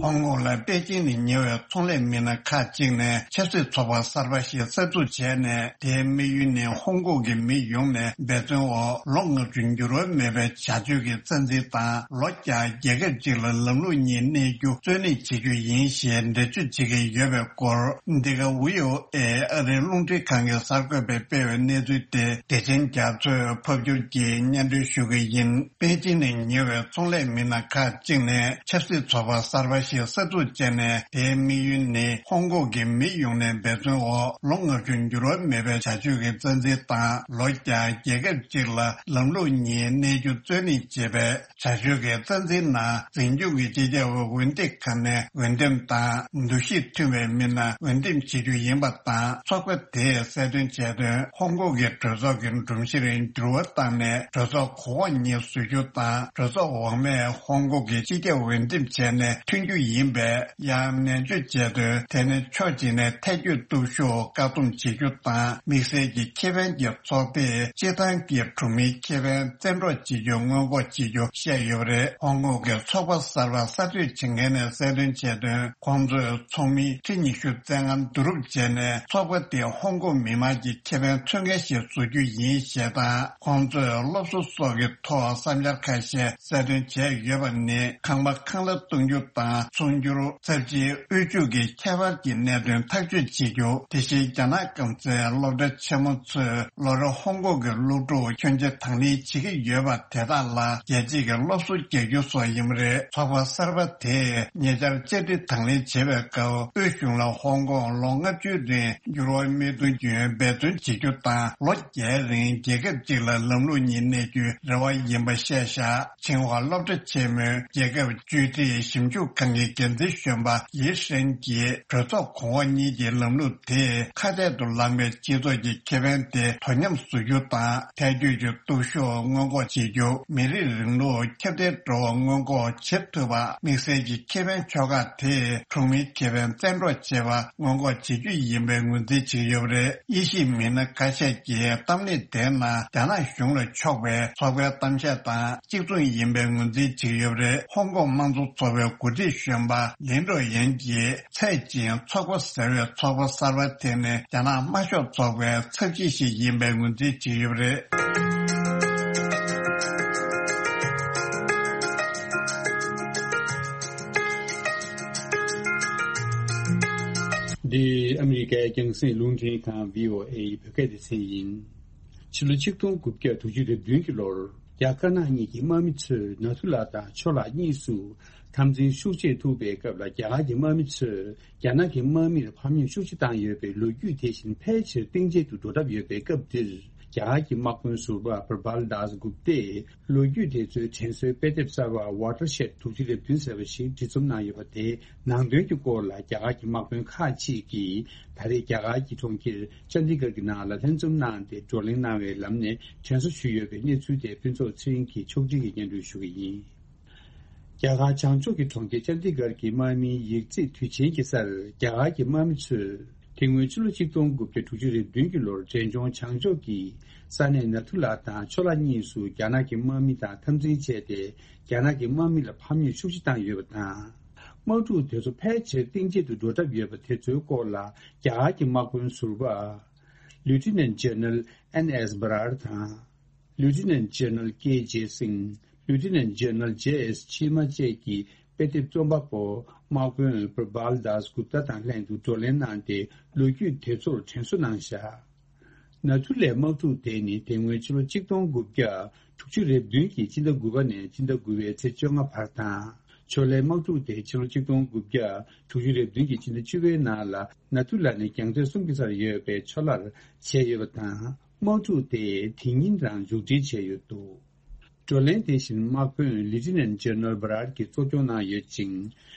ཧོང་ཀོང་ལ་པེ་ཅིང་ནས་ཉེ་བའི་ཚོང་ལས་མི་སྣ་ཁག་ཅིག་ནས་ཆབ་སྲིད་ཚོགས་པ་གསར་པ་ཞིག་གསར་འཛུགས་བྱས་ནས། དེའི་དམིགས་ཡུལ་ནི་ཧོང་ཀོང་གི་མི་ཡོངས་ནས་འབད་བརྩོན་འོག་ལོ་ལྔ་བཅུ་འགྱུར་བ་མེད་པའི་བྱ་སྤྱོད་ཀྱི་རྩ་འཛིན་དང་། ལོ་བརྒྱ་རྒྱལ་ཁབ་ཅིག་ལ་ལམ་ལུགས་གཉིས་གནས་རྒྱུ་རྩོད་གླེང་བྱེད་རྒྱུ་ཡིན་ཞེས་འགྲེལ་བརྗོད་བྱེད་ཀྱི་ཡོད་པའི་སྐོར། འདི་ག་བྷི་ཨོ་ཨེ་ཨ་རིའི་རླུང་འཕྲིན་ཁང་གི་གསར་འགོད་པས་སྤེལ་བའི་གནས་ཚུལ་དེ། བདེ་ཆེན་རྒྱ་མཚོས་ཕབ་སྒྱུར་གྱིས་སྙན་སྒྲོན་ཞུ་གི་ཡིན། པེ་ཅིང་ནས་ཉེ་བའི་ཚོང་ལས་མི་སྣ་ཁག་ཅིག་ནས་ཆབ་སྲིད་ཚོགས་པ་གསར་པ་ཞིག་གསར་འཛུགས་བྱས་ནས། དེའི་དམིགས་ཡུལ་ནི་ཧོང་ཀོང་གི་མི་ཡོངས་ནས་འབད་བརྩོན་འོག་ལོ་ལྔ་བཅུ་འགྱུར་བ་མེད་པའི་བྱ་སྤྱོད་ཀྱི་རྩ་འཛིན་དང་། ལོ་བརྒྱ་རྒྱལ་ཁབ་ཅིག་ལ་ལམ་ལུགས་གཉིས་གནས་རྒྱུ་རྩོད་གླེང་བྱེད་པའི་བྱ་སྤྱོད་ཀྱི་རྩ་འཛིན་ནང་། འཛིན་སྐྱོང་གི་སྤྱི་ཁྱབ་འོས་འདེམས་ཁང་ནས་འོས་འདེམས་དང་། འདུ་ཤེས་མཐུན་པའི་མི་སྣ་འོས་འདེམས་བྱེད་རྒྱུ་ཡིན་པ་དང་། ཚོགས་པ་དེས་གསལ་སྟོན་བྱས་དོན། ཧོང་ཀོང་གི་གྲོས་ཚོགས་ཀྱི་སྒྲོམ་གཞིར་འགྱུར་བ་བཏང་ནས། གྲོས་ཚོགས་གོང་འོག་གཉིས་བཟོ་རྒྱུ་དང་། གྲོས་ཚོགས་འོག་མས་ཧོང་ཀོང་གི་སྤྱི་ཁྱབ་འོས་འདེམས་བྱས་ནས་ཐོན་རྒྱུ་ཡིན་པས། ཡང་ནན་བརྗོད་བྱས་དོན། དེ་ནི་ཕྱོགས་གཅིག་ནས་ཐལ་སྐྱོད་སྟོབས་ཤུགས་བཀག་སྡོམ་བྱེད་རྒྱུ་དང་། དམིགས་བསལ་གྱི་ཁེ་ཕན་གྱི་ཚོགས་པས་སྤྱིར་བཏང་གི་གྲོང་མིའི་ཁེ་ཕན་བཙན་འཕྲོག་བྱེད་རྒྱུ་སྔོན་འགོག་བྱེད་རྒྱུ་བཤད་ཡོད་པ་རེད། ཧོང་ཀོང་གི་ཚོགས་པ་གསར་པ་གསར་གཏོད་བྱེད་མཁན་ནས་གསལ་སྟོན་བྱས་དོན། ཁོང་ཚོས་ཚོགས་མི་ཁྲི་ཉི་ཤུ་རྩ་ལྔ་བསྡུ་རུབ་བྱས་ནས། ཚོགས་པ་དེ་ཧོང་ཀོང་མི་མང་གི་ཁེ་ཕན་མཚོན་མཁན་ཞིག་བཟོ་རྒྱུ་ཡིན་ཞེས་དང་། ཁོང་ཚོས་སློབ་གསོ་སོགས་ཀྱི་ཐོག་བསམ་འཆར་ཁ་ཤས་གསལ་སྟོན་བྱས་ཡོད་པ་ནི། ཁང་པ་ཁང་གླ་གཏོང་རྒྱུ་དང་ཚོང་སྒྱུར། ཚབས་ཆེའི་དབུལ་ཕྱུག་གི་ཁྱད་པར་གྱི་གནད་དོན་ཐག་གཅོད་བྱེད་རྒྱུ། དེ་བཞིན་རྒྱ་ནག་སྐམ་སའི་སློབ་གྲྭ་ཆེན་མོ་ཚོས་ལོ་རེ་ཧོང་ཀོང་གི་སློབ་ཕྲུག་ཁྱོན་ཆེ་དང་ལེན་བྱེད་ཀྱི་ཡོད་པ་དེ་དག་ལ་རྒྱལ་སྤྱིའི་སློབ་གསོ་རྒྱག་རྒྱུ་སོགས་ཡིན་པ་རེད། ཚོགས་པ་གསར་པ་དེས་ཉེ་ཆར་བཅའ་ཁྲིམས་དང་ལེན་བྱེད་པའི་སྐབས། དབུས་གཞུང་ལ་ཧོང་ཀོང་ལོ་ལྔ་བཅུའི་རིང་འགྱུར་བ་མེད་དུ་རྒྱུན་འབད་བརྩོན་བྱེད་རྒྱུ་དང་། ལོ་བརྒྱའི་རིང་རྒྱལ་ཁབ་ཅིག་ལ་ལམ་ལུགས་གཉིས་གནས་རྒྱུའི་རེ་བ་ཡིན་པ་བཤད་བཞག་ཆིང་ཧྭ་སློབ་གྲྭ་ཆེན་མོའི་རྒྱལ་ཁབ་བཅོས་སྒྲིག་ཞིབ་འཇུག་ཁང་གི་འགན་འཛིན་གཞོན་པ་ལི་ཧྲན་གྱིས། གྲོས་ཚོགས་གོང་འོག་གཉིས་ཀྱི་ལམ་ལུགས་དེས་ཁ་གཏད་དུ་ལངས་པའི་སྤྱི་ཚོགས་ཀྱི་ཁེ་ཕན་དེ་དོ་མཉམ་བཟོ་རྒྱུ་དང་། ཐལ་སྐྱོད་ཀྱི་སྟོབས་ཤུགས་སྔོན་འགོག་བྱེད་རྒྱུ། མི་རིགས་རིང་ལུགས་ཁྱབ་གདལ་འགྲོ་བ་སྔོན་འགོག་བྱེད་ཐུབ་པ། དམིགས་བསལ་གྱི་ཁེ་ཕན་ཕྱོགས་ཁག་དེས་གྲོང་མིའི་ཁེ་ཕན་བཙན་འཕྲོག་བྱེད་པ་སྔོན་འགོག་བྱེད་རྒྱུ་ཡིན་པའི་ངོས་འཛིན་བྱེད་ཀྱི་ཡོད་པ་རེད། དབྱེ་ཞིབ་མི་སྣ་ཁ་ཤས་ཀྱིས་གཏམ་གླེང་དེའི་ནང་རྒྱ་ནག་གཞུང་ལ་ཕྱོགས་པའི་ཚོགས་པའི་གཏམ་བཤད་དང་གཅིག་མཚུངས་ཡིན་པའི་ངོས་འཛིན་བྱེད་ཀྱི་ཡོད་པ་རེད། ཧོང་ཀོང་དམངས་གཙོ་ཚོགས་པའི་འགོ་ཁྲིད་གཞོན་པ་ལིན་ཀྲོ་ཡན་གྱིས། ཚད་ཅིང་ཚོགས་པ་ཟེར་བའི་ཚོགས་པ་གསར་པ་དེ་ནི་རྒྱ་ནག་དམར་ཤོག་ཚོགས་པའི་ཚབ་བྱེད་ཞིག་ཡིན་པའི་ངོས་འཛིན་བྱེད་ཀྱི་ཡོད་པ་རེད། འདི་ཨ་མི་རི་ཀའི་རྒྱང་སྲིང་རླུང་འཕྲིན་ཁང་བྷི་ཨོ་ཨེ་ཡི་བོད་སྐད་སྡེ་ཚན་ཡིན། ཕྱི་ལོ་ཆིག་སྟོང་དགུ་བརྒྱ་དྲུག་ཅུ་རེ་བདུན་གྱི་ལོར། རྒྱ་དཀར་ནག་གཉིས་ཀྱི་དམག་མི་ཚོས་ནཱ་ཐུ་ལ་དང་ཆོ་ལ་གཉིས་སུ་འཐབ་འཛིང་ཤུགས་ཆེ་ཐུག་པའི་སྐབས་ལ། རྒྱ་གར་གྱི་དམག་མི་ཚོས་རྒྱ་ནག་གི་དམག་མིར་ཕམ་ཉེས་ཤུགས་ཆེ་བཏང་ཡོད་པའི་ལོ་རྒྱུས་དེ་བཞིན་ཕལ་ཆེར་གཏིང་བརྗེད་དུ་འགྲོ་གྲབས་ཡོད་པའི་སྐབས་འདིར། རྒྱ་གར་གྱི་དམག་དཔོན་ཟུར་པ་པྲ་བྷལ་དཱས་གུབ་ཏས་ལོ་རྒྱུས་དེ་ཚོའི་དྲན་གསོའི་དཔེ་དེབ་གསར་བ་Watershed དྲུག་ཅུ་རེ་བདུན་ཟེར་བ་ཞིག་འབྲི་རྩོམ་གནང་ཡོད་པ་དེའི་ནང་དོན་གྱི་སྐོར་ལ། རྒྱ་གར་གྱི་དམག་དཔོན་ཁག་ཅིག་གིས་ད་རེས་རྒྱ་གར་གྱི་གྲོང་ཁྱེར་ཅན་དི་གྷར་གྱི་ནང་ལ་ལྷན་འཛོམས་གནང་སྟེ་བགྲོ་གླེང་གནང་བའི་ལམ་ནས་དྲན་གསོ་ཞུས་ཡོད་པའི་གནས་ཚུལ་དེ་ཕུན་ཚོགས་ཚེ་རིང་གིས་ཕྱོགས་སྒྲིག་གིས་སྙན་སྒྲོན་ཞུ་གི་ཡིན། རྒྱ་གར་བྱང་ཕྱོགས་ཀྱི་གྲོང་ཁྱེར་ཅན་དི་གྷར་གྱི་དམག་མིའི་ཡིག་རྩིས་དུས་ཆེན་གྱི་སར། རྒྱ་གར་གྱི་དམག་མི་ཚོས་དེ་སྔོན་ཕྱི་ལོ་ཆིག་སྟོང་དགུ་བརྒྱ་དྲུག་ཅུ་རེ་བདུན་གྱི་ལོར་འབྲས་ལྗོངས་བྱང་ཕྱོགས་ཀྱི་ས་གནས་ནཱ་ཐུ་ལ་དང་ཆོ་ལ་གཉིས་སུ་རྒྱ་ནག་གི་དམག་མི་དང་འཐབ་འཛིང་བྱས་ཏེ། རྒྱ་ནག་གི་དམག་མི་ལ་ཕམ་ཉེས་ཤུགས་ཆེ་བཏང་ཡོད་པ་དང་། དམག་འཁྲུག་དེ་ཚོ་ཕལ་ཆེར་གཏིང་བརྗེད་དུ་འགྲོ་གྲབས་ཡོད་པ་དེ་ཚོའི་སྐོར་ལ། རྒྱ་གར་གྱི་དམག་དཔོན་ཟུར་པ་Lieutenant General N S Brar དང་། Lieutenant General K J Singh། Lieutenant General J S Cheema བཅས་ཀྱི་ དཔེ་དེབ་རྩོམ་པ་པོ་དམག་དཔོན་པུར་བྷལ་དཱས་གུབ་ཏཱ་དང་ལྷན་དུ་བགྲོ་གླེང་གནང་སྟེ། ལོ་རྒྱུས་དེ་ཚོར་དྲན་གསོ་གནང་བཞག་ན་ཐུ་ལའི་དམག་འཁྲུག་དེ་ནི་དེ་སྔོན་ཕྱི་ལོ་ཆིག་སྟོང་དགུ་བརྒྱ་དྲུག་ཅུ་རེ་བདུན་གྱི་སྤྱི་ཟླ་དགུ་པ་ནས་སྤྱི་ཟླ་དགུ་པའི་ཚེས་བཅོ་ལྔ་བར་དང་། ཆོ་ལའི་དམག་འཁྲུག་དེ་ཕྱི་ལོ་ཆིག་སྟོང་དགུ་བརྒྱ་དྲུག་ཅུ་རེ་བདུན་གྱི་སྤྱི་ཟླ་བཅུ་པའི་ནང་ལ་ན་ཐུ་ལ་ནས་རྒྱང་མཐོའི་གསུམ་གྱི་སར་ཡོད་པའི་ཆོ་ལར་བྱས་ཡོད་པ་དང་། དམག་འཁྲུག་དེ་དེ་ཉིན་རང་མཇུག་སྒྲིལ་བྱས་ཡོད་འདུག་བགྲོ་གླེང་དེ་བཞིན་དམག་དཔོན་ལི་ཏི་ནན་ཇེ་ནེ་རལ་བྷ་རལ་གྱིས་གཙོ་སྐྱོང་གནང་ཡོད་ཅིང་།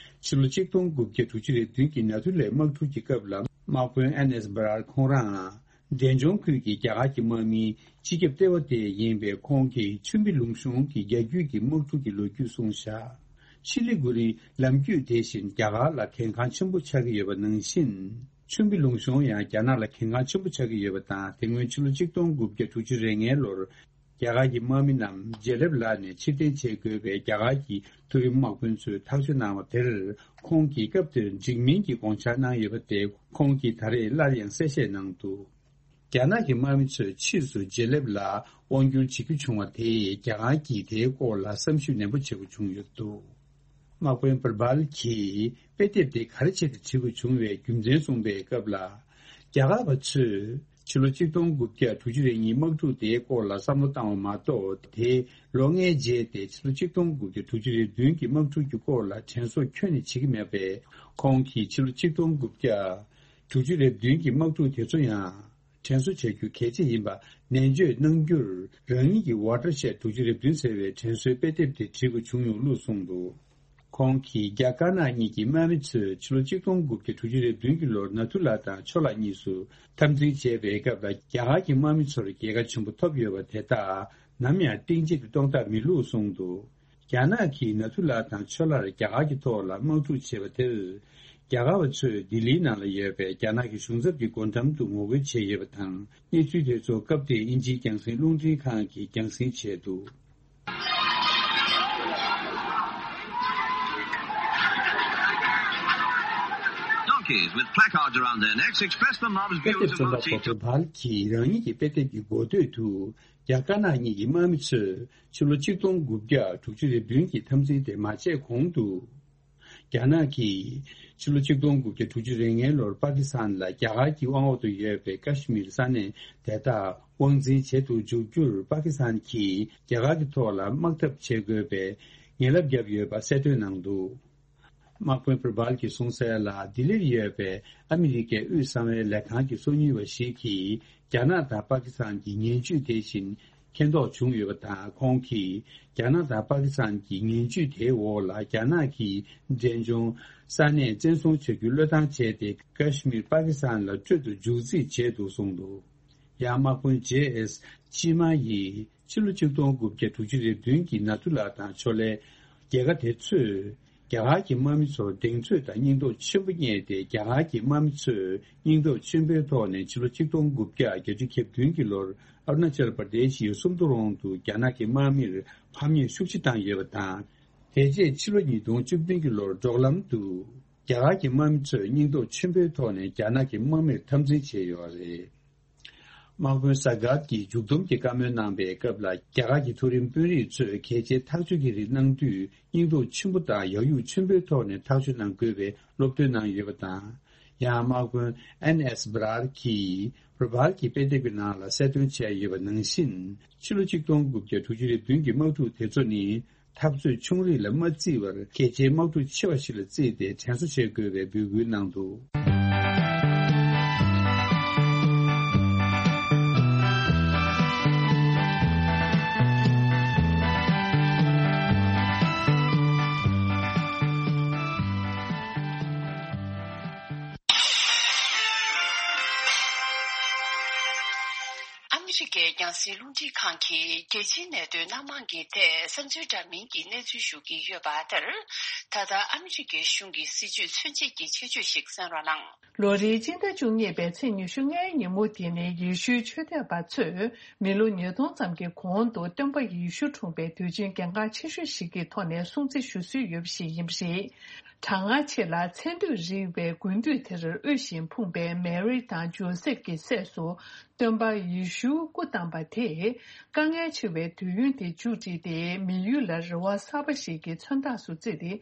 ཕྱི་ལོ་ཆིག་སྟོང་དགུ་བརྒྱ་དྲུག་ཅུ་རེ་བདུན་གྱི་ན་ཐུ་ལའི་དམག་འཁྲུག་གི་སྐབས་ལ་དམག་དཔོན་ཨེན་ཨེས་བྷ་རལ་ཁོང་རང་འབྲས་ལྗོངས་ཁུལ་གྱི་རྒྱ་གར་གྱི་དམག་མིའི་སྤྱི་ཁྱབ་ལྟེ་བ་དེ་ཡིན་པའི་ཁོང་གིས་ཆུན་པི་ལུང་གཤོང་གི་རྒྱ་བརྒྱུད་ཀྱི་དམག་འཁྲུག་གི་ལོ་རྒྱུས་གསུངས་བཞག་ཆི་ལི་གུ་རི་ལམ་རྒྱུད་དེ་བཞིན་རྒྱ་གར་ལ་གལ་འགངས་ཆེན་པོ་ཆགས་ཀྱི་ཡོད་པ་ནང་བཞིན། ཆུན་པི་ལུང་གཤོང་ཡང་རྒྱ་ནག་ལ་གལ་འགངས་ཆེན་པོ་ཆགས་ཀྱི་ཡོད་པ་དང་། དེ་སྔོན་ཕྱི་ལོ་ཆིག་སྟོང་དགུ་བརྒྱ་དྲུག་ཅུ་རེ་ལྔའི་ལོར། རྒྱ་གར་གྱི་དམག་མི་རྣམས་ཇེ་ལེབ་ལ་ནས་ཕྱིར་འཐེན་བྱེད་དགོས་པའི་རྒྱ་གར་གྱི་མཐོ་རིམ་དམག་དཔོན་ཚོས་ཐག་གཅོད་གནང་བ་དེར། ཁོང་གིས་སྐབས་དེར་འགྲིག་མིན་གྱི་དགོངས་འཆར་གནང་ཡོད་པ་དེ། ཁོང་གིས་ད་རེས་སླར་ཡང་གསལ་བཤད་གནང་འདུག་རྒྱ་ནག་གི་དམག་མི་ཚོས་ཕྱིས་སུ་ཇེ་ལེབ་ལ་དབང་བསྒྱུར་བྱེད་རྒྱུ་བྱུང་བ་དེས། རྒྱ་གར་གྱིས་དེའི་སྐོར་ལ་བསམ་ཞིབ་ནན་པོ་བྱེད་དགོས་བྱུང་ཡོད་འདུག་དམག་དཔོན་པུར་བྷལ་གྱིས་དཔེ་དེབ་དེ་ག་རེ་བྱས་ཏེ་བྲིས་དགོས་བྱུང་བའི་རྒྱུ་མཚན་གསུངས་པའི་སྐབས་ལ། རྒྱ་གར་བ་ཚོས་ཕྱི་ལོ་ཆིག་སྟོང་དགུ་བརྒྱ་དྲུག་ཅུ་རེ་གཉིས་དམག་འཁྲུག་དེའི་སྐོར་ལ་བསམ་བློ་བཏང་བ་མ་གཏོགས། དེའི་ལོ་ལྔའི་རྗེས་ཏེ་ཕྱི་ལོ་ཆིག་སྟོང་དགུ་བརྒྱ་དྲུག་ཅུ་རེ་བདུན་གྱི་དམག་འཁྲུག་གི་སྐོར་ལ་དྲན་གསོ་ཁྱོན་ནས་བྱེད་ཀྱི་མེད་པས། ཁོང་གིས་ཕྱི་ལོ་ཆིག་སྟོང་དགུ་བརྒྱ་དྲུག་ཅུ་རེ་བདུན་གྱི་དམག་འཁྲུག་དེ་ཚོ་ཡང་དྲན་གསོ་བྱ་རྒྱུ་གལ་ཆེ་ཡིན་པ་ནན་བརྗོད་གནང་རྒྱུར། རང་ཉིད་ཀྱི་ཝ་ཊར་ཤེད་དྲུག་ཅུ་རེ་བདུན་ཟེར་བའི་དྲན་གསོའི་དཔེ་དེབ་དེ་བྲིས་དགོས་བྱུང་ཡོད་ལུགས་གསུངས་འདུག་ཁོང་གིས་རྒྱ་དཀར་ནག་གཉིས་ཀྱི་དམག་མི་ཚོས་ཕྱི་ལོ་ཆིག་སྟོང་དགུ་བརྒྱ་དྲུག་ཅུ་རེ་བདུན་གྱི་ལོར་ན་ཐུ་ལ་དང་ཆོ་ལ་གཉིས་སུ་འཐབ་འཛིང་བྱས་པའི་སྐབས་ལ། རྒྱ་གར་གྱི་དམག་མི་ཚོར་རྒྱལ་ཁ་ཆེན་པོ་ཐོབ་ཡོད་པ་དེ་དག་ནམ་ཡང་གཏིང་བརྗེད་དུ་གཏོང་ཐབས་མེད་ལུགས་གསུངས་འདུག་རྒྱ་ནག་གིས་ན་ཐུ་ལ་དང་ཆོ་ལར་རྒྱ་གར་གྱི་ཐོག་ལ་དམག་འཁྲུག་བྱས་པ་དེར། རྒྱ་གར་བ་ཚོས་ལྡི་ལིའི་ནང་ལ་ཡོད་པའི་རྒྱ་ནག་གི་གཞུང་ཚབ་ཀྱི་སྒོ་འགྲམ་དུ་ངོ་རྒོལ་བྱས་ཡོད་པ་དང་། གནས་ཚུལ་དེ་ཚོ་སྐབས་དེའི་དབྱིན་ཇིའི་རྒྱང་སྲིང་རླུང་འཕྲིན་ཁང་གིས་རྒྱང་སྲིང་བྱས་འདུག Donkeys with placards around their necks express the mob's དཔེ་views དེབ་རྩོམ་པ་པོ་པུར་བྷལ་གྱིས་རང་ཉིད་ཀྱི་དཔེ་དེབ་ཀྱི་འགོ་སྟོད་དུ། རྒྱ་དཀར་ནག་གཉིས་ཀྱི་དམག་མི་ཚོས་ཕྱི་ལོ་ཆིག་སྟོང་དགུ་བརྒྱ་དྲུག་ཅུ་རེ་བདུན་གྱི་འཐབ་འཛིང་དེ་མ་བྱས་གོང་དུ། རྒྱ་ནག་གིས་ཕྱི་ལོ་ཆིག་སྟོང་དགུ་བརྒྱ་དྲུག་ཅུ་རེ་ལྔའི་ལོར་པ་ཀི་སི་ཐན་ལ་རྒྱ་གར་གྱི་དབང་འོག་ཏུ་ཡོད་པའི་ཀ་ཤི་མིར་ས་གནས་དེ་དག་དབང་འཛིན་བྱེད་དུ་འཇུག་རྒྱུར། པ་ཀི་སི་ཐན་གྱིས་རྒྱ་གར་གྱི་ཐོག་ལ་དམག་འཐབ་བྱེད་དགོས་པའི་ངན་ལབ་བརྒྱབ་ཡོད་པ་གསལ་སྟོན་གནང་འདུག་དམག་དཔོན་པུར་བྷལ་གྱིས་གསུངས་གསལ་ལ། ལྡི་ལིར་ཡོད་པའི་ཨ་མི་རི་ཀའི་དབུས་གསང་བའི་ལས་ཁང་གི་སོ་གཉེར་བ་ཞིག་གིས། རྒྱ་ནག་དང་པ་ཀི་སི་ཐན་གྱི་ངན་ཇུས་དེ་བཞིན་མཁྱེན་རྟོགས་བྱུང་ཡོད་པ་དང་། ཁོང་གིས་རྒྱ་ནག་དང་པ་ཀི་སི་ཐན་གྱི་ངན་ཇུས་དེའི་འོག་ལ། རྒྱ་ནག་གིས་འབྲས་ལྗོངས་ས་གནས་བཙན་བཟུང་བྱ་རྒྱུའི་བློས་བཏང་བྱས་ཏེ། ཀ་ཤི་མིར་པ་ཀི་སི་ཐན་ལ་སྤྲོད་དུ་འཇུག་རྩིས་བྱས་འདུག་གསུངས་འདུག་ཡང་དམག་དཔོན་ཇེ་ཨེས་ཅི་མ་ཡིས། ཕྱི་ལོ་ཆིག་སྟོང་དགུ་བརྒྱ་དྲུག་ཅུ་རེ་བདུན་གྱི་ན་ཐུ་ལ་དང་ཆོ་ལའི་རྒྱལ་ཁ་དེ་ཚོས། རྒྱ་གར་གྱི་དམག་མི་ཚོར་གདེང་ཚོད་དང་སྙིང་སྟོབས་ཆེན་པོ་བསྙད་དེ། རྒྱ་གར་གྱི་དམག་མི་ཚོས་སྙིང་སྟོབས་ཆེན་པོའི་ཐོག་ནས་ཕྱི་ལོ་ཆིག་སྟོང་དགུ་བརྒྱ་བརྒྱད་ཅུ་གྱ་བདུན་གྱི་ལོར་ཨ་རུ་ན་ཅལ་པར་དེ་ཤི་ཡི་སུམ་མདོ་རོང་དུ་རྒྱ་ནག་གི་དམག་མིར་ཕམ་ཉེས་ཤུགས་ཆེ་བཏང་ཡོད་པ་དང་། དེ་རྗེས་ཕྱི་ལོ་ཉིས་སྟོང་བཅུ་བདུན་གྱི་ལོར་འབྲོག་ལམ་དུ་རྒྱ་གར་གྱི་དམག་མི་ཚོས་སྙིང་སྟོབས་ཆེན་པོའི་ཐོག་ནས་རྒྱ་ནག་གི་དམག་མིར་འཐབ་འཛིང་བྱས་ཡོད་པ་རེད། དམག་དཔོན་ས་གྷར་གྱིས་མཇུག་བསྡོམས་ཀྱི་བཀའ་མོལ་གནང་པའི་སྐབས་ལ། རྒྱ་གར་གྱི་མཐོ་རིམ་དཔོན་རིགས་ཚོས་གལ་ཆེའི་ཐག་གཅོད་ཀྱི་རིགས་གནང་དུས། སྙིང་སྟོབས་ཆེན་པོ་དང་ཡག་ཡུག་ཆེན་པོའི་ཐོག་ནས་ཐག་གཅོད་གནང་དགོས་པའི་སློབ་སྟོན་གནང་ཡོད་པ་དང་། ཡང་དམག་དཔོན་ཨེན་ཨེས་བྷ་རལ་གྱིས་པུར་བྷལ་གྱི་དཔེ་དེབ་ཀྱི་ནང་ལ་གསལ་སྟོན་བྱས་ཡོད་པ་ནང་བཞིན། ཕྱི་ལོ་ཆིག་སྟོང་དགུ་བརྒྱ་དྲུག་ཅུ་རེ་བདུན་གྱི་དམག་འཁྲུག་དེ་ཚོ་ནི། འཐབ་རྩོད་ཆུང་རིགས་ལ་མ་བརྩི་བར། གལ་ཆེའི་དམག་འཁྲུག་ཆེ་བ་ཞིག་ལ་བརྩིས་ཏེ་དྲན་གསོ་བྱེད་དགོས་པའི་འབོད་སྐུལ་གནང་འདུག་ཨ་མི་རི་ཀའི་རྒྱང་སྲིང་རླུང་འཕྲིན་ཁང་གིས་རྒྱལ་སྤྱིའི་གནད་དོན་སྣ་མང་གི་ཐད་བསམ་ཚུལ་འདྲ་མིན་གྱི་གནས་ཚུལ་ཞུ་གི་ཡོད་པ་ལྟར། ད་ལྟ་ཨ་མི་རི་ཀའི་གཞུང་གི་སྲིད་ཇུས་མཚོན་བྱེད་ཀྱི་ཆེད་བརྗོད་ཞིག་གསན་རོགས་གནང་། ལོ་རེའི་སྤྱི་ཟླ་བཅུ་གཉིས་པའི་ཚེས་ཉི་ཤུ་ལྔའི་ཉིན་མོ་འདི་ནི་ཡེ་ཤུའི་ཆོས་དད་པ་ཚོས་མི་ལོ་ཉིས་སྟོང་ཙམ་གྱི་གོང་དུ་སྟོན་པ་ཡེ་ཤུ་འཁྲུངས་པའི་དུས་ཆེན་གལ་འགངས་ཆེ་ཤོས་ཤིག་གི་ཐོག་ནས་སྲུང་བརྩི་ཞུ་སྲོལ་ཡོད་པ་ཞིག་ཡིན་པ་རེད། གྲང་ངར་ཆེ་ལ་ཚན་སྡུད་རིག་པའི་དགུན་དུས་དེར་དབུལ་ཞིང་ཕོངས་པའི་མེ་རི་དང་ཇོ་སེབ་ཀྱི་སྲས་སུ། སྟོན་པ་ཡེ་ཤུ་སྐུ་བལྟམས་པ་དེས་དཀའ་ངལ་ཆེ་བའི་དུས་ཡུན་དེ་མཇུག་བསྒྲིལ་ཏེ། མི་ཡུལ་ལ་རེ་བ་གསར་པ་ཞིག་གི་མཚོན་རྟགས་སུ་བརྩིས་ཏེ།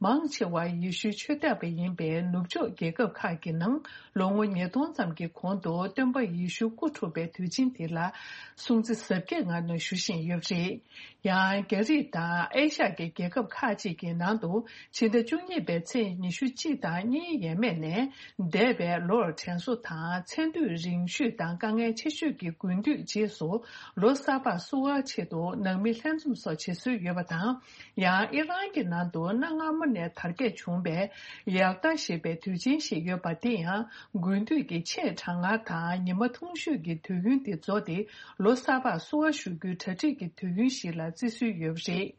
མང་ཆེ་བ་ཡེ་ཤུའི་ཆོས་དད་པ་ཡིན་པའི་ནུབ་ཕྱོགས་རྒྱལ་ཁབ་ཁག་གི་ནང་ལོ་ངོ་ཉིས་སྟོང་ཙམ་གྱི་གོང་དུ་སྟོན་པ་ཡེ་ཤུ་སྐུ་འཁྲུངས་པའི་དུས་ཆེན་དེ་ལ་སྲུང་བརྩི་གཟབ་རྒྱས་ངང་ནས་ཞུ་བཞིན་ཡོད་པ་རེད། ཡང་རྒྱ་རིགས་དང་ཨེ་ཤ་ཡའི་རྒྱལ་ཁབ་ཁག་ཅིག་གི་ནང་དུ་ཕྱི་ཟླ་བཅུ་གཉིས་པའི་ཚེས་ཉི་ཤུ་གཅིག་དང་གཉིས་ཡས་མས་ནས་འདས་པའི་ལོར་དྲན་གསོ་དང་ཚེ་འདུས་རིང་ཤོས་དང་དཀའ་ངལ་ཆེ་ཤོས་ཀྱི་དགུན་དུས་རྗེས་སུ་ལོ་གསར་པ་བསུ་བའི་ཆེད་དུ་ནང་མི་ལྷན་འཛོམས་སོགས་བྱེད་སྲོལ་ཡོད་པ་དང་། ཡང་ཨི་རན་གྱི་ནང་དུ་གནའ་སྔ་མོ་ནས་དར་རྒྱས་བྱུང་བའི་ཡར་ད་ཞེས་པའི་དུས་ཆེན་ཞིག་ཡོད་པ། དེ་ཡང་དགུན་དུས་ཀྱི་ཆེས་གྲང་ངར་དང་ཉི་མ་ཐུང་ཤོས་ཀྱི་དུས་ཡུན་དེ་རྫོགས་ཏེ། ལོ་གསར་པར་བསུ་བ་ཞུ་རྒྱུའི་གྲ་སྒྲིག་གི་དུས་ཡུན་ཞིག་ལ་བརྩི་སྲོལ་ཡོད་པ་རེད།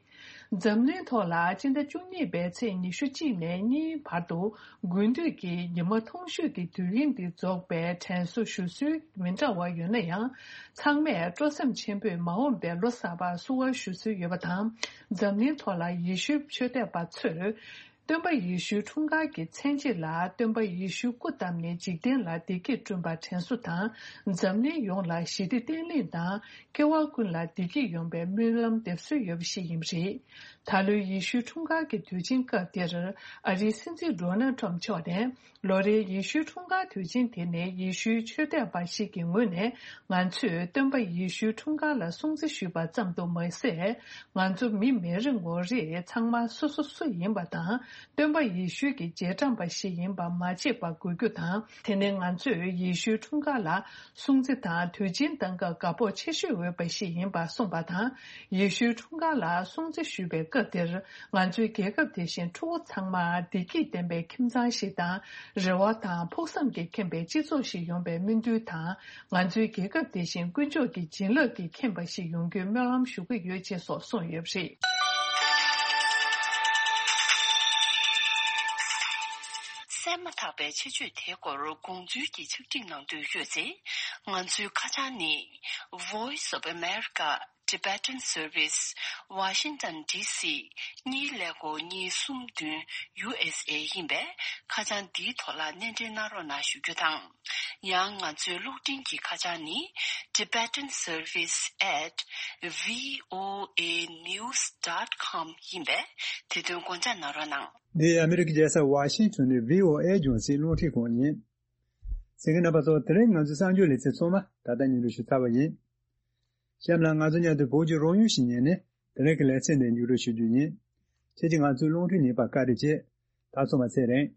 འཛམ་གླིང་ཐོག་ལ་སྤྱི་ཟླ་བཅུ་གཉིས་པའི་ཚེས་ཉི་ཤུ་གཅིག་ནས་གཉིས་བར་དུ་དགུན་དུས་ཀྱི་ཉི་མ་ཐུང་ཤོས་ཀྱི་དུས་ཡུན་འདི་རྫོགས་པའི་དྲན་གསོ་ཞུ་སྲོལ་མི་འདྲ་བ་ཡོད་ན་ཡང་། ཚང་མས་སྤྲོ་སེམས་ཆེན་པོས་མ་འོངས་པའི་ལོ་གསར་པར་བསུ་བ་ཞུ་སྲོལ་ཡོད་པ་དང་། འཛམ་གླིང་ཐོག་ལ་ཡེ་ཤུའི་ཆོས་དད་པ་ཚོས། སྟོན་པ་ཡེ་ཤུའི་འཁྲུངས་སྐར་གྱི་མཚན་ཕྱེད་ལ་སྟོན་པ་ཡེ་ཤུ་སྐུ་བལྟམས་ནས་འཇིག་རྟེན་ལ་བདེ་སྐྱིད་བསྐྲུན་པར་དྲན་གསོ་དང་། འཛམ་གླིང་ཡོངས་ལ་ཞི་བདེ་བརྟན་ལྷིང་དང་སྐྱེ་བ་ཀུན་ལ་བདེ་སྐྱིད་ཡོང་བའི་སྨོན་ལམ་འདེབས་སྲོལ་ཡོད་པ་ཞིག་ཡིན་པ་རེད། ད་ལོའི་ཡེ་ཤུའི་འཁྲུངས་སྐར་གྱི་དུས་ཆེན་སྐབས་དེར་ཨ་རིའི་སྲིད་འཛིན་ཌོ་ནལ་ཊམ་མཆོག་ནས། ལོ་རེའི་ཡེ་ཤུའི་འཁྲུངས་སྐར་དུས་ཆེན་དེ་ནི་ཡེ་ཤུའི་ཆོས་དད་པ་ཞིག་གི་ངོས་ནས། ང་ཚོས་སྟོན་པ་ཡེ་ཤུའི་འཁྲུངས་སྐར་ལ་སྲུང་བརྩི་ཞུས་པ་ཙམ་དུ་མ་ཟད། ང་ཚོ་མི་མི་རེ་ངོ་རེས་ཚང་མ་སོ་སོ་སུ་ཡིན་པ་དང་། སྟོན་པ་ཡེ་ཤུ་གི་རྗེས་འབྲང་པ་ཞིག་ཡིན་པ་མ་བརྗེད་པར་དགོས་རྒྱུ་དང་། དེ་ནི་ང་ཚོས་ཡེ་ཤུའི་འཁྲུངས་སྐར་ལ་སྲུང་བརྩི་དང་དུས་ཆེན་གཏང་སྐབས་དགའ་སྤོབས་ཆེ་ཤོས་འོས་པ་ཞིག་ཡིན་པ་གསུངས་པ་དང་། ཡེ་ཤུའི་འཁྲུངས་སྐར་ལ་སྲུང་བརྩི་ཞུ་བའི་སྐབས་དེར། ང་ཚོའི་རྒྱལ་ཁབ་དེ་བཞིན་ཕྲུ་གུ་ཚང་མ་བདེ་སྐྱིད་ལྡན་པའི་ཁྱིམ་ཚང་ཞིག་དང་། རེ་བ་དང་ཕུགས་བསམ་གྱིས་ཁེངས་པའི་སྤྱི་ཚོགས་ཤིག་ཡོང་བའི་སྨོན་འདུན་དང་། ང་ཚོའི་རྒྱལ་ཁབ་དེ་བཞིན་དཀོན་མཆོག་གི་བྱིན་རླབས་ཀྱིས་ཁེངས་པ་ཞིག་ཡོང་རྒྱུའི་སྨོན་ལམ་ཞུ་གི་ཡོད་ཅེས་སོགས་གསུངས་ཡོད་པ་རེད། གསན་མ་ཐག་པའི་ཆེད་བརྗོད་དེའི་སྐོར་དགོངས་ཚུལ་གྱི་ཕྱག་བྲིས་གནང་འདོད་ཡོད་ཚེ། ང་ཚོའི་ཁ་བྱང་ནི། Voice of America, Tibetan Service, Washington D C གཉིས་ཀླད་ཀོར་གཉིས་གསུམ་བདུན་U S A ཡིན་པས། ཁ་བྱང་འདིའི་ཐོག་ལ་སྣེ་འདྲེན་གནང་རོགས་གནང་ཞུ་རྒྱུ་དང་། ཡང་ང་ཚོའི་གློག་འཕྲིན་གྱི་ཁ་བྱང་ནི། Tibetan Service at V O A news dot com ཡིན་པས། དེ་དོན་དགོངས་འཇགས་གནང་རོགས་གནང་། འདི་ཨ་མི་རི་ཀའི་རྒྱལ་ས་ཝ་ཤིང་ཊོན་ནས་V O A རྒྱང་སྲིང་རླུང་འཕྲིན་ཁང་ཡིན། གསན་མཁན་རྣམ་པ་ཚོ། དེ་རིང་ང་ཚོའི་གསར་འགྱུར་ལེ་ཚན་ཚང་མ་ད་ལྟ་སྙན་སྒྲོན་ཞུ་ཚར་བ་ཡིན། གཤམ་ལ་ང་ཚོ་མཉམ་དུ་བོད་ཀྱི་རང་ཡུལ་ཞིག་ཉན་ནས། དེ་རིང་གི་ལེ་ཚན་འདི་མཇུག་སྒྲིལ་ཞུ་རྒྱུ་ཡིན། ཁྱེད་ཀྱིས་ང་ཚོའི་རླུང་འཕྲིན་ཉན་པར་བཀའ་དྲིན་ཆེ། ད་ཚང་མ་ཚེ་རིང་།